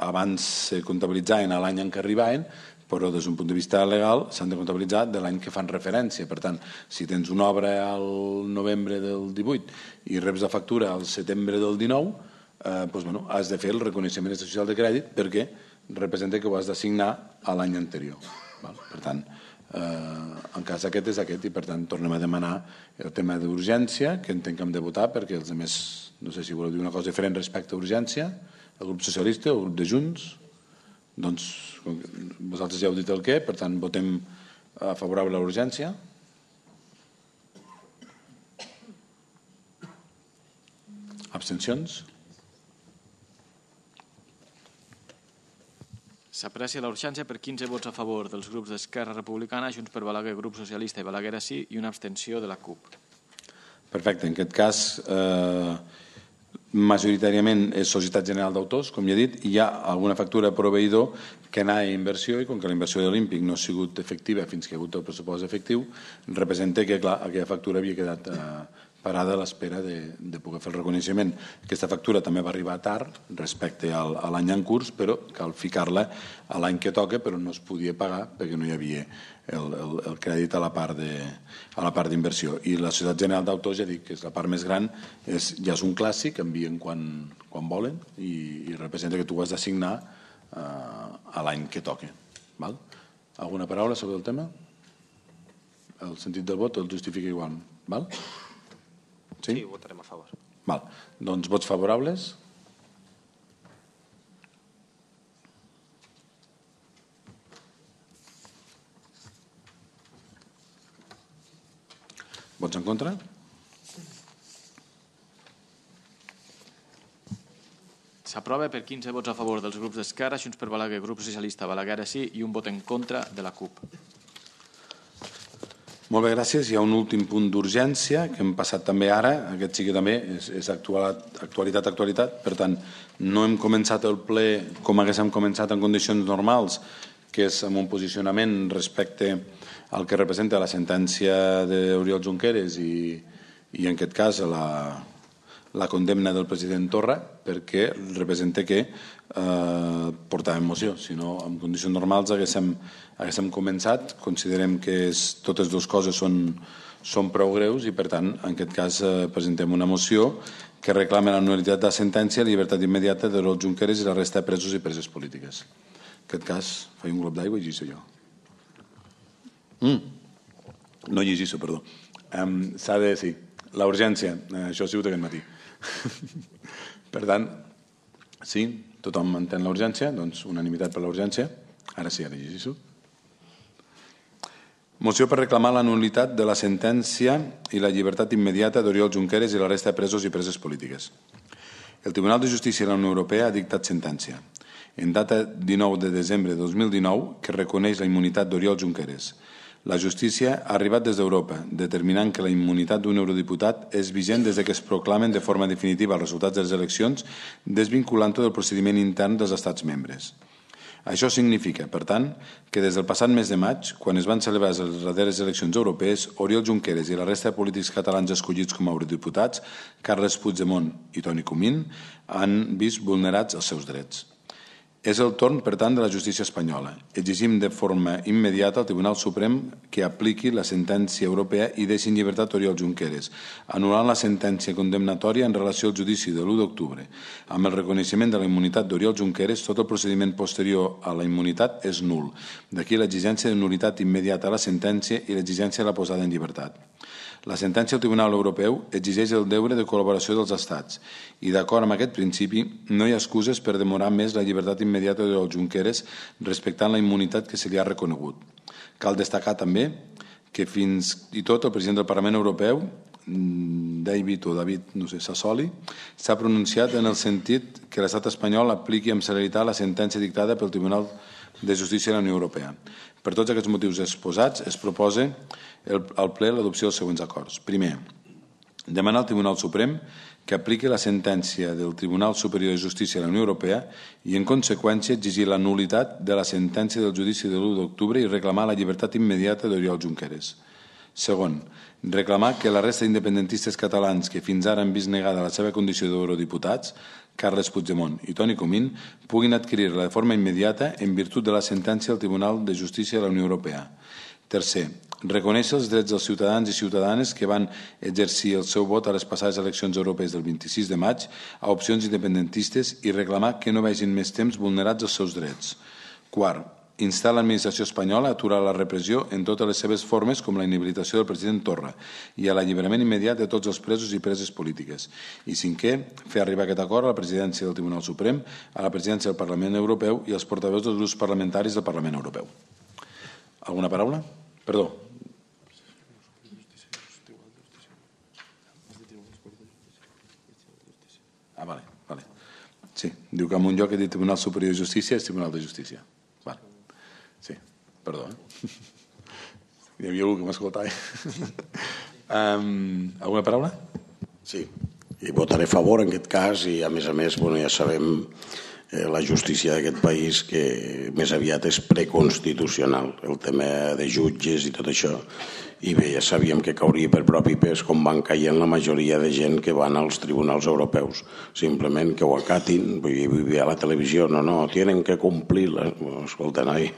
abans se comptabilitzaven a l'any en què arribaven, però des d'un punt de vista legal s'han de comptabilitzar de l'any que fan referència. Per tant, si tens una obra al novembre del divuit i reps la factura al setembre del dinou, eh, doncs, bueno, has de fer el reconeixement social de crèdit perquè representa que ho has d'assignar a l'any anterior. Val? Per tant, eh, en cas aquest és aquest, i per tant tornem a demanar el tema d'urgència, que entenc que hem de votar, perquè els altres, no sé si voleu dir una cosa diferent respecte a urgència, el grup socialista o el grup de Junts. Doncs vosaltres ja heu dit el què, per tant votem a favorable a l'urgència. Abstencions?
S'aprecia la urgència per quinze vots a favor dels grups d'Esquerra Republicana, Junts per Balaguer, Grup Socialista i Balaguer sí, i una abstenció de la CUP.
Perfecte. En aquest cas, eh, majoritàriament és Societat General d'Autors, com ja he dit, i hi ha alguna factura a proveïdor que anava a inversió, i com que la inversió de l'Olímpic no ha sigut efectiva fins que ha hagut el pressupost efectiu, representa que, clar, aquella factura havia quedat eh, parada a l'espera de, de poder fer el reconeixement. Aquesta factura també va arribar tard respecte al, a l'any en curs, però cal ficar-la a l'any que toca, però no es podia pagar perquè no hi havia el, el, el crèdit a la part de, a la part d'inversió. I la Societat General d'Autors, ja dic que és la part més gran, és, ja és un clàssic, envien quan, quan volen, i, i representa que tu has d'assignar eh, a l'any que toca. Val? Alguna paraula sobre el tema? El sentit del vot el justifica igual. Val? Sí?
Sí, votarem a favor.
Val. Doncs vots favorables? Vots en contra?
S'aprova per quinze vots a favor dels grups d'Esquerra, Junts per Balaguer, Grup Socialista, Balaguer sí, i un vot en contra de la CUP.
Molt bé, gràcies. Hi ha un últim punt d'urgència que hem passat també ara. Aquest sí que també és, és actualitat, actualitat. Per tant, no hem començat el ple com haguéssim començat en condicions normals, que és amb un posicionament respecte al que representa la sentència d'Oriol Junqueras i, i en aquest cas la, la condemna del president Torra, perquè representa que eh, portàvem moció. Si no, en condicions normals haguéssim, haguéssim començat. Considerem que és, totes dues coses són, són prou greus i, per tant, en aquest cas eh, presentem una moció que reclama la nul·litat de la sentència, la llibertat immediata d'Oriol Junqueras i la resta de presos i preses polítiques. En aquest cas, faig un glop d'aigua i llegeixo jo. Mm. No llegeixo, perdó. Um, S'ha de dir, la urgència, eh, això ha sigut aquest matí. Per tant, sí, tothom entén la urgència, doncs unanimitat per la urgència. Ara sí, ara llegeixo. Moció per reclamar la nul·litat de la sentència i la llibertat immediata d'Oriol Junqueras i la resta de presos i preses polítiques. El Tribunal de Justícia de la Unió Europea ha dictat sentència. en data dinou de desembre de dos mil dinou, que reconeix la immunitat d'Oriol Junqueras. La justícia ha arribat des d'Europa, determinant que la immunitat d'un eurodiputat és vigent des que es proclamen de forma definitiva els resultats de les eleccions, desvinculant-ho del procediment intern dels estats membres. Això significa, per tant, que des del passat mes de maig, quan es van celebrar les darreres eleccions europees, Oriol Junqueras i la resta de polítics catalans escollits com a eurodiputats, Carles Puigdemont i Toni Comín, han vist vulnerats els seus drets. És el torn, per tant, de la justícia espanyola. Exigim de forma immediata al Tribunal Suprem que apliqui la sentència europea i deixi en llibertat Oriol Junqueras, anul·lant la sentència condemnatòria en relació al judici de l'u d'octubre. Amb el reconeixement de la immunitat d'Oriol Junqueras, tot el procediment posterior a la immunitat és nul. D'aquí l'exigència de nul·litat immediata a la sentència i l'exigència de la posada en llibertat. La sentència del Tribunal Europeu exigeix el deure de col·laboració dels estats i, d'acord amb aquest principi, no hi ha excuses per demorar més la llibertat immediata d'Oriol Junqueras respectant la immunitat que se li ha reconegut. Cal destacar també que fins i tot el president del Parlament Europeu, David o David, no sé, Sassoli, s'ha pronunciat en el sentit que l'estat espanyol apliqui amb celeritat la sentència dictada pel Tribunal de Justícia de la Unió Europea. Per tots aquests motius exposats, es proposa al ple l'adopció dels següents acords. Primer, demanar al Tribunal Suprem que apliqui la sentència del Tribunal Superior de Justícia de la Unió Europea i, en conseqüència, exigir la nul·litat de la sentència del judici de l'u d'octubre i reclamar la llibertat immediata d'Oriol Junqueras. Segon, reclamar que la resta d'independentistes catalans que fins ara han vist negada la seva condició d'eurodiputats, Carles Puigdemont i Toni Comín, puguin adquirir-la de forma immediata en virtut de la sentència del Tribunal de Justícia de la Unió Europea. Tercer, reconèixer els drets dels ciutadans i ciutadanes que van exercir el seu vot a les passades eleccions europees del vint-i-sis de maig a opcions independentistes i reclamar que no vegin més temps vulnerats els seus drets. Quart, instar l'administració espanyola a aturar la repressió en totes les seves formes, com la inhabilitació del president Torra i a l'alliberament immediat de tots els presos i preses polítiques. I cinquè, fer arribar aquest acord a la presidència del Tribunal Suprem, a la presidència del Parlament Europeu i als portaveus dels grups parlamentaris del Parlament Europeu. Alguna paraula? Perdó. Ah, vale, vale. Sí, diu que en un lloc he dit Tribunal Superior de Justícia és Tribunal de Justícia. Vale. Sí, perdó. Eh? Hi havia algú que m'escoltava. um, alguna paraula?
Sí, i votaré a favor en aquest cas i a més a més bueno, ja sabem eh, la justícia d'aquest país que més aviat és preconstitucional, el tema de jutges i tot això. I bé, ja sabíem que cauria per propi pes com van caient la majoria de gent que van als tribunals europeus. Simplement que ho acatin, vull dir, a la televisió, no, no, tienen que complir. La... Bueno, escolta, noi,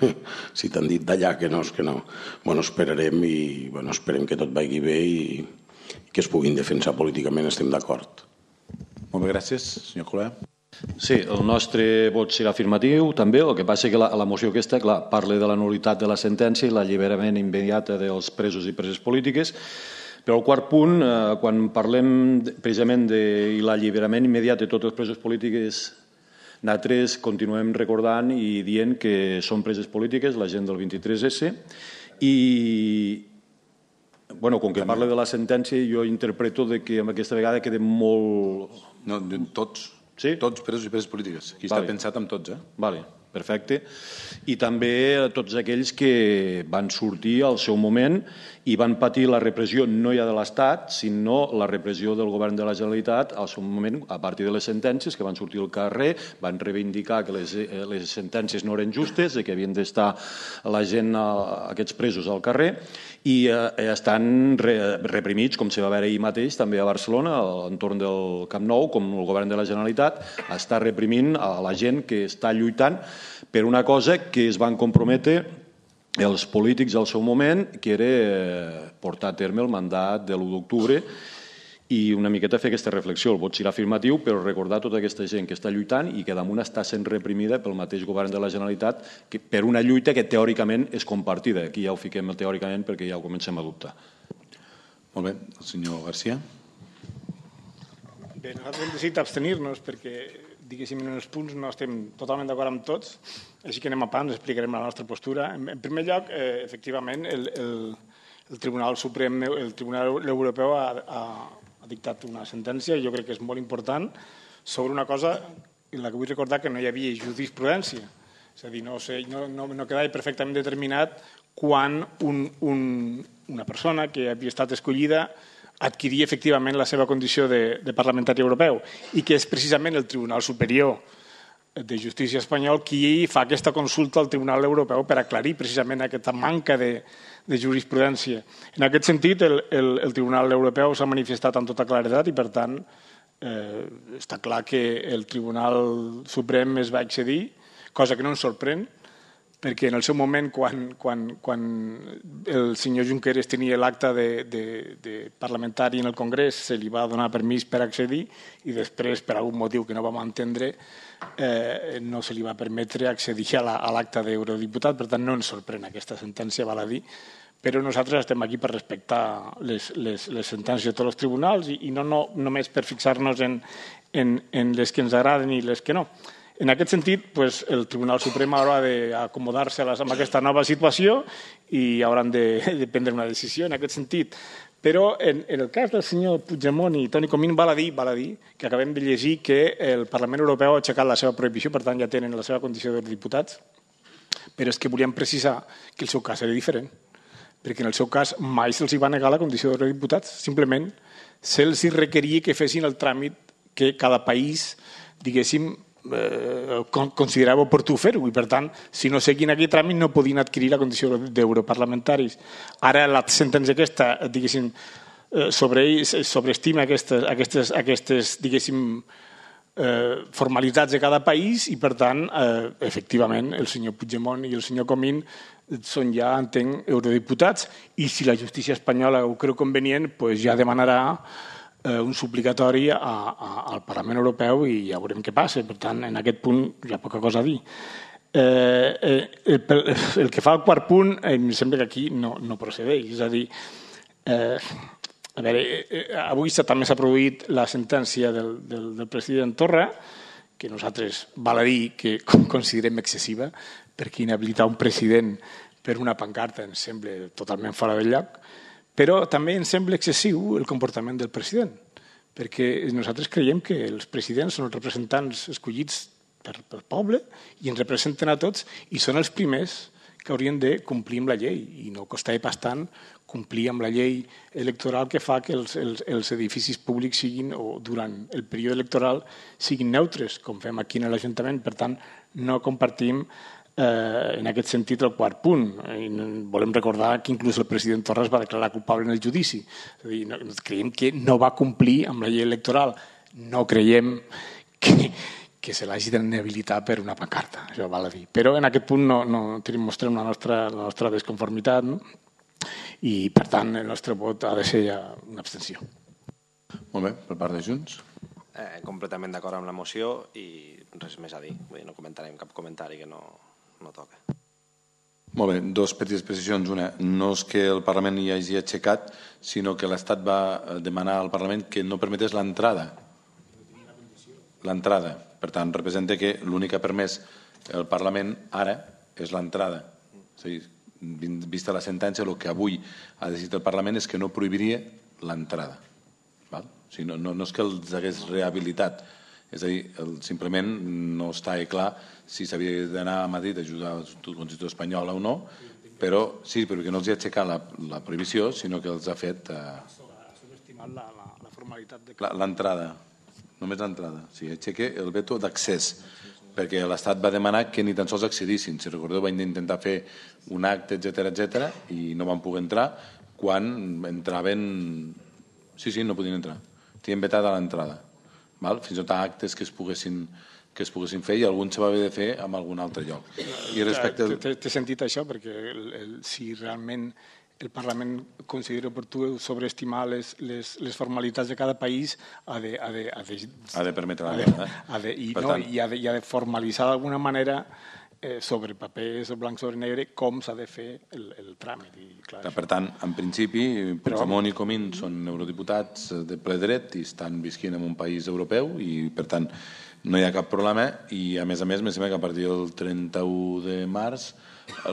si t'han dit d'allà que no, és que no. Bueno, esperarem i bueno, esperem que tot vagi bé i que es puguin defensar políticament, estem d'acord.
Molt bé, gràcies, senyor Colau.
Sí, el nostre vot serà afirmatiu també, el que passa que la, la moció aquesta, clar, parla de la nul·litat de la sentència i l'alliberament immediat dels presos i preses polítiques, però el quart punt, eh, quan parlem precisament de l'alliberament immediat de tots els presos polítiques, nosaltres continuem recordant i dient que són preses polítiques, la gent del vint-i-tres esse, i bueno, com que parla de la sentència, jo interpreto de que aquesta vegada queda molt...
No, tots.
Sí?
Tots presos i preses polítiques. Aquí vale. Està pensat amb tots, eh?
Vale, perfecte. I també tots aquells que van sortir al seu moment i van patir la repressió no ja de l'Estat, sinó la repressió del govern de la Generalitat al seu moment, a partir de les sentències que van sortir al carrer, van reivindicar que les, les sentències no eren justes, que havien d'estar la gent, aquests presos al carrer, i eh, estan re, reprimits, com se va veure ahir mateix, també a Barcelona, a l'entorn del Camp Nou, com el govern de la Generalitat està reprimint a la gent que està lluitant per una cosa que es van comprometre els polítics al seu moment, que era portar a terme el mandat de l'u d'octubre i una miqueta fer aquesta reflexió. El vot serà afirmatiu, però recordar tota aquesta gent que està lluitant i que damunt està sent reprimida pel mateix govern de la Generalitat que per una lluita que teòricament és compartida. Aquí ja ho fiquem teòricament perquè ja ho comencem a dubtar.
Molt bé. El senyor García.
Bé, nosaltres hem decidit abstenir-nos perquè, diguéssim, en els punts no estem totalment d'acord amb tots, així que anem a pams, explicarem la nostra postura. En, en primer lloc, eh, efectivament, el, el, el Tribunal Suprem, el Tribunal Europeu ha, ha, ha dictat una sentència, jo crec que és molt important, sobre una cosa la que vull recordar que no hi havia jurisprudència. És a dir, no, sé, no, no, no quedava perfectament determinat quan un, un, una persona que havia estat escollida adquiria efectivament la seva condició de, de parlamentari europeu i que és precisament el Tribunal Superior de Justícia espanyol qui fa aquesta consulta al Tribunal Europeu per aclarir precisament aquesta manca de, de jurisprudència. En aquest sentit, el, el, el Tribunal Europeu s'ha manifestat amb tota claredat i, per tant, eh, està clar que el Tribunal Suprem es va excedir, cosa que no ens sorprèn, perquè en el seu moment, quan, quan, quan el senyor Junqueras tenia l'acte de, de, de parlamentari en el Congrés, se li va donar permís per accedir i després, per algun motiu que no vam entendre, eh, no se li va permetre accedir a l'acte la, d'eurodiputat. Per tant, no ens sorprèn aquesta sentència, val a dir, però nosaltres estem aquí per respectar les, les, les sentències de tots els tribunals i, i no, no només per fixar-nos en, en, en les que ens agraden i les que no. En aquest sentit, pues, el Tribunal Suprem haurà d'acomodar-se amb aquesta nova situació i hauran de, de prendre una decisió en aquest sentit. Però en, en el cas del senyor Puigdemont i Toni Comín val a dir, val a dir que acabem de llegir que el Parlament Europeu ha aixecat la seva prohibició, per tant ja tenen la seva condició de diputats, però és que volíem precisar que el seu cas era diferent, perquè en el seu cas mai se'ls va negar la condició de diputats, simplement se'ls requeria que fessin el tràmit que cada país, diguéssim, Eh, considerava oportú fer-ho i, per tant, si no seguien aquell tràmit no podien adquirir la condició d'europarlamentaris. Ara la sentència aquesta, diguéssim, sobre, sobreestima aquestes, aquestes, aquestes diguéssim, eh, formalitats de cada país i, per tant, eh, efectivament, el senyor Puigdemont i el senyor Comín són ja, entenc, eurodiputats i si la justícia espanyola ho creu convenient, pues ja demanarà un suplicatori a, a, al Parlament Europeu i ja veurem què passa. Per tant, en aquest punt hi ha poca cosa a dir. Eh, eh, el, el que fa el quart punt, em sembla que aquí no, no procedeix. És a dir, eh, a veure, eh, avui també s'ha produït la sentència del, del, del president Torra, que nosaltres val a dir que considerem excessiva, perquè inhabilitar un president per una pancarta ens sembla totalment fora del lloc, però també ens sembla excessiu el comportament del president, perquè nosaltres creiem que els presidents són els representants escollits per, pel poble i ens representen a tots i són els primers que haurien de complir amb la llei i no costava pas tant complir amb la llei electoral que fa que els, els, els edificis públics siguin, o durant el període electoral, siguin neutres, com fem aquí en l'Ajuntament. Per tant, no compartim Eh, en aquest sentit el quart punt. I volem recordar que inclús el president Torra es va declarar culpable en el judici. És a dir, no, creiem que no va complir amb la llei electoral. No creiem que, que se l'hagi d'inhabilitar per una pancarta, això val a dir. Però en aquest punt no, no tenim, mostrem la nostra, la nostra desconformitat, no? I per tant el nostre vot ha de ser ja una abstenció.
Molt bé, per part de Junts.
Eh, completament d'acord amb la moció i res més a dir. Vull dir, no comentarem cap comentari que no... no toca.
Molt bé, dos petites precisions. Una, no és que el Parlament hi hagi aixecat, sinó que l'Estat va demanar al Parlament que no permetés l'entrada. L'entrada. Per tant, representa que l'únic que ha permès el Parlament ara és l'entrada. És a dir, vista la sentència, el que avui ha decidit el Parlament és que no prohibiria l'entrada. O sigui, no, no, no és que els hagués rehabilitat, és a dir, el, simplement no està clar si s'havia d'anar a Madrid a ajudar a la Constitució espanyola o no, però sí, perquè no els ha aixecat la, la prohibició, sinó que els ha fet... Eh,
ha subestimat la, la, la formalitat de...
L'entrada, només l'entrada. O sigui, aixeca el veto d'accés, perquè l'Estat va demanar que ni tan sols accedissin. Si recordeu, van intentar fer un acte, etcètera, etcètera, i no van poder entrar quan entraven... Sí, sí, no podien entrar. Tenien vetat a l'entrada. Fins i tot actes que es poguessin que es poguessin fer i alguns se va haver de fer en algun altre lloc. I respecte...
T'he sentit això perquè el, el, si realment el Parlament considera oportú sobreestimar les, les, les formalitats de cada país ha de... Ha de, ha de,
ha de permetre la
ha ha de, i, no, tant... i, ha de, i ha de formalitzar d'alguna manera eh, sobre paper, sobre blanc sobre negre, com s'ha de fer el, el tràmit. I, clar,
per tant, en principi, Puigdemont i Comín són eurodiputats de ple dret i estan visquint en un país europeu i, per tant, no hi ha cap problema i, a més a més, me sembla que a partir del trenta-u de març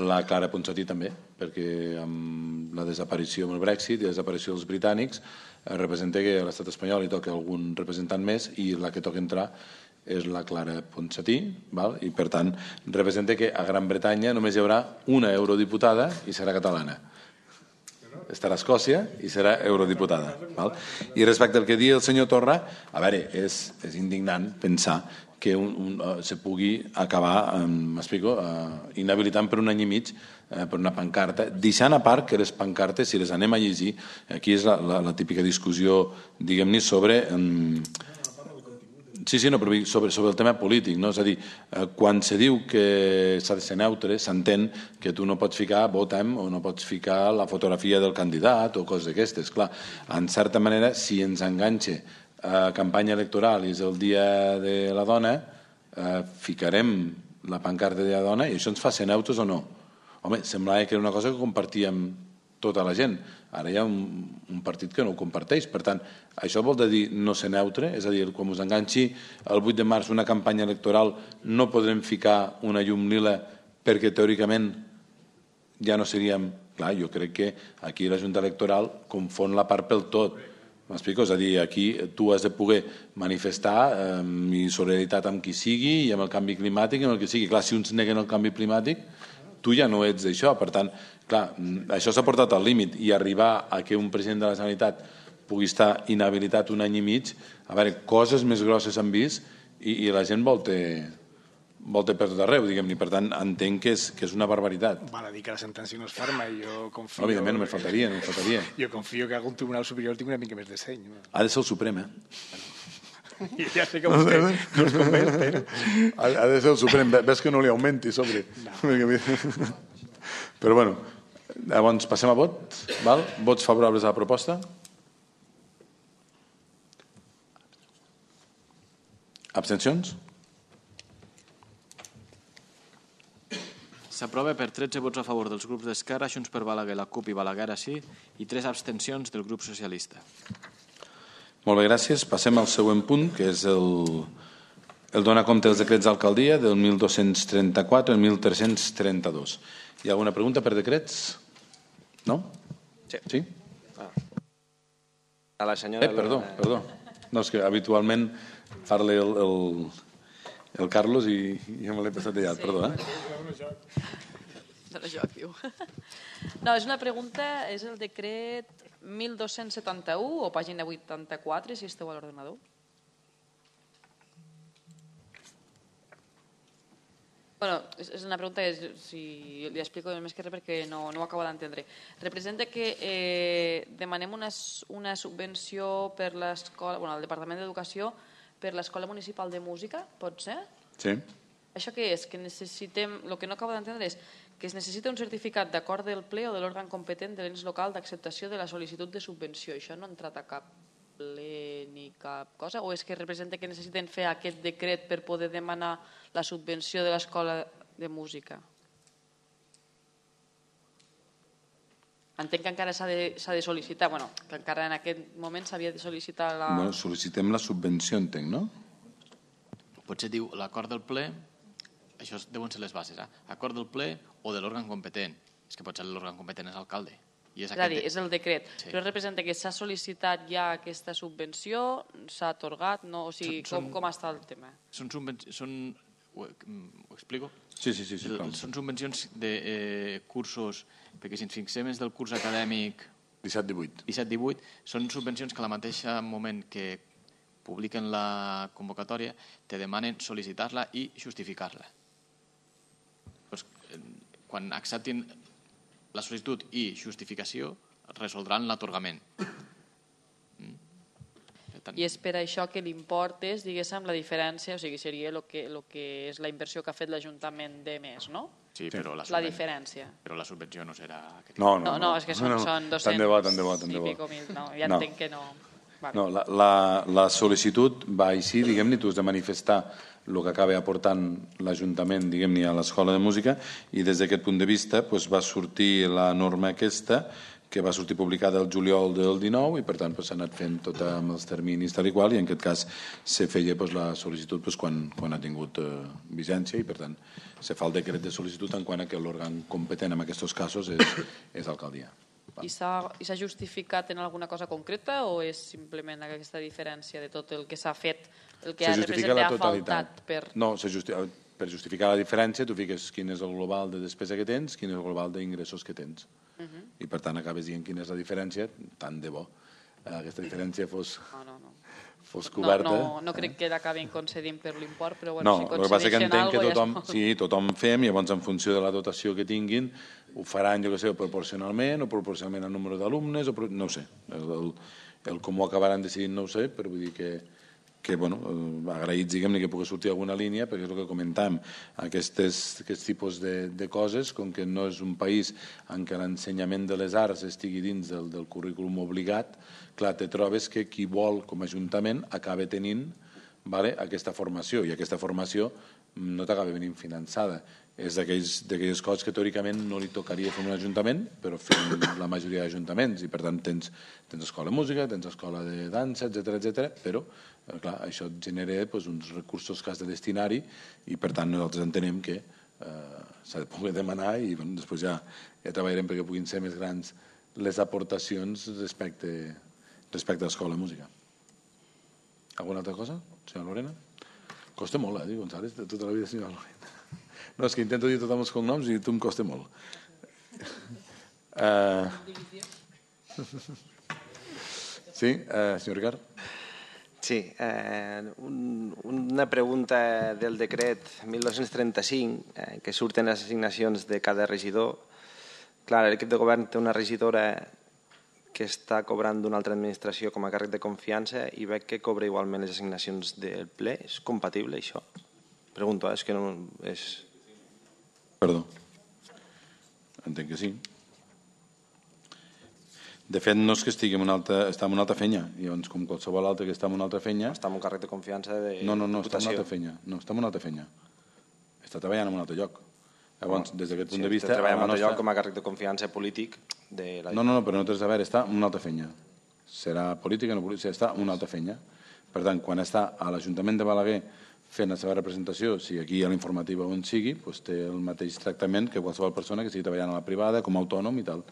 la Clara Ponsatí també, perquè amb la desaparició, amb el Brexit i la desaparició dels britànics, representa que a l'estat espanyol hi toca algun representant més i la que toca entrar és la Clara Ponsatí, val? I per tant representa que a Gran Bretanya només hi haurà una eurodiputada i serà catalana. Estarà a Escòcia i serà eurodiputada. Val? I respecte al que diu el senyor Torra, a veure, és, és indignant pensar que un, un, uh, se pugui acabar, um, m'explico, uh, inhabilitant per un any i mig uh, per una pancarta, deixant a part que les pancartes, si les anem a llegir, aquí és la, la, la típica discussió, diguem-ne, sobre... Um, Sí, sí, no, però sobre, sobre el tema polític, no? És a dir, eh, quan se diu que s'ha de ser neutre, s'entén que tu no pots ficar votem o no pots ficar la fotografia del candidat o coses d'aquestes. Clar, en certa manera, si ens enganxa a campanya electoral i és el dia de la dona, eh, ficarem la pancarta de la dona i això ens fa ser neutres o no? Home, semblava que era una cosa que compartíem tota la gent. Ara hi ha un, un partit que no ho comparteix. Per tant, això vol dir no ser neutre, és a dir, quan us enganxi el vuit de març una campanya electoral no podrem ficar una llum lila perquè teòricament ja no seríem... Clar, jo crec que aquí la Junta Electoral confon la part pel tot. M'explico? És a dir, aquí tu has de poder manifestar eh, i solidaritat amb qui sigui i amb el canvi climàtic i amb el que sigui. Clar, si uns neguen el canvi climàtic, tu ja no ets d'això. Per tant, clar, això s'ha portat al límit i arribar a que un president de la Generalitat pugui estar inhabilitat un any i mig, a veure, coses més grosses s'han vist i, i la gent volta, volta per tot arreu, diguem-ne. Per tant, entenc que és, que és una barbaritat.
Val a dir que la sentència no és ferma i jo confio...
Òbviament, no me faltaria, no me faltaria.
Jo confio que algun tribunal superior tingui una mica més de seny.
Ha de ser el Suprem, eh?
Ja sé que vostè no es convenç, però...
Ha de ser el Suprem. Ves que no li augmenti sobre. No. Però bueno, llavors passem a vot. Val? Vots favorables a la proposta? Abstencions?
S'aprova per tretze vots a favor dels grups d'Esquerra, Junts per Balaguer, la CUP i Balaguer sí, i tres abstencions del grup socialista.
Molt bé, gràcies. Passem al següent punt, que és el, el donar compte dels decrets d'alcaldia del mil dos-cents trenta-quatre al mil tres-cents trenta-dos. Hi ha alguna pregunta per decrets? No?
Sí.
Sí?
Ah. A la senyora...
Eh, perdó, perdó. No, és que habitualment parla el, el, el Carlos i, i ja me l'he passat allà, sí. Perdó, eh?
Dóna joc, diu. No, és una pregunta, és el decret mil dos-cents setanta-u o pàgina vuitanta-quatre, si esteu a l'ordenador. Bueno, és una pregunta, si li explico més que res perquè no, no ho acabo d'entendre. Representa que eh, demanem una, una subvenció per l'escola, bueno, al Departament d'Educació per l'Escola Municipal de Música, pot ser?
Sí.
Això què és? Que necessitem, el que no acabo d'entendre és que es necessita un certificat d'acord del ple o de l'òrgan competent de l'ens local d'acceptació de la sol·licitud de subvenció. Això no entra a cap ple ni cap cosa? O és que representa que necessiten fer aquest decret per poder demanar la subvenció de l'escola de música? Entenc que encara s'ha de, s'ha de sol·licitar, bueno, que encara en aquest moment s'havia de sol·licitar la...
Bueno, sol·licitem la subvenció, entenc, no?
Potser diu l'acord del ple, això deuen ser les bases, eh? Acord del ple o de l'òrgan competent. És que potser l'òrgan competent és l'alcalde. És,
és a dir, és el decret.
Sí.
Però representa que s'ha sol·licitat ja aquesta subvenció, s'ha atorgat, no? O sigui,
Són-
com, com està el tema?
Són subvencions... Són... Ho, ho explico?
Sí, sí, sí. sí
El- Són subvencions de eh, cursos, perquè si ens fixem és del curs acadèmic
disset divuit.
disset divuit, són subvencions que al mateix moment que publiquen la convocatòria te demanen sol·licitar-la i justificar-la. Pues, eh, quan acceptin la sol·licitud i justificació, resoldran l'atorgament. Mm. Per tant,
I és per això que l'import és, diguéssim, la diferència, o sigui, seria el que, el que és la inversió que ha fet l'Ajuntament de més, no?
sí, però la,
La
subven-
diferència.
Però la subvenció no serà... Aquest
No,
No, no, és que són,
no, no.
són
Tant de bo, tant de bo, tant
i
de bo.
pico mil, no, ja
No.
entenc que no. Vale.
No, la, la, la sol·licitud va així, diguem-ne, tu has de manifestar el que acaba aportant l'Ajuntament, diguem-ne, a l'Escola de Música, i des d'aquest punt de vista doncs, va sortir la norma aquesta, que va sortir publicada el juliol del dinou, i per tant s'ha anat fent tot amb els terminis tal i qual, i en aquest cas se feia doncs, la sol·licitud doncs, quan, quan ha tingut eh, vigència, i per tant se fa el decret de sol·licitud en quant a que l'òrgan competent en aquests casos és, és l'alcaldia.
I s'ha justificat en alguna cosa concreta o és simplement aquesta diferència de tot el que s'ha fet, el que ha representat ha faltat per...
No, per justificar la diferència tu fiques quin és el global de despesa que tens, quin és el global d'ingressos que tens. I per tant acabes dient quina és la diferència, tant de bo aquesta diferència fos... fos coberta.
No, no crec que l'acabin concedint per l'import, però bueno,
no,
si concedeixen alguna cosa...
No, sí, tothom fem, i llavors en funció de la dotació que tinguin, ho faran, jo què sé, proporcionalment, o proporcionalment al número d'alumnes, o no ho sé. El, el, el com ho acabaran decidint no ho sé, però vull dir que, que bueno, agraïts, diguem-ne, que pugui sortir alguna línia, perquè és el que comentàvem, aquests, aquests tipus de, de coses, com que no és un país en què l'ensenyament de les arts estigui dins del, del currículum obligat, clar, te trobes que qui vol com a ajuntament acaba tenint vale, aquesta formació, i aquesta formació no t'acaba venint finançada. És d'aquelles coses que teòricament no li tocaria fer un ajuntament, però fem la majoria d'ajuntaments, i per tant tens, tens escola de música, tens escola de dansa, etcètera, etcètera, però clar, això et genera doncs, uns recursos que has de destinar-hi, i per tant nosaltres entenem que eh, s'ha de poder demanar, i bueno, després ja, ja treballarem perquè puguin ser més grans les aportacions respecte respecte a l'escola de música. Alguna altra cosa, senyora Lorena? Costa molt, eh, dir González, de tota la vida, senyora Lorena. No, és que intento dir tothom els cognoms i tu em costa molt. Uh... Sí, uh, senyor Ricard?
Sí, eh, un, una pregunta del decret mil dos-cents trenta-cinc, eh, que surten les assignacions de cada regidor. Clar, l'equip de govern té una regidora que està cobrant d'una altra administració com a càrrec de confiança i veig que cobra igualment les assignacions del ple. És compatible, això? Pregunto, eh? és que no... És...
Perdó. Entenc que sí. De fet, no és que estigui en una altra... està en una altra fenya. Llavors, com qualsevol altre que està en una altra fenya...
Està en un càrrec de confiança de
No, no, no, està en una altra fenya. No, està en una altra fenya. Està treballant en un altre lloc. Llavors, des d'aquest punt de vista...
Sí, treballa en un altre lloc com a càrrec de confiança polític de la...
No, no, no, però no tens a veure, està en una altra fenya. Serà política o no política, està en una altra fenya. Per tant, quan està a l'Ajuntament de Balaguer fent la seva representació, si aquí hi ha l'informativa on sigui, doncs té el mateix tractament que qualsevol persona que estigui treballant a la privada, com a autònom i tal.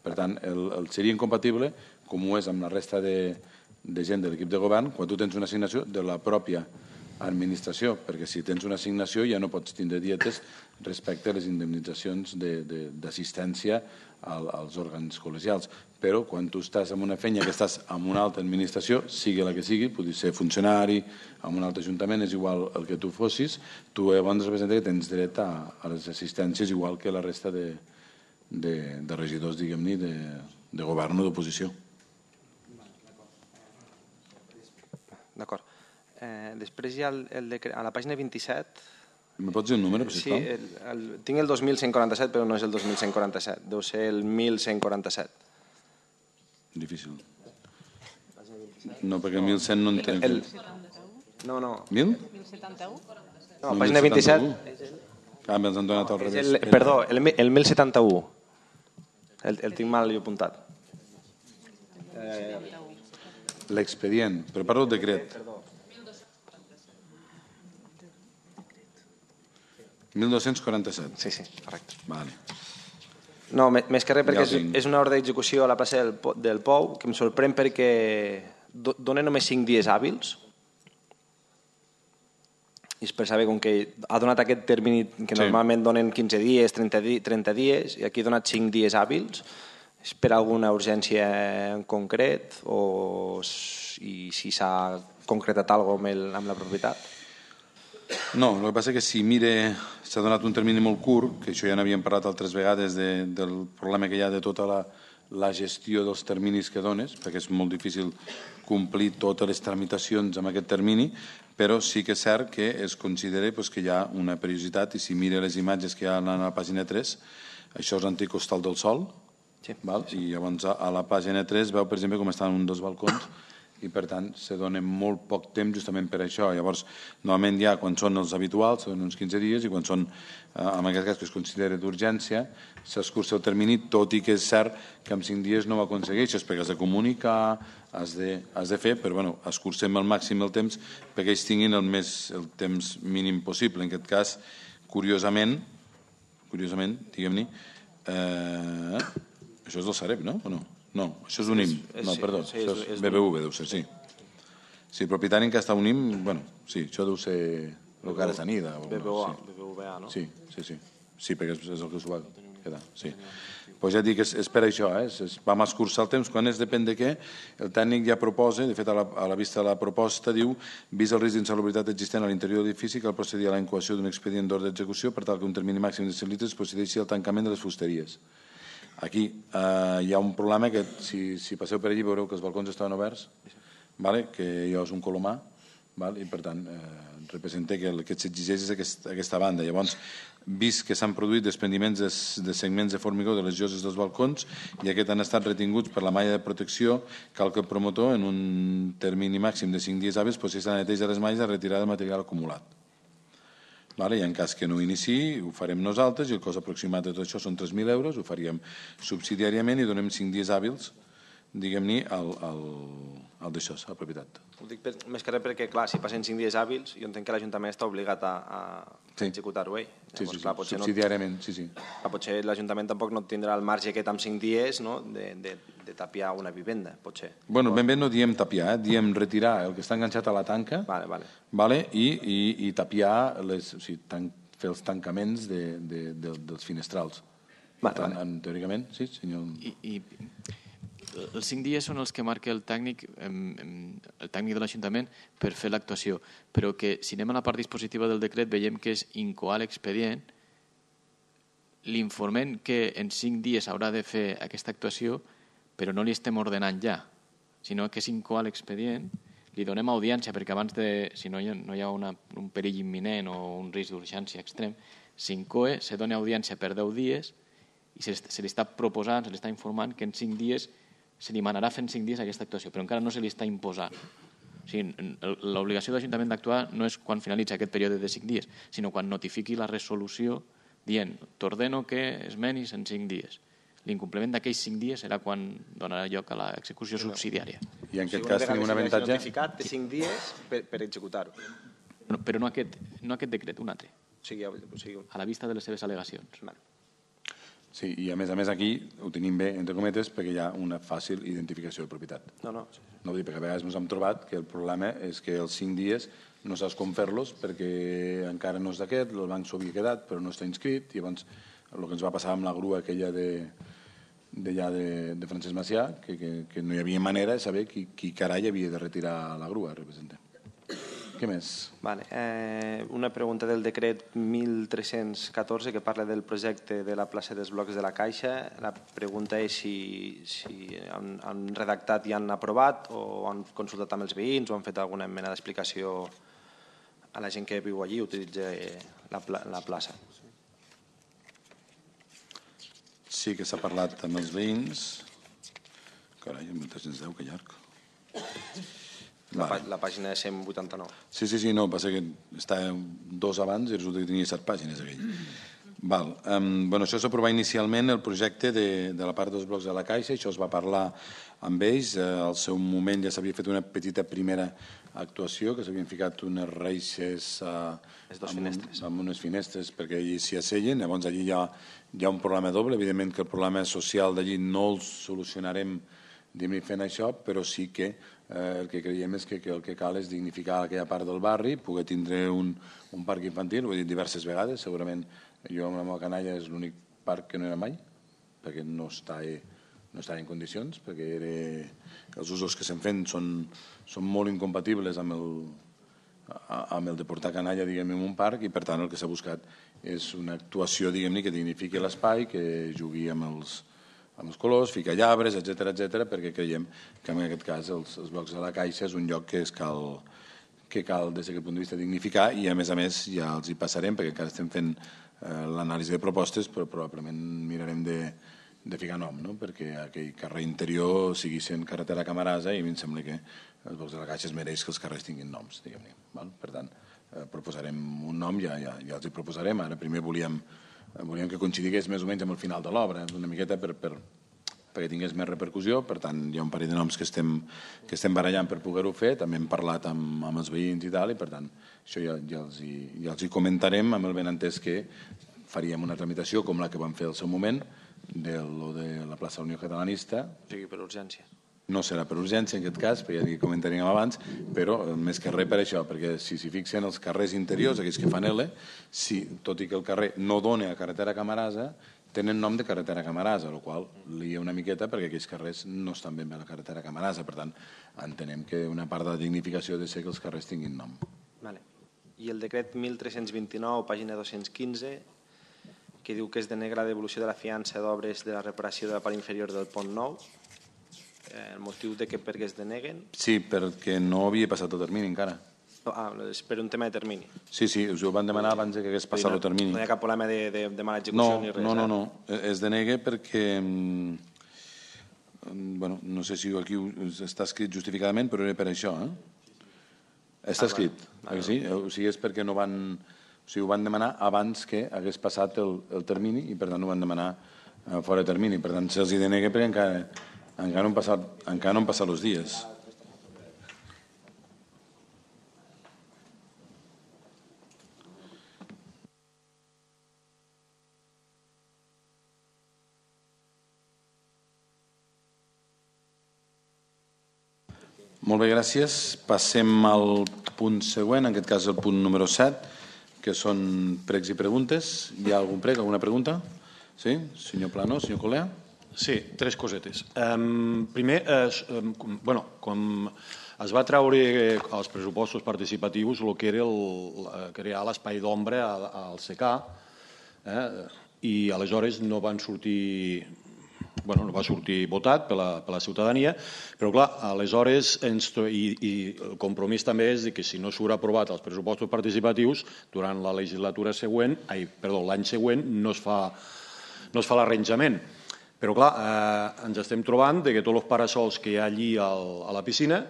Per tant, el, el seria incompatible, com ho és amb la resta de, de gent de l'equip de govern, quan tu tens una assignació de la pròpia administració, perquè si tens una assignació ja no pots tindre dietes respecte a les indemnitzacions d'assistència al, als òrgans col·legials. Però quan tu estàs en una fenya que estàs en una altra administració, sigui la que sigui, podria ser funcionari, en un altre ajuntament, és igual el que tu fossis, tu llavors representa que tens dret a, a les assistències igual que la resta de, de, de regidors, diguem-ne, de, de govern o d'oposició.
D'acord. Eh, després hi ha el, el decret, a la pàgina vint-i-set...
Me pots dir un número, sisplau?
Sí, el, el, tinc el dos mil cent quaranta-set, però no és el dos mil cent quaranta-set, deu ser el mil cent quaranta-set.
Difícil. No, perquè el mil cent no entenc. El...
No, no.
Mil?
mil setanta-u?
No, pàgina vint-i-set...
Ah, me'ls han donat al revés.
El, perdó, el, el mil setanta-u. El, el tinc mal jo apuntat.
Eh... L'expedient, però parlo del decret. mil dos-cents quaranta-set.
Sí, sí, correcte.
Vale.
No, més que res perquè és, és una ordre d'execució a la plaça del, del Pou que em sorprèn perquè dona només cinc dies hàbils i és per saber com que ha donat aquest termini que normalment sí. Donen quinze dies, trenta, di, trenta dies i aquí ha donat cinc dies hàbils. És per alguna urgència en concret o i si s'ha concretat alguna cosa amb, el, amb la propietat?
No, el que passa és que si mire, s'ha donat un termini molt curt, que això ja n'havíem parlat altres vegades de, del problema que hi ha de tota la, la gestió dels terminis que dones, perquè és molt difícil complir totes les tramitacions amb aquest termini, però sí que és cert que es considera pues, que hi ha una periodicitat i si mira les imatges que hi ha a la pàgina tres, això és l'antic Hostal del Sol, sí. Val? I llavors a la pàgina tres veu, per exemple, com estan un dels balcons i per tant se dona molt poc temps justament per això. Llavors, normalment ja quan són els habituals, són uns quinze dies i quan són, eh, en aquest cas que es considera d'urgència, s'escurça el termini, tot i que és cert que en cinc dies no ho aconsegueixes perquè has de comunicar, has de, has de fer, però bueno, escurcem al màxim el temps perquè ells tinguin el, més, el temps mínim possible. En aquest cas, curiosament, curiosament, diguem-ne, eh, Això és del Sareb, no? O no? No, això és un I M. No, perdó, això és B B V, deu ser, sí. Sí, propietari en què està un I M, bueno, sí, això deu ser el que ara s'anida.
B B V A, no?
Sí, sí, sí. Sí, perquè és el que s'ho va quedar, sí. Pues ja et dic, és per això, eh? Vam escurçar el temps, quan és depèn de què, el tècnic ja proposa, de fet a la, a la vista de la proposta, diu, vist el risc d'insalubritat existent a l'interior de l'edifici, cal procedir a la incoació d'un expedient d'ordre d'execució per tal que un termini màxim de cent litres procedeixi al tancament de les fusteries. Aquí eh, hi ha un problema que, si, si passeu per allí, veureu que els balcons estaven oberts, vale? Que allò és un colomar, vale? I per tant, eh, representa que el que s'exigeix és aquest, aquesta banda. Llavors, vist que s'han produït desprendiments de, de segments de formigó de les lloses dels balcons i aquests han estat retinguts per la malla de protecció, cal que el promotor, en un termini màxim de cinc dies hàbils, processi la neteja de les malles de retirada del material acumulat. Vale? I en cas que no ho iniciï, ho farem nosaltres i el cost aproximat de tot això són tres mil euros, ho faríem subsidiàriament i donem cinc dies hàbils, diguem-ne, al, al, al d'això, a la propietat.
Ho dic per, més que res perquè, clar, si passen cinc dies hàbils, jo entenc que l'Ajuntament està obligat a, a
sí.
executar-ho ell.
Sí, sí, clar, sí. Subsidiàriament, no, sí, sí.
Clar, potser l'Ajuntament tampoc no tindrà el marge aquest amb cinc dies, no?, de, de, de tapiar una vivenda, potser.
Bueno, ben bé no diem tapiar, eh? Diem retirar el que està enganxat a la tanca,
vale, vale.
Vale? I, i, i tapiar, les, o sigui, tan, fer els tancaments de, de, de, dels finestrals.
Vale,
tant,
vale.
En, teòricament, sí, senyor.
I, i els cinc dies són els que marca el tècnic, el tècnic de l'Ajuntament per fer l'actuació, però que si anem a la part dispositiva del decret veiem que és incoar l'expedient, l'informem que en cinc dies haurà de fer aquesta actuació, però no li estem ordenant ja, sinó que és incoar l'expedient, li donem audiència perquè abans de, si no hi ha, no hi ha una, un perill imminent o un risc d'urgència extrem, s'incoe, se dona audiència per deu dies i se, se li està proposant, se li està informant que en cinc dies se li manarà fent cinc dies aquesta actuació, però encara no se li està imposant. O sigui, l'obligació de l'Ajuntament d'actuar no és quan finalitza aquest període de cinc dies, sinó quan notifiqui la resolució dient t'ordeno que esmenis en cinc dies. L'incompliment d'aquells cinc dies serà quan donarà lloc a l'execució subsidiària.
I en aquest cas tenim un avantatge...
notificat de cinc dies per, per executar-ho.
No, però no aquest, no aquest decret, un altre.
O sigui, o sigui...
A la vista de les seves al·legacions.
Vale.
Sí, i a més a més aquí ho tenim bé, entre cometes, perquè hi ha una fàcil identificació de propietat.
No, no.
No vull dir, perquè a vegades ens hem trobat que el problema és que els cinc dies no saps com fer-los perquè encara no és d'aquest, el banc s'ho havia quedat però no està inscrit, i llavors el que ens va passar amb la grua aquella de, de, ja de, de Francesc Macià, que, que, que no hi havia manera de saber qui, qui carai havia de retirar la grua, representem. Què més?
Vale. Eh, una pregunta del decret mil tres-cents catorze que parla del projecte de la plaça dels blocs de la Caixa. La pregunta és si, si han, han redactat i han aprovat o han consultat amb els veïns o han fet alguna mena d'explicació a la gent que viu allí i utilitza la, la plaça.
Sí que s'ha parlat amb els veïns. Carai, mil tres-cents deu, que llarg.
La, vale. La pàgina de cent vuitanta-nou.
Sí, sí, sí, no, passa que està dos abans i resulta que tenia set pàgines aquell. Val. Um, bueno, això s'aprovà inicialment el projecte de, de la part dels blocs de la Caixa, això es va parlar amb ells, eh, al seu moment ja s'havia fet una petita primera actuació, que s'havien ficat unes reixes uh,
amb,
un, amb unes finestres perquè allí s'hi asseien, llavors allí hi ha, hi ha un problema doble, evidentment que el problema social d'allí no el solucionarem fent això, però sí que eh, el que creiem és que, que el que cal és dignificar aquella part del barri, poder tindre un, un parc infantil, ho he dit diverses vegades, segurament jo amb la meva canalla és l'únic parc que no era mai, perquè no està, no està en condicions, perquè era, els usos que se'n fent són, són molt incompatibles amb el, amb el de portar canalla, diguem, en un parc, i per tant el que s'ha buscat és una actuació, diguem-ne, que dignifiqui l'espai, que jugui amb els amb els colors, ficar llabres, etcètera, etcètera, perquè creiem que en aquest cas els, els blocs de la Caixa és un lloc que, es cal, que cal des d'aquest punt de vista dignificar, i a més a més ja els hi passarem perquè encara estem fent eh, l'anàlisi de propostes, però probablement mirarem de, de ficar nom, no? Perquè aquell carrer interior sigui sent carretera Camarasa i a mi em sembla que els blocs de la Caixa es mereix que els carrers tinguin noms, diguem-ne. Val? Per tant, eh, proposarem un nom, ja, ja, ja els hi proposarem. Ara primer volíem volíem que coincidigués més o menys amb el final de l'obra, una miqueta per, per, perquè tingués més repercussió. Per tant, hi ha un parell de noms que estem, que estem barallant per poder-ho fer, també hem parlat amb, amb els veïns i tal, i per tant, això ja, ja, els hi, ja els hi comentarem amb el benentès que faríem una tramitació com la que vam fer al seu moment, de lo de la plaça Unió Catalanista.
O sigui, per urgència.
No serà per urgència en aquest cas, perquè ja comentaríem abans, però més que res per això, perquè si s'hi fixen els carrers interiors, aquells que fan L, si, tot i que el carrer no dona a carretera Camarasa, tenen nom de carretera Camarasa, el qual li ha una miqueta perquè aquells carrers no estan ben bé a la carretera Camarasa. Per tant, entenem que una part de la dignificació ha de ser que els carrers tinguin nom.
Vale. I el decret mil tres-cents vint-i-nou, pàgina dos-cents quinze, que diu que es denega la devolució de la fiança d'obres de la reparació de la part inferior del pont nou. El motiu de que per què es deneguen?
Sí, perquè no havia passat el termini encara.
Ah, és per un tema de termini.
Sí, sí, us ho van demanar abans que hagués passat el termini.
No hi ha cap problema de, de, de mala execució
no,
ni res?
No, no, no. Es denega perquè, bueno, no sé si aquí està escrit justificadament, però era per això, eh? Està escrit, ah, sí? O sigui, és perquè no van... O sigui, ho van demanar abans que hagués passat el, el termini i, per tant, ho van demanar eh, fora de termini. Per tant, se'ls hi denega perquè encara, encara, no han passat, encara no han passat els dies. Molt bé, gràcies. Passem al punt següent, en aquest cas el punt número set, que són pregs i preguntes. Hi ha algun prec, alguna pregunta? Sí? Senyor Plano, senyor Colea?
Sí, tres cosetes. Um, primer, eh, um, bueno, com es va treure als pressupostos participatius el que era el, crear l'espai d'ombra al C C A, eh, i aleshores no van sortir... Bueno, no va sortir votat per la, per la ciutadania, però clar, aleshores ens, i, i el compromís també és que si no surt aprovat els pressupostos participatius, durant la legislatura següent, ai, perdó, l'any següent no es fa, no es fa l'arranjament. Però clar, eh, ens estem trobant que tots els parasols que hi ha allí al, a la piscina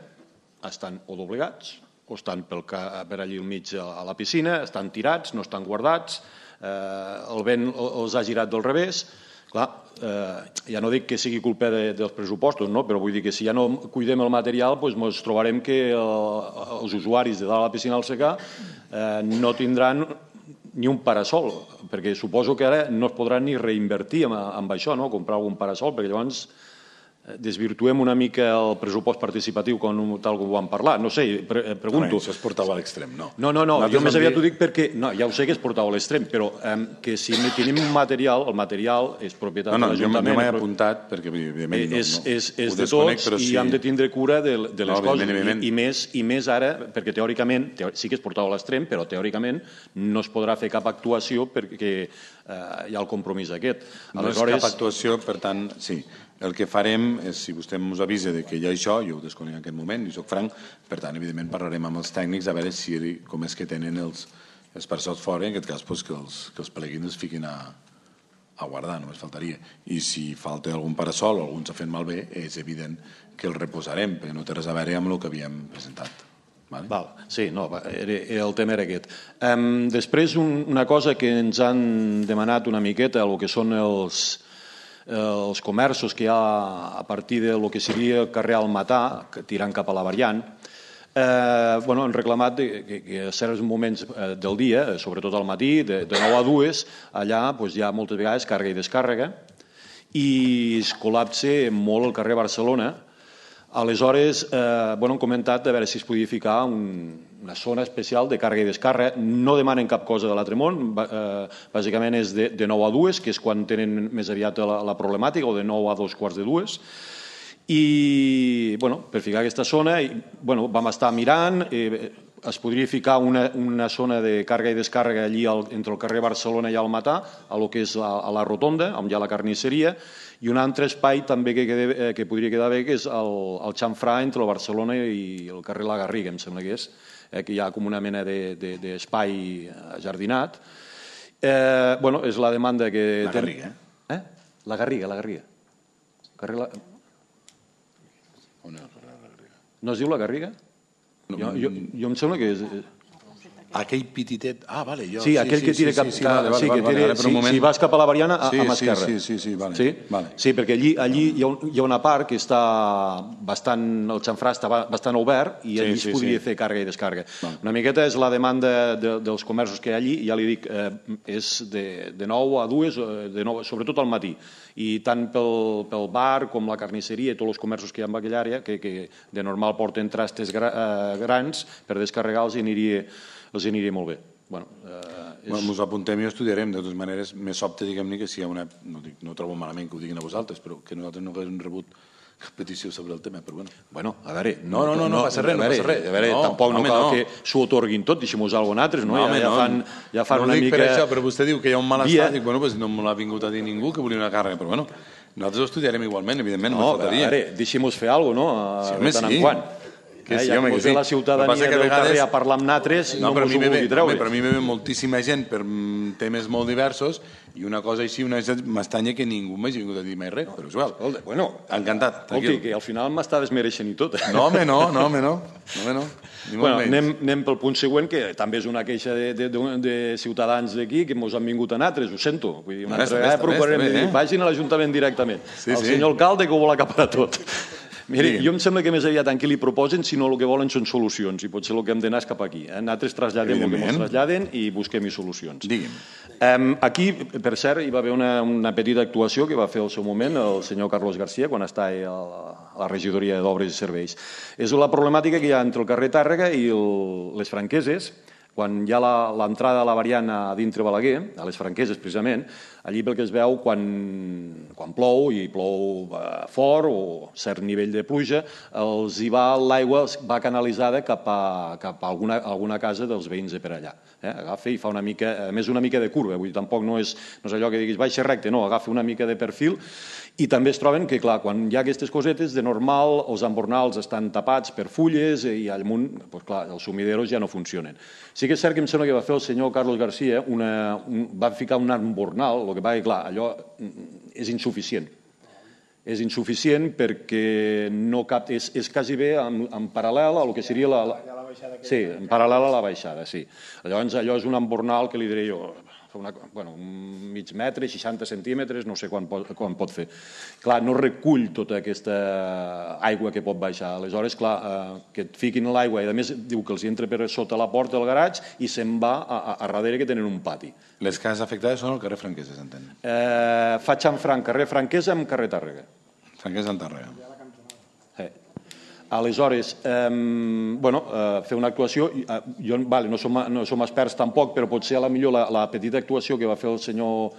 estan o doblegats, o estan pel, per allí al mig a la piscina, estan tirats, no estan guardats, eh, el vent els ha girat del revés. Clar, eh, ja no dic que sigui culpa de, dels pressupostos, no? Però vull dir que si ja no cuidem el material, doncs ens trobarem que el, els usuaris de dalt a la piscina del C C A eh, no tindran ni un parasol, perquè suposo que ara no es podrà ni reinvertir amb, amb això, no? Comprar algun parasol, perquè llavors desvirtuem una mica el pressupost participatiu com, tal com ho vam parlar. No sé, pre pregunto.
No, això es portava a l'extrem, no.
No, no, no, jo més aviat ho dic perquè... No, ja ho sé que es portava a l'extrem, però eh, que si tenim un material, el material és propietat
no, no,
de l'Ajuntament...
No, no, jo m'he apuntat perquè, evidentment, no,
és,
no,
és, és
ho
de
desconec,
tots i
sí.
hem de tindre cura de, de les
no,
coses.
evidentment.
I, i, més, I més ara, perquè teòricament, teò sí que es portava a l'extrem, però teòricament no es podrà fer cap actuació perquè eh, hi ha el compromís aquest.
No Aleshores... és cap actuació, per tant, sí. El que farem és, si vostè ens avisa que hi ha això, jo ho desconec en aquest moment, i soc franc, per tant, evidentment, parlarem amb els tècnics a veure si, com és que tenen els, els parsols fora, en aquest cas, doncs, que, els, que els pleguin es fiquin a, a guardar, només faltaria. I si falta algun parasol o algun s'ha fet malbé, és evident que el reposarem, perquè no té res a veure amb el que havíem presentat. Vale?
Val, sí, no, era, el tema era aquest. Um, després, un, una cosa que ens han demanat una miqueta, el que són els... els comerços que hi ha a partir de lo que seria el carrer Almatà, tirant cap a la variant, eh, bueno, han reclamat que, que a certs moments del dia, sobretot al matí, de, de nou a dues, allà doncs, hi ha moltes vegades càrrega i descàrrega, i es col·lapse molt el carrer Barcelona. Aleshores, eh, bueno, han comentat a veure si es podia ficar un, una zona especial de càrrega i descàrrega. No demanen cap cosa de l'altre món, eh, bàsicament és de, de nou a dues, que és quan tenen més aviat la, la problemàtica, o de nou a dos quarts de dues. I, bueno, per ficar aquesta zona, i, bueno, vam estar mirant, eh, es podria ficar una, una zona de càrrega i descàrrega allí al, entre el carrer Barcelona i Almatà, a lo que és a, a la rotonda, on hi ha la carnisseria, i un altre espai també que, quede, que podria quedar bé, que és el, el xamfrà entre el Barcelona i el carrer La Garriga, em sembla que és, eh, que hi ha com una mena d'espai de, de jardinat. Eh, bueno, és la demanda que...
La Garriga,
eh? eh? La Garriga, la Garriga. Carrer la...
On és el carrer La Garriga?
No es diu La Garriga? Jo, jo, jo em sembla que és...
Aquell petitet... Ah, vale, jo...
Sí, aquell que tira cap...
Sí, vale, vale,
sí, que
vale,
tira,
ara per
sí,
un moment...
si vas cap a la Variana, a,
sí,
a mà esquerra.
Sí, sí, sí, sí, vale.
Sí?
Vale.
Sí, perquè allí, allí hi, ha un, hi ha una part que està bastant... El xamfrà està bastant obert i allí sí, sí, es podria sí. fer càrrega i descàrrega. Vale. Una miqueta és la demanda de, dels comerços que hi ha allí, ja li dic, eh, és de, de nou a dues, de nou, sobretot al matí. I tant pel, pel bar com la carnisseria i tots els comerços que hi ha en aquella àrea, que, que de normal porten trastes gra, eh, grans, per descarregar-los i aniria, els aniria molt bé. Bueno, eh, és...
bueno, ens apuntem i ho estudiarem. De totes maneres, més sobte, diguem-ne, que si hi ha una... No, dic, no trobo malament que ho diguin a vosaltres, però que nosaltres no haguem rebut cap petició sobre el tema, però bueno.
Bueno, a veure...
No, no, no, no, no passa res, no passa res.
A veure, no, tampoc no cal no. que s'ho otorguin tot, deixem-ho usar alguna altra, no?
No, home,
ja,
no.
fan, ja fan
no
una
dic
mica...
per això, però vostè diu que hi ha un malestar,
Via...
dic, bueno, pues no me l'ha vingut a dir ningú que volia una càrrega, però bueno, nosaltres ho estudiarem igualment, evidentment, no,
no faltaria. A veure, deixem-nos fer alguna cosa, no? Sí, home, de tant sí. en quant.
Que sí,
eh, ja
home,
que
sí.
la ciutadania del
vegades...
carrer a parlar amb natres no, no mos ho vulgui treure.
Per mi me ve moltíssima gent per temes molt diversos i una cosa així, una m'estanya que ningú m'hagi vingut a dir mai res, però és igual.
Escolta, bueno,
encantat,
tranquil. Que al final m'està desmereixent i tot.
No, home, no, no, home, no. no, home, no.
Bueno, anem, anem pel punt següent, que també és una queixa de, de, de, de ciutadans d'aquí que ens han vingut a natres, ho sento. Vull dir, una altra vegada procurarem de dir, vagin a l'Ajuntament directament. Sí, el sí. senyor alcalde que ho vol acaparar tot. Miri, jo em sembla que més aviat en què li proposen, sinó el que volen són solucions, i potser el que hem d'anar és cap aquí. Eh? Nosaltres traslladem el que ens traslladen i busquem-hi solucions.
Digui'm.
Um, aquí, per cert, hi va haver una, una petita actuació que va fer al seu moment el senyor Carlos García quan estava a la regidoria d'Obres i Serveis. És la problemàtica que hi ha entre el carrer Tàrrega i el, les Franqueses, quan hi ha l'entrada a la variant a dintre Balaguer, a les Franqueses precisament, allí pel que es veu quan, quan plou, i plou fort o cert nivell de pluja, els hi va l'aigua va canalitzada cap a, cap a alguna, alguna casa dels veïns de per allà. Eh? Agafa i fa una mica, a més una mica de curva, vull dir, tampoc no és, no és allò que diguis baixa recte, no, agafa una mica de perfil. I també es troben que, clar, quan hi ha aquestes cosetes, de normal els embornals estan tapats per fulles i al munt, doncs, clar, els sumideros ja no funcionen. Sí que és cert que em sembla que va fer el senyor Carlos García, una, un, va ficar un embornal, el que va dir, clar, allò és insuficient. És insuficient perquè no cap, és, és quasi bé en, en paral·lel a el que seria la... la sí, en paral·lel a la baixada, sí. Llavors allò és un embornal que li diré jo... Una, bueno, un mig metre, seixanta centímetres, no sé quan pot, quan pot fer. Clar, no recull tota aquesta aigua que pot baixar. Aleshores, clar, eh, que et fiquin l'aigua i a més diu que els entra per sota la porta del garatge i se'n va a, a, a darrere que tenen un pati.
Les cases afectades són al carrer Franquesa, s'entén?
Eh, fa xamfranc, carrer Franquesa amb carrer Tàrrega.
Franquesa en Tàrrega.
Eh. Aleshores, eh, bueno, eh, fer una actuació, eh, jo vale, no, som, no som experts tampoc, però potser a la millor la, la petita actuació que va fer el senyor,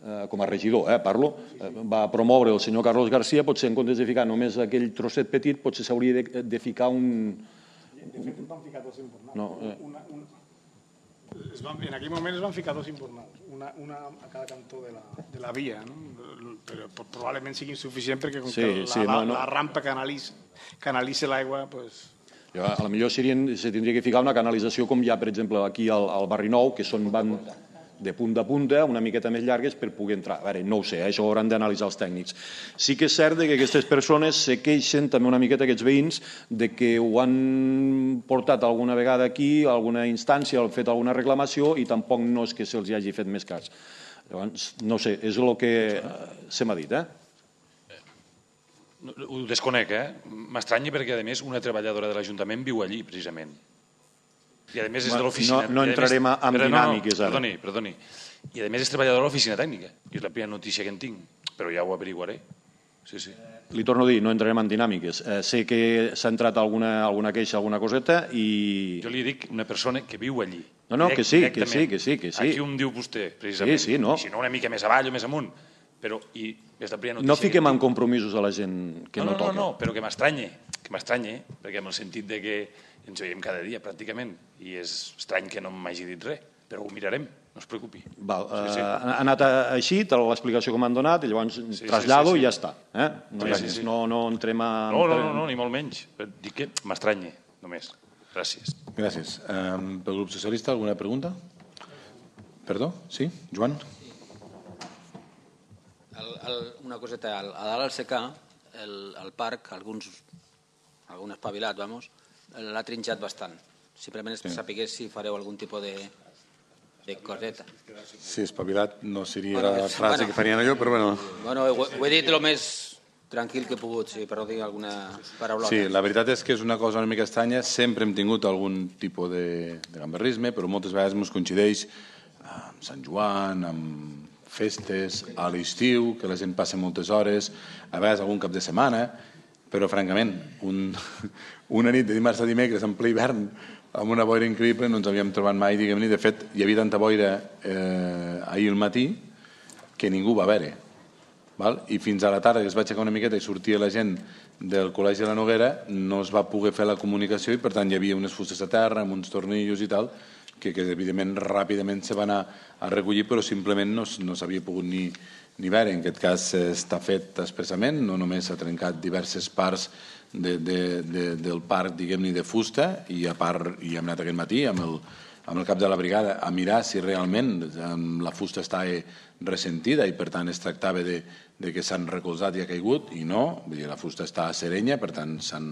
eh, com a regidor, eh, parlo, eh, va promoure el senyor Carlos García, potser en comptes de ficar només aquell trosset petit, potser s'hauria de, de ficar un...
De fet, van ficar dos imbornals.
No, eh.
una, una... Es van, en aquell moment es van ficar dos imbornals, una, una a cada cantó de la, de la via, no? Però probablement sigui insuficient perquè com sí, que la, sí, la, no, no. la rampa canalitza, canalitza l'aigua... Pues...
Jo, a la millor serien, se tindria que ficar una canalització com hi ha, per exemple, aquí al, al Barri Nou, que són van de punta a punta, una miqueta més llargues per poder entrar. A veure, no ho sé, això ho hauran d'analitzar els tècnics. Sí que és cert que aquestes persones se queixen també una miqueta, aquests veïns, de que ho han portat alguna vegada aquí, a alguna instància, han fet alguna reclamació i tampoc no és que se'ls hagi fet més cas. Llavors, no sé, és el que se m'ha dit, eh?
Ho desconec, eh? M'estranya perquè, a més, una treballadora de l'Ajuntament viu allí, precisament. I, a més, és de l'oficina...
No, no entrarem més... en dinàmiques, ara.
Perdoni, perdoni. I, a més, és treballadora de l'oficina tècnica. I és la primera notícia que en tinc. Però ja ho averiguaré. Sí, sí.
Li torno a dir, no entrarem en dinàmiques. Eh, sé que s'ha entrat alguna, alguna queixa, alguna coseta, i...
Jo li dic una persona que viu allí.
No, no, que sí, que sí, que sí, que sí.
Aquí un diu vostè, precisament.
Sí, sí, no.
I si no, una mica més avall o més amunt. Però, i és la primera notícia...
No fiquem en compromisos a la gent que no,
no, no
toca.
No, no, però que m'estranye, que m'estranye, perquè en el sentit de que ens veiem cada dia, pràcticament, i és estrany que no m'hagi dit res, però ho mirarem, no es preocupi.
Val, sí, sí. Ha anat així, l'explicació que m'han donat, i llavors sí, trasllado sí, sí, sí. I ja està. Eh? No, sí, sí, sí. No, no entrem a...
No, no, no, no, ni molt menys. Dic que m'estranye, només. Gràcies.
Gràcies. Um, pel grup socialista, alguna pregunta? Perdó? Sí? Joan?
El, el, una coseta, a dalt al secà, el, el parc, alguns, algun espavilat, vamos, l'ha trinxat bastant. Simplement és per saber si fareu algun tipus de, de coseta.
Sí, espavilat no seria la frase que farien allò, però bueno...
Bueno, ho, ho he dit el més tranquil que he pogut, sí, per no dir alguna paraulota.
Sí, la veritat és que és una cosa una mica estranya. Sempre hem tingut algun tipus de, de gamberrisme, però moltes vegades ens coincideix amb Sant Joan, amb festes, a l'estiu, que la gent passa moltes hores, a vegades algun cap de setmana, però francament, un, una nit de dimarts a dimecres en ple hivern amb una boira increïble no ens havíem trobat mai, diguem-ne. De fet, hi havia tanta boira eh, ahir al matí que ningú va veure. Val? I fins a la tarda, que es va aixecar una miqueta i sortia la gent del Col·legi de la Noguera, no es va poder fer la comunicació i, per tant, hi havia unes fustes a terra amb uns tornillos i tal, que, que evidentment, ràpidament se van anar a recollir, però simplement no, no s'havia pogut ni, ni veure. En aquest cas està fet expressament, no només s'ha trencat diverses parts de, de, de, del parc, diguem-ne, de fusta, i a part hi hem anat aquest matí amb el, amb el cap de la brigada a mirar si realment la fusta està ressentida i per tant es tractava de, de que s'han recolzat i ha caigut, i no, vull dir, la fusta està serenya, per tant s'han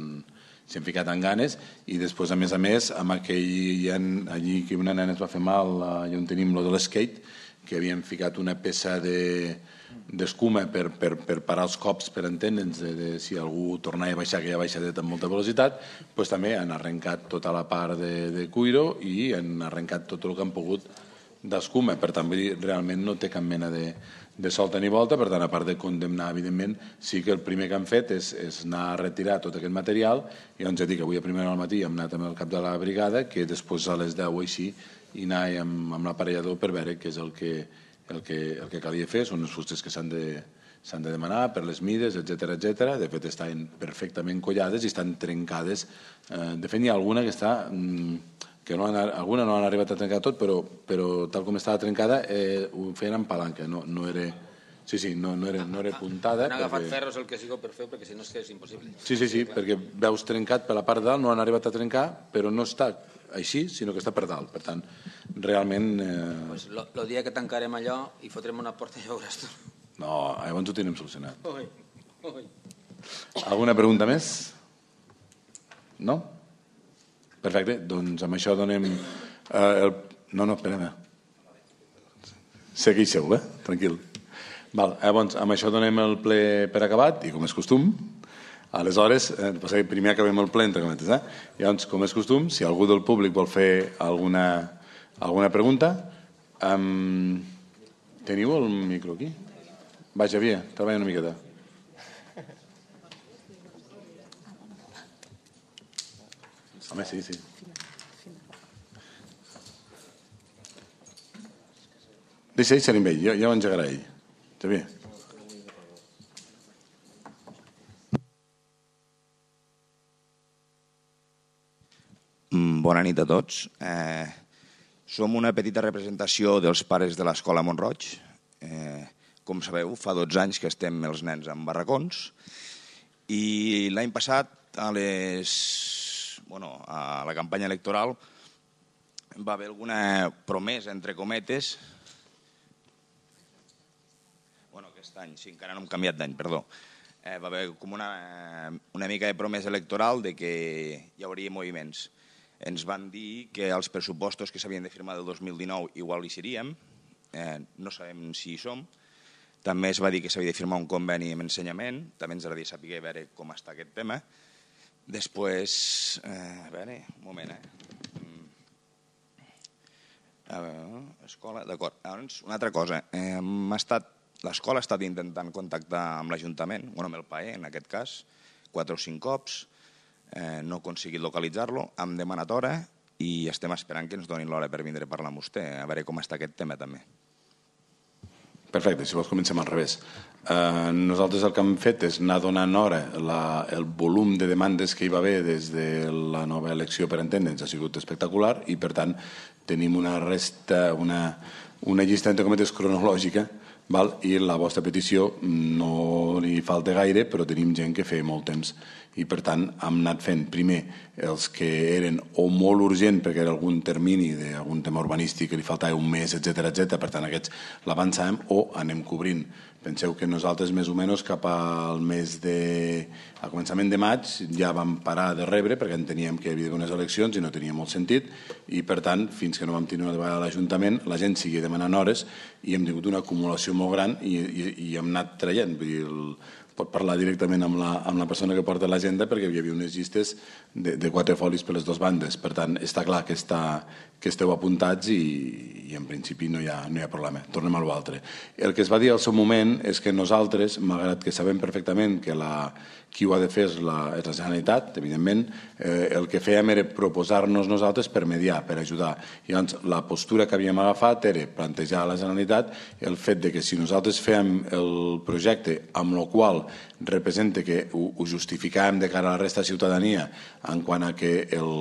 s'han ficat en ganes, i després, a més a més, amb aquell, allí que una nena es va fer mal, allà on tenim lo de l'skate, que havien ficat una peça de d'escuma per, per, per parar els cops, per entendre'ns, de, de, si algú tornava a baixar aquella baixadeta amb molta velocitat, doncs també han arrencat tota la part de, de cuiro i han arrencat tot el que han pogut d'escuma. Per tant, realment no té cap mena de, de solta ni volta. Per tant, a part de condemnar, evidentment, sí que el primer que han fet és, és anar a retirar tot aquest material, i doncs ja dic que avui a primera hora al matí hem anat amb el cap de la brigada, que després a les deu o així i anar amb, amb l'aparellador per veure què és el que, el que, el que calia fer. Són les fustes que s'han de, s'han de demanar per les mides, etcètera, etcètera. De fet, estan perfectament collades i estan trencades. Eh, de fet, n'hi ha alguna que està... que no han, alguna no han arribat a trencar tot, però, però tal com estava trencada eh, ho feien amb palanca, no, no era... Sí, sí, no, no, era, no era puntada.
Han agafat
perquè...
ferros el que sigui per fer, perquè si no és que és impossible.
Sí, sí, sí, perquè veus trencat per la part de dalt, no han arribat a trencar, però no està així, sinó que està per dalt. Per tant, realment... Eh...
Pues lo, lo dia que tancarem allò i fotrem una porta ja veuràs tu.
No, llavors ho tenim solucionat.
Ui, ui.
Alguna pregunta més? No? Perfecte, doncs amb això donem... Eh, el... No, no, esperem. Segueixeu, eh? Tranquil. Val, llavors, amb això donem el ple per acabat, i com és costum, aleshores, eh, primer acabem el ple, entre cometes, eh? Llavors, com és costum, si algú del públic vol fer alguna, alguna pregunta, um, teniu el micro aquí? Va, Xavier, treballa una miqueta. Home, sí, sí. Deixa ell, amb ell, ja, ja ho engegarà ell. Xavier.
Bona nit a tots. Eh, som una petita representació dels pares de l'Escola Mont-roig. Eh, com sabeu, fa dotze anys que estem els nens en barracons, i l'any passat, a les... Bueno, a la campanya electoral va haver alguna promesa, entre cometes. Bueno, aquest any, sí, encara no hem canviat d'any, perdó. Eh, va haver com una, una mica de promesa electoral de que hi hauria moviments. Ens van dir que els pressupostos que s'havien de firmar del dos mil dinou igual hi seríem, eh, no sabem si hi som. També es va dir que s'havia de firmar un conveni amb ensenyament, també ens agradaria saber veure com està aquest tema. Després, eh, a veure, un moment, eh? A veure, escola, d'acord. Llavors, una altra cosa, eh, estat, l'escola ha estat intentant contactar amb l'Ajuntament, bueno, amb el P A E, en aquest cas, quatre o cinc cops, eh, no he aconseguit localitzar-lo, hem demanat hora i estem esperant que ens donin l'hora per vindre a parlar amb vostè, a veure com està aquest tema també.
Perfecte, si vols comencem al revés. Eh, nosaltres el que hem fet és anar donant hora. La, el volum de demandes que hi va haver des de la nova elecció, per entendre'ns, ha sigut espectacular, i per tant tenim una resta, una, una llista entre cometes cronològica, val? I la vostra petició no li falta gaire, però tenim gent que feia molt temps i per tant hem anat fent primer els que eren o molt urgent perquè era algun termini d'algun tema urbanístic que li faltava un mes, etcètera, etcètera, per tant aquests l'avançàvem o anem cobrint. Penseu que nosaltres més o menys cap al mes de... al començament de maig ja vam parar de rebre perquè enteníem que hi havia unes eleccions i no tenia molt sentit i per tant fins que no vam tenir una vegada a l'Ajuntament la gent seguia demanant hores i hem tingut una acumulació molt gran i, i, i hem anat traient. Vull dir, el, pot parlar directament amb la, amb la persona que porta l'agenda perquè hi havia unes llistes de, de quatre folis per les dues bandes. Per tant, està clar que, està, que esteu apuntats i, i en principi no hi ha, no hi ha problema. Tornem a l'altre. El que es va dir al seu moment és que nosaltres, malgrat que sabem perfectament que la, qui ho ha de fer és la, és la Generalitat, evidentment, eh, el que fèiem era proposar-nos nosaltres per mediar, per ajudar. I llavors, la postura que havíem agafat era plantejar a la Generalitat el fet de que si nosaltres fèiem el projecte amb el qual representa que ho, ho justificàvem de cara a la resta de ciutadania en quant a que el,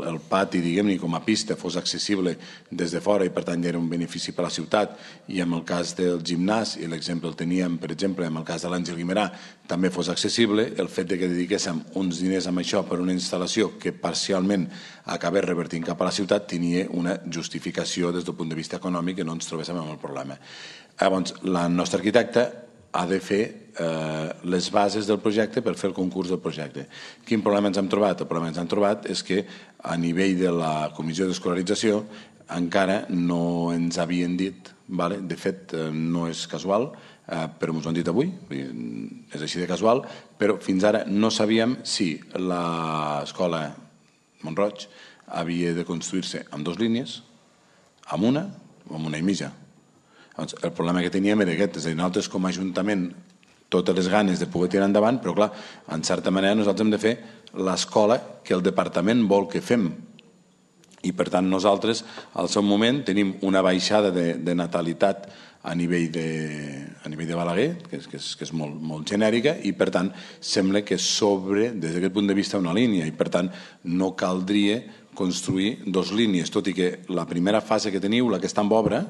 el pati, diguem-ne, com a pista fos accessible des de fora i per tant ja era un benefici per a la ciutat i en el cas del gimnàs, i l'exemple el teníem per exemple en el cas de l'Àngel Guimerà, també fos accessible, el fet de que dediquéssim uns diners amb això per una instal·lació que parcialment acabés revertint cap a la ciutat tenia una justificació des del punt de vista econòmic que no ens trobéssim amb el problema. Llavors, la nostra arquitecta ha de fer eh, les bases del projecte per fer el concurs del projecte. Quin problema ens hem trobat? El problema que ens hem trobat és que a nivell de la comissió d'escolarització encara no ens havien dit, vale? De fet eh, no és casual, eh, però ens ho han dit avui, és així de casual, però fins ara no sabíem si l'escola Mont-roig havia de construir-se amb dues línies, amb una o amb una i mitja. El problema que teníem era aquest, és a dir, nosaltres com a Ajuntament totes les ganes de poder tirar endavant, però clar, en certa manera nosaltres hem de fer l'escola que el departament vol que fem. I per tant nosaltres al seu moment tenim una baixada de, de natalitat a nivell de, a nivell de Balaguer, que és, que és, que és molt, molt genèrica, i per tant sembla que sobre, des d'aquest punt de vista, una línia, i per tant no caldria construir dos línies, tot i que la primera fase que teniu, la que està en obra,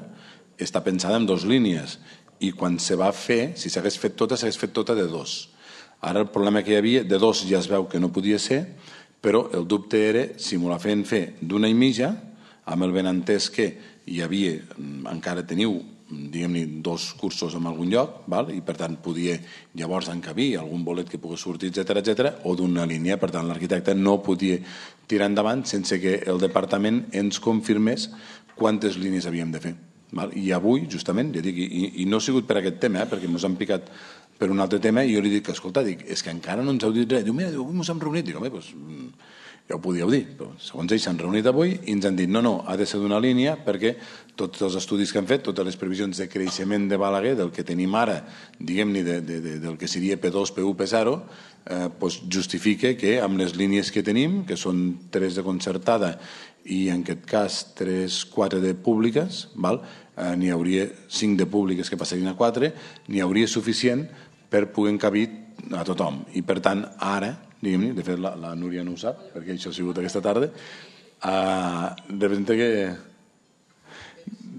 està pensada en dues línies i quan se va fer, si s'hagués fet tota, s'hagués fet tota de dos. Ara el problema que hi havia, de dos ja es veu que no podia ser, però el dubte era si m'ho la feien fer d'una i mitja, amb el benentès que hi havia, encara teniu, diguem-ne, dos cursos en algun lloc, val? I per tant podia llavors encabir algun bolet que pogués sortir, etcètera, etcètera, o d'una línia. Per tant, l'arquitecte no podia tirar endavant sense que el departament ens confirmés quantes línies havíem de fer. I avui, justament, ja dic, i, i no ha sigut per aquest tema, eh, perquè ens han picat per un altre tema, i jo li dic, escolta, dic, és que encara no ens heu dit res. Diu, mira, avui ens hem reunit. Dic, home, doncs, ja ho podíeu dir. Però, segons ells s'han reunit avui i ens han dit, no, no, ha de ser d'una línia perquè tots els estudis que han fet, totes les previsions de creixement de Balaguer, del que tenim ara, diguem-ne, de, de, de, del que seria P dos, P u, P zero, eh, doncs justifica que amb les línies que tenim, que són tres de concertada i en aquest cas tres, quatre de públiques, val? Eh, n'hi hauria cinc de públiques que passarien a quatre, n'hi hauria suficient per poder encabir a tothom. I per tant, ara, diguem-ne, de fet la, la Núria no ho sap, perquè això ha sigut aquesta tarda, eh, representa que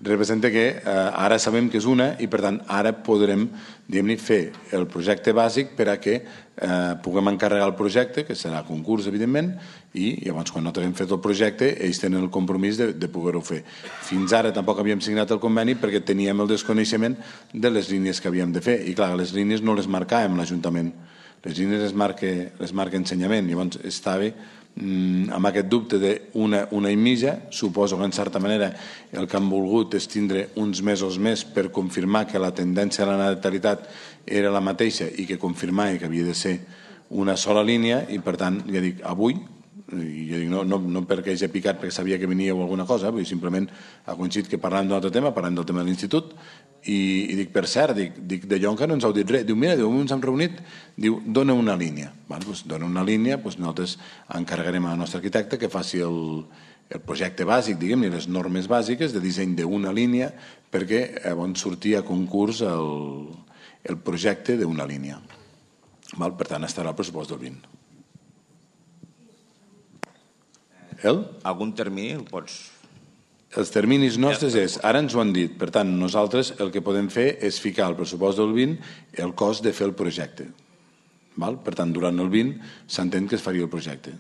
representa que eh, ara sabem que és una i per tant ara podrem, diguem-ne, fer el projecte bàsic per a que eh, puguem encarregar el projecte, que serà concurs evidentment, i llavors quan no tenim fet el projecte ells tenen el compromís de, de poder-ho fer. Fins ara tampoc havíem signat el conveni perquè teníem el desconeixement de les línies que havíem de fer i clar, les línies no les marcàvem l'Ajuntament, les línies les marca, les marca ensenyament, llavors estava amb aquest dubte d'una una i mitja. Suposo que en certa manera el que han volgut és tindre uns mesos més per confirmar que la tendència a la natalitat era la mateixa i que confirmava que havia de ser una sola línia i per tant, ja dic, avui i ja dic, no, no, no perquè hagi picat perquè sabia que venia o alguna cosa, vull dir, simplement ha coincidit que parlàvem d'un altre tema, parlàvem del tema de l'institut i, i dic, per cert, dic, dic de Llonca no ens heu dit res, diu, mira, diu, ens hem reunit, diu, dona una línia, val? Pues, dona una línia, pues nosaltres encarregarem a la nostra arquitecte que faci el, el projecte bàsic, diguem-ne, les normes bàsiques de disseny d'una línia perquè llavors sortia a concurs el, el projecte d'una línia. Val? Per tant, estarà el pressupost del vint. El?
Algun termini el pots...
Els terminis nostres és, ara ens ho han dit, per tant, nosaltres el que podem fer és ficar al pressupost del vint el cost de fer el projecte. Val? Per tant, durant el vint s'entén que es faria el projecte.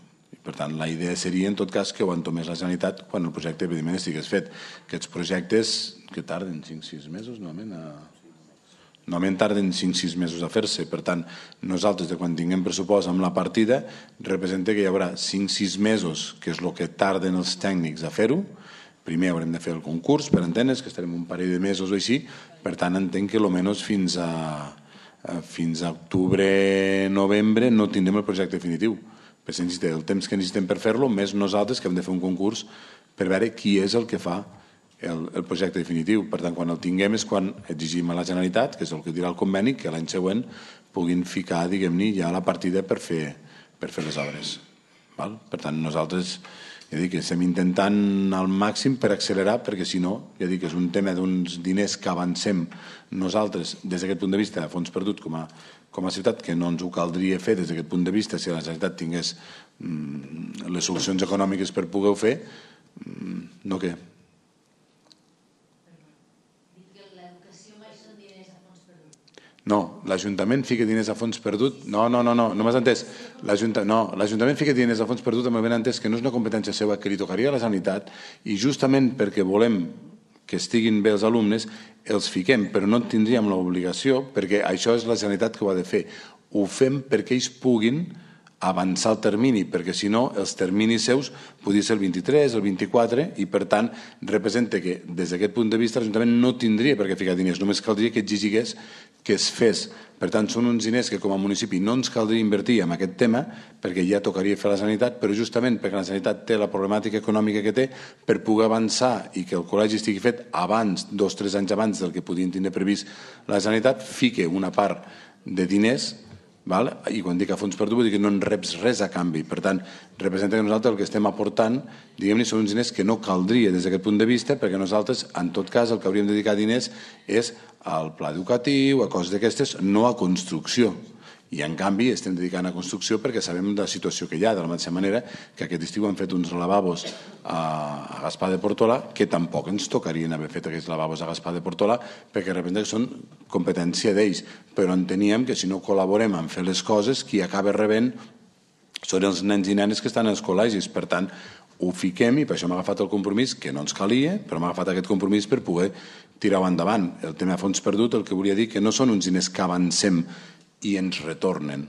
Per tant, la idea seria, en tot cas, que ho entomés la Generalitat quan el projecte, evidentment, estigués fet. Aquests projectes, que tarden cinc o sis mesos, normalment, a... normalment tarden cinc o sis mesos a fer-se. Per tant, nosaltres, de quan tinguem pressupost amb la partida, representa que hi haurà cinc o sis mesos, que és el que tarden els tècnics a fer-ho. Primer haurem de fer el concurs, per entendre's, que estarem un parell de mesos o així. Per tant, entenc que almenys fins a fins a octubre, novembre, no tindrem el projecte definitiu. Per el temps que necessitem per fer-lo, més nosaltres que hem de fer un concurs per veure qui és el que fa el, el projecte definitiu. Per tant, quan el tinguem és quan exigim a la Generalitat, que és el que dirà el conveni, que l'any següent puguin ficar, diguem-ne, ja la partida per fer, per fer les obres. Val? Per tant, nosaltres ja dic que estem intentant al màxim per accelerar, perquè si no, ja dic que és un tema d'uns diners que avancem nosaltres des d'aquest punt de vista a fons perdut com a, com a ciutat, que no ens ho caldria fer des d'aquest punt de vista si la Generalitat tingués mm, les solucions econòmiques per poder-ho fer, mm, no què? No, l'Ajuntament fica diners a fons perdut. No, no, no, no, no m'has entès. L'Ajuntament fica diners a fons perdut amb el ben entès que no és una competència seva, que li tocaria a la Generalitat, i justament perquè volem que estiguin bé els alumnes, els fiquem, però no tindríem l'obligació, perquè això és la Generalitat que ho ha de fer. Ho fem perquè ells puguin avançar el termini, perquè si no els terminis seus podria ser el vint-i-tres, el vint-i-quatre, i per tant representa que des d'aquest punt de vista l'Ajuntament no tindria per què ficar diners, només caldria que exigís que es fes. Per tant, són uns diners que com a municipi no ens caldria invertir en aquest tema, perquè ja tocaria fer la Generalitat, però justament perquè la Generalitat té la problemàtica econòmica que té, per poder avançar i que el col·legi estigui fet abans, dos o tres anys abans del que podien tindre previst la Generalitat, fique una part de diners. Val? I quan dic a fons perdut vull dir que no en reps res a canvi. Per tant, representa que nosaltres el que estem aportant, diguem-ne, són uns diners que no caldria des d'aquest punt de vista, perquè nosaltres, en tot cas, el que hauríem de dedicar diners és al pla educatiu, a coses d'aquestes, no a construcció. I, en canvi, estem dedicant a construcció perquè sabem la situació que hi ha, de la mateixa manera que aquest estiu han fet uns lavabos a Gaspar de Portolà, que tampoc ens tocarien haver fet aquests lavabos a Gaspar de Portolà, perquè representa que són competència d'ells. Però enteníem que si no col·laborem en fer les coses, qui acaba rebent són els nens i nenes que estan als col·legis. Per tant, ho fiquem, i per això m'ha agafat el compromís, que no ens calia, però m'ha agafat aquest compromís per poder tirar-ho endavant. El tema de fons perdut, el que volia dir que no són uns diners que avancem i ens retornen.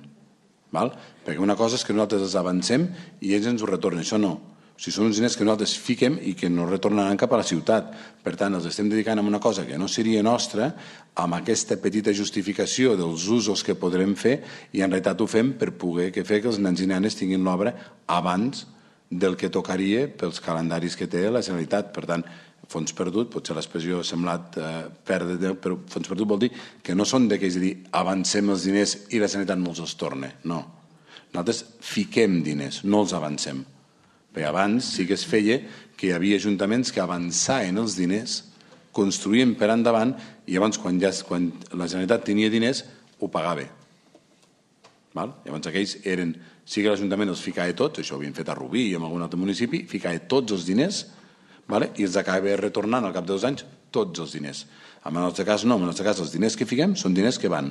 Val? Perquè una cosa és que nosaltres els avancem i ells ens ho retornen. Això no. O sigui, són uns diners que nosaltres fiquem i que no retornaran cap a la ciutat. Per tant, els estem dedicant a una cosa que no seria nostra, amb aquesta petita justificació dels usos que podrem fer, i en realitat ho fem per poder fer que els nens i nenes tinguin l'obra abans del que tocaria pels calendaris que té la Generalitat. Per tant, fons perdut, potser l'expressió ha semblat eh, perdre, però fons perdut vol dir que no són d'aquells de dir avancem els diners i la Generalitat no els torna. No. Nosaltres fiquem diners, no els avancem. Perquè abans sí que es feia que hi havia ajuntaments que avançaven els diners, construïen per endavant, i llavors quan, ja, quan la Generalitat tenia diners ho pagava. Val? Llavors aquells eren, sí que l'Ajuntament els ficava tots, això ho havien fet a Rubí i en algun altre municipi, ficava tots els diners, vale? I els acaba retornant al cap de dos anys tots els diners. En el nostre cas no, en el nostre cas els diners que fiquem són diners que van,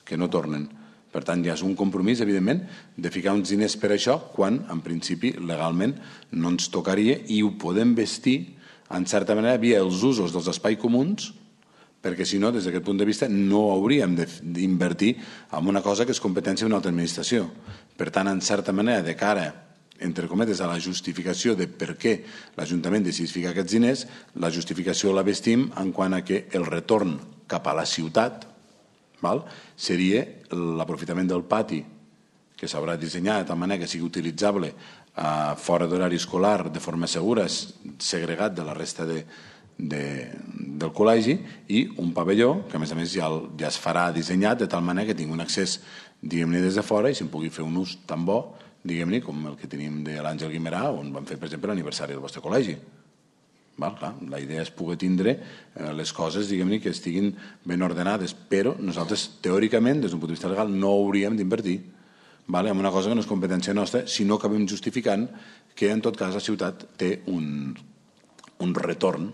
que no tornen. Per tant, ja és un compromís, evidentment, de ficar uns diners per això quan, en principi, legalment no ens tocaria, i ho podem vestir, en certa manera, via els usos dels espais comuns, perquè si no, des d'aquest punt de vista, no hauríem d'invertir en una cosa que és competència d'una altra administració. Per tant, en certa manera, de cara entre cometes, a la justificació de per què l'Ajuntament decidís ficar aquests diners, la justificació la vestim en quant a que el retorn cap a la ciutat val, seria l'aprofitament del pati, que s'haurà dissenyat de tal manera que sigui utilitzable eh, fora d'horari escolar de forma segura, segregat de la resta de, de, del col·legi, i un pavelló que a més a més ja, ja es farà dissenyat de tal manera que tingui un accés, diguem-ne, des de fora, i se'n pugui fer un ús tan bo, diguem-ne, com el que tenim de l'Àngel Guimerà, on vam fer, per exemple, l'aniversari del vostre col·legi. Val, clar, la idea és poder tindre eh, les coses, diguem-ne, que estiguin ben ordenades, però nosaltres, teòricament, des d'un punt de vista legal, no hauríem d'invertir vale, en una cosa que no és competència nostra, si no acabem justificant que, en tot cas, la ciutat té un, un retorn,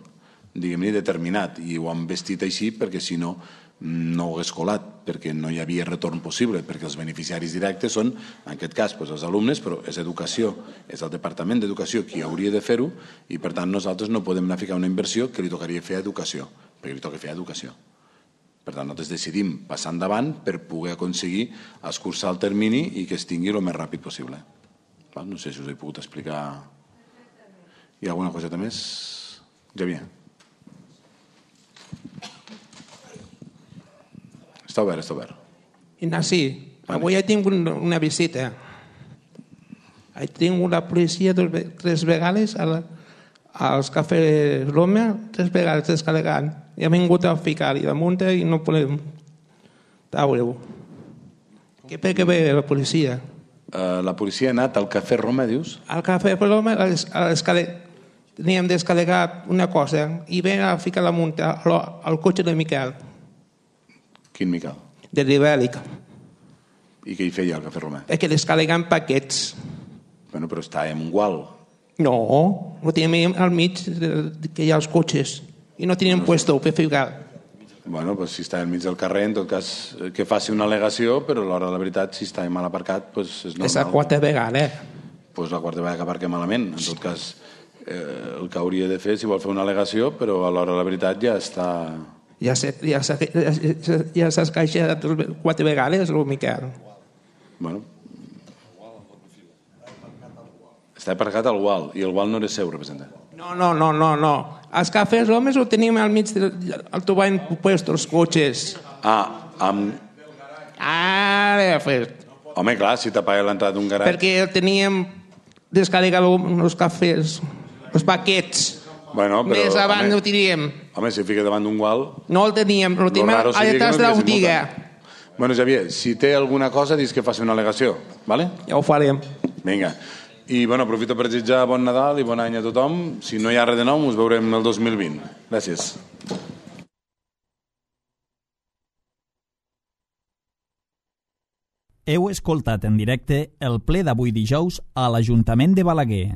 diguem-ne, determinat, i ho han vestit així perquè, si no, no ho hagués colat. perquè no hi havia retorn possible, perquè els beneficiaris directes són, en aquest cas, doncs, els alumnes, però és educació, és el Departament d'Educació qui hauria de fer-ho, i per tant nosaltres no podem anar a ficar una inversió que li tocaria fer a educació, perquè li toca fer a educació. Per tant, nosaltres decidim passar endavant per poder aconseguir escurçar el termini i que es tingui el més ràpid possible. No sé si us he pogut explicar. Hi ha alguna coseta més? Javier. Està obert, està obert.
Ignasi, avui he tingut una visita. He tingut la policia tres vegades als cafès Roma, tres vegades descarregant. I ha vingut a ficar-hi damunt i no podem treure-ho. Què per què ve la policia?
La policia ha anat al cafè Roma, dius?
Al cafè Roma teníem descarregat una cosa i ven a ficar damunt al cotxe de Miquel.
Quin Miquel?
De l'Ibèric.
I què hi feia al Cafè Romà?
És que descarregant paquets.
Bueno, però està en un gual.
No, ho teníem al mig que hi ha els cotxes i no teníem puesto per ficar.
Bueno, doncs si està al mig del carrer, en tot cas que faci una al·legació, però a l'hora de la veritat, si està mal aparcat, doncs és normal.
És la quarta vegada, eh?
Doncs la quarta vegada que aparca malament. En tot cas, eh, el que hauria de fer, si vol fer una al·legació, però a l'hora de la veritat ja està...
Ja s'ha escaixat quatre vegades, el Miquel.
Bueno. Està aparcat al gual, i el gual no era seu, representant.
No, no, no, no, no. Els cafès homes ho tenim al mig del tobany puesto, els cotxes.
Ah, amb...
Ah, he fet.
Home, clar, si t'apaga l'entrada d'un garatge...
Perquè teníem descarregat els cafès, els paquets.
Bueno, però,
més avant
home,
ho teníem.
Home, si fica davant d'un gual...
No el teníem, el teníem a detrás de la botiga.
Bueno, Javier, si té alguna cosa, dis que faci una al·legació, ¿vale?
Ja ho farem.
Vinga. I, bueno, aprofito per desitjar bon Nadal i bon any a tothom. Si no hi ha res de nou, us veurem el dos mil vint. Gràcies.
Heu escoltat en directe el ple d'avui dijous a l'Ajuntament de Balaguer.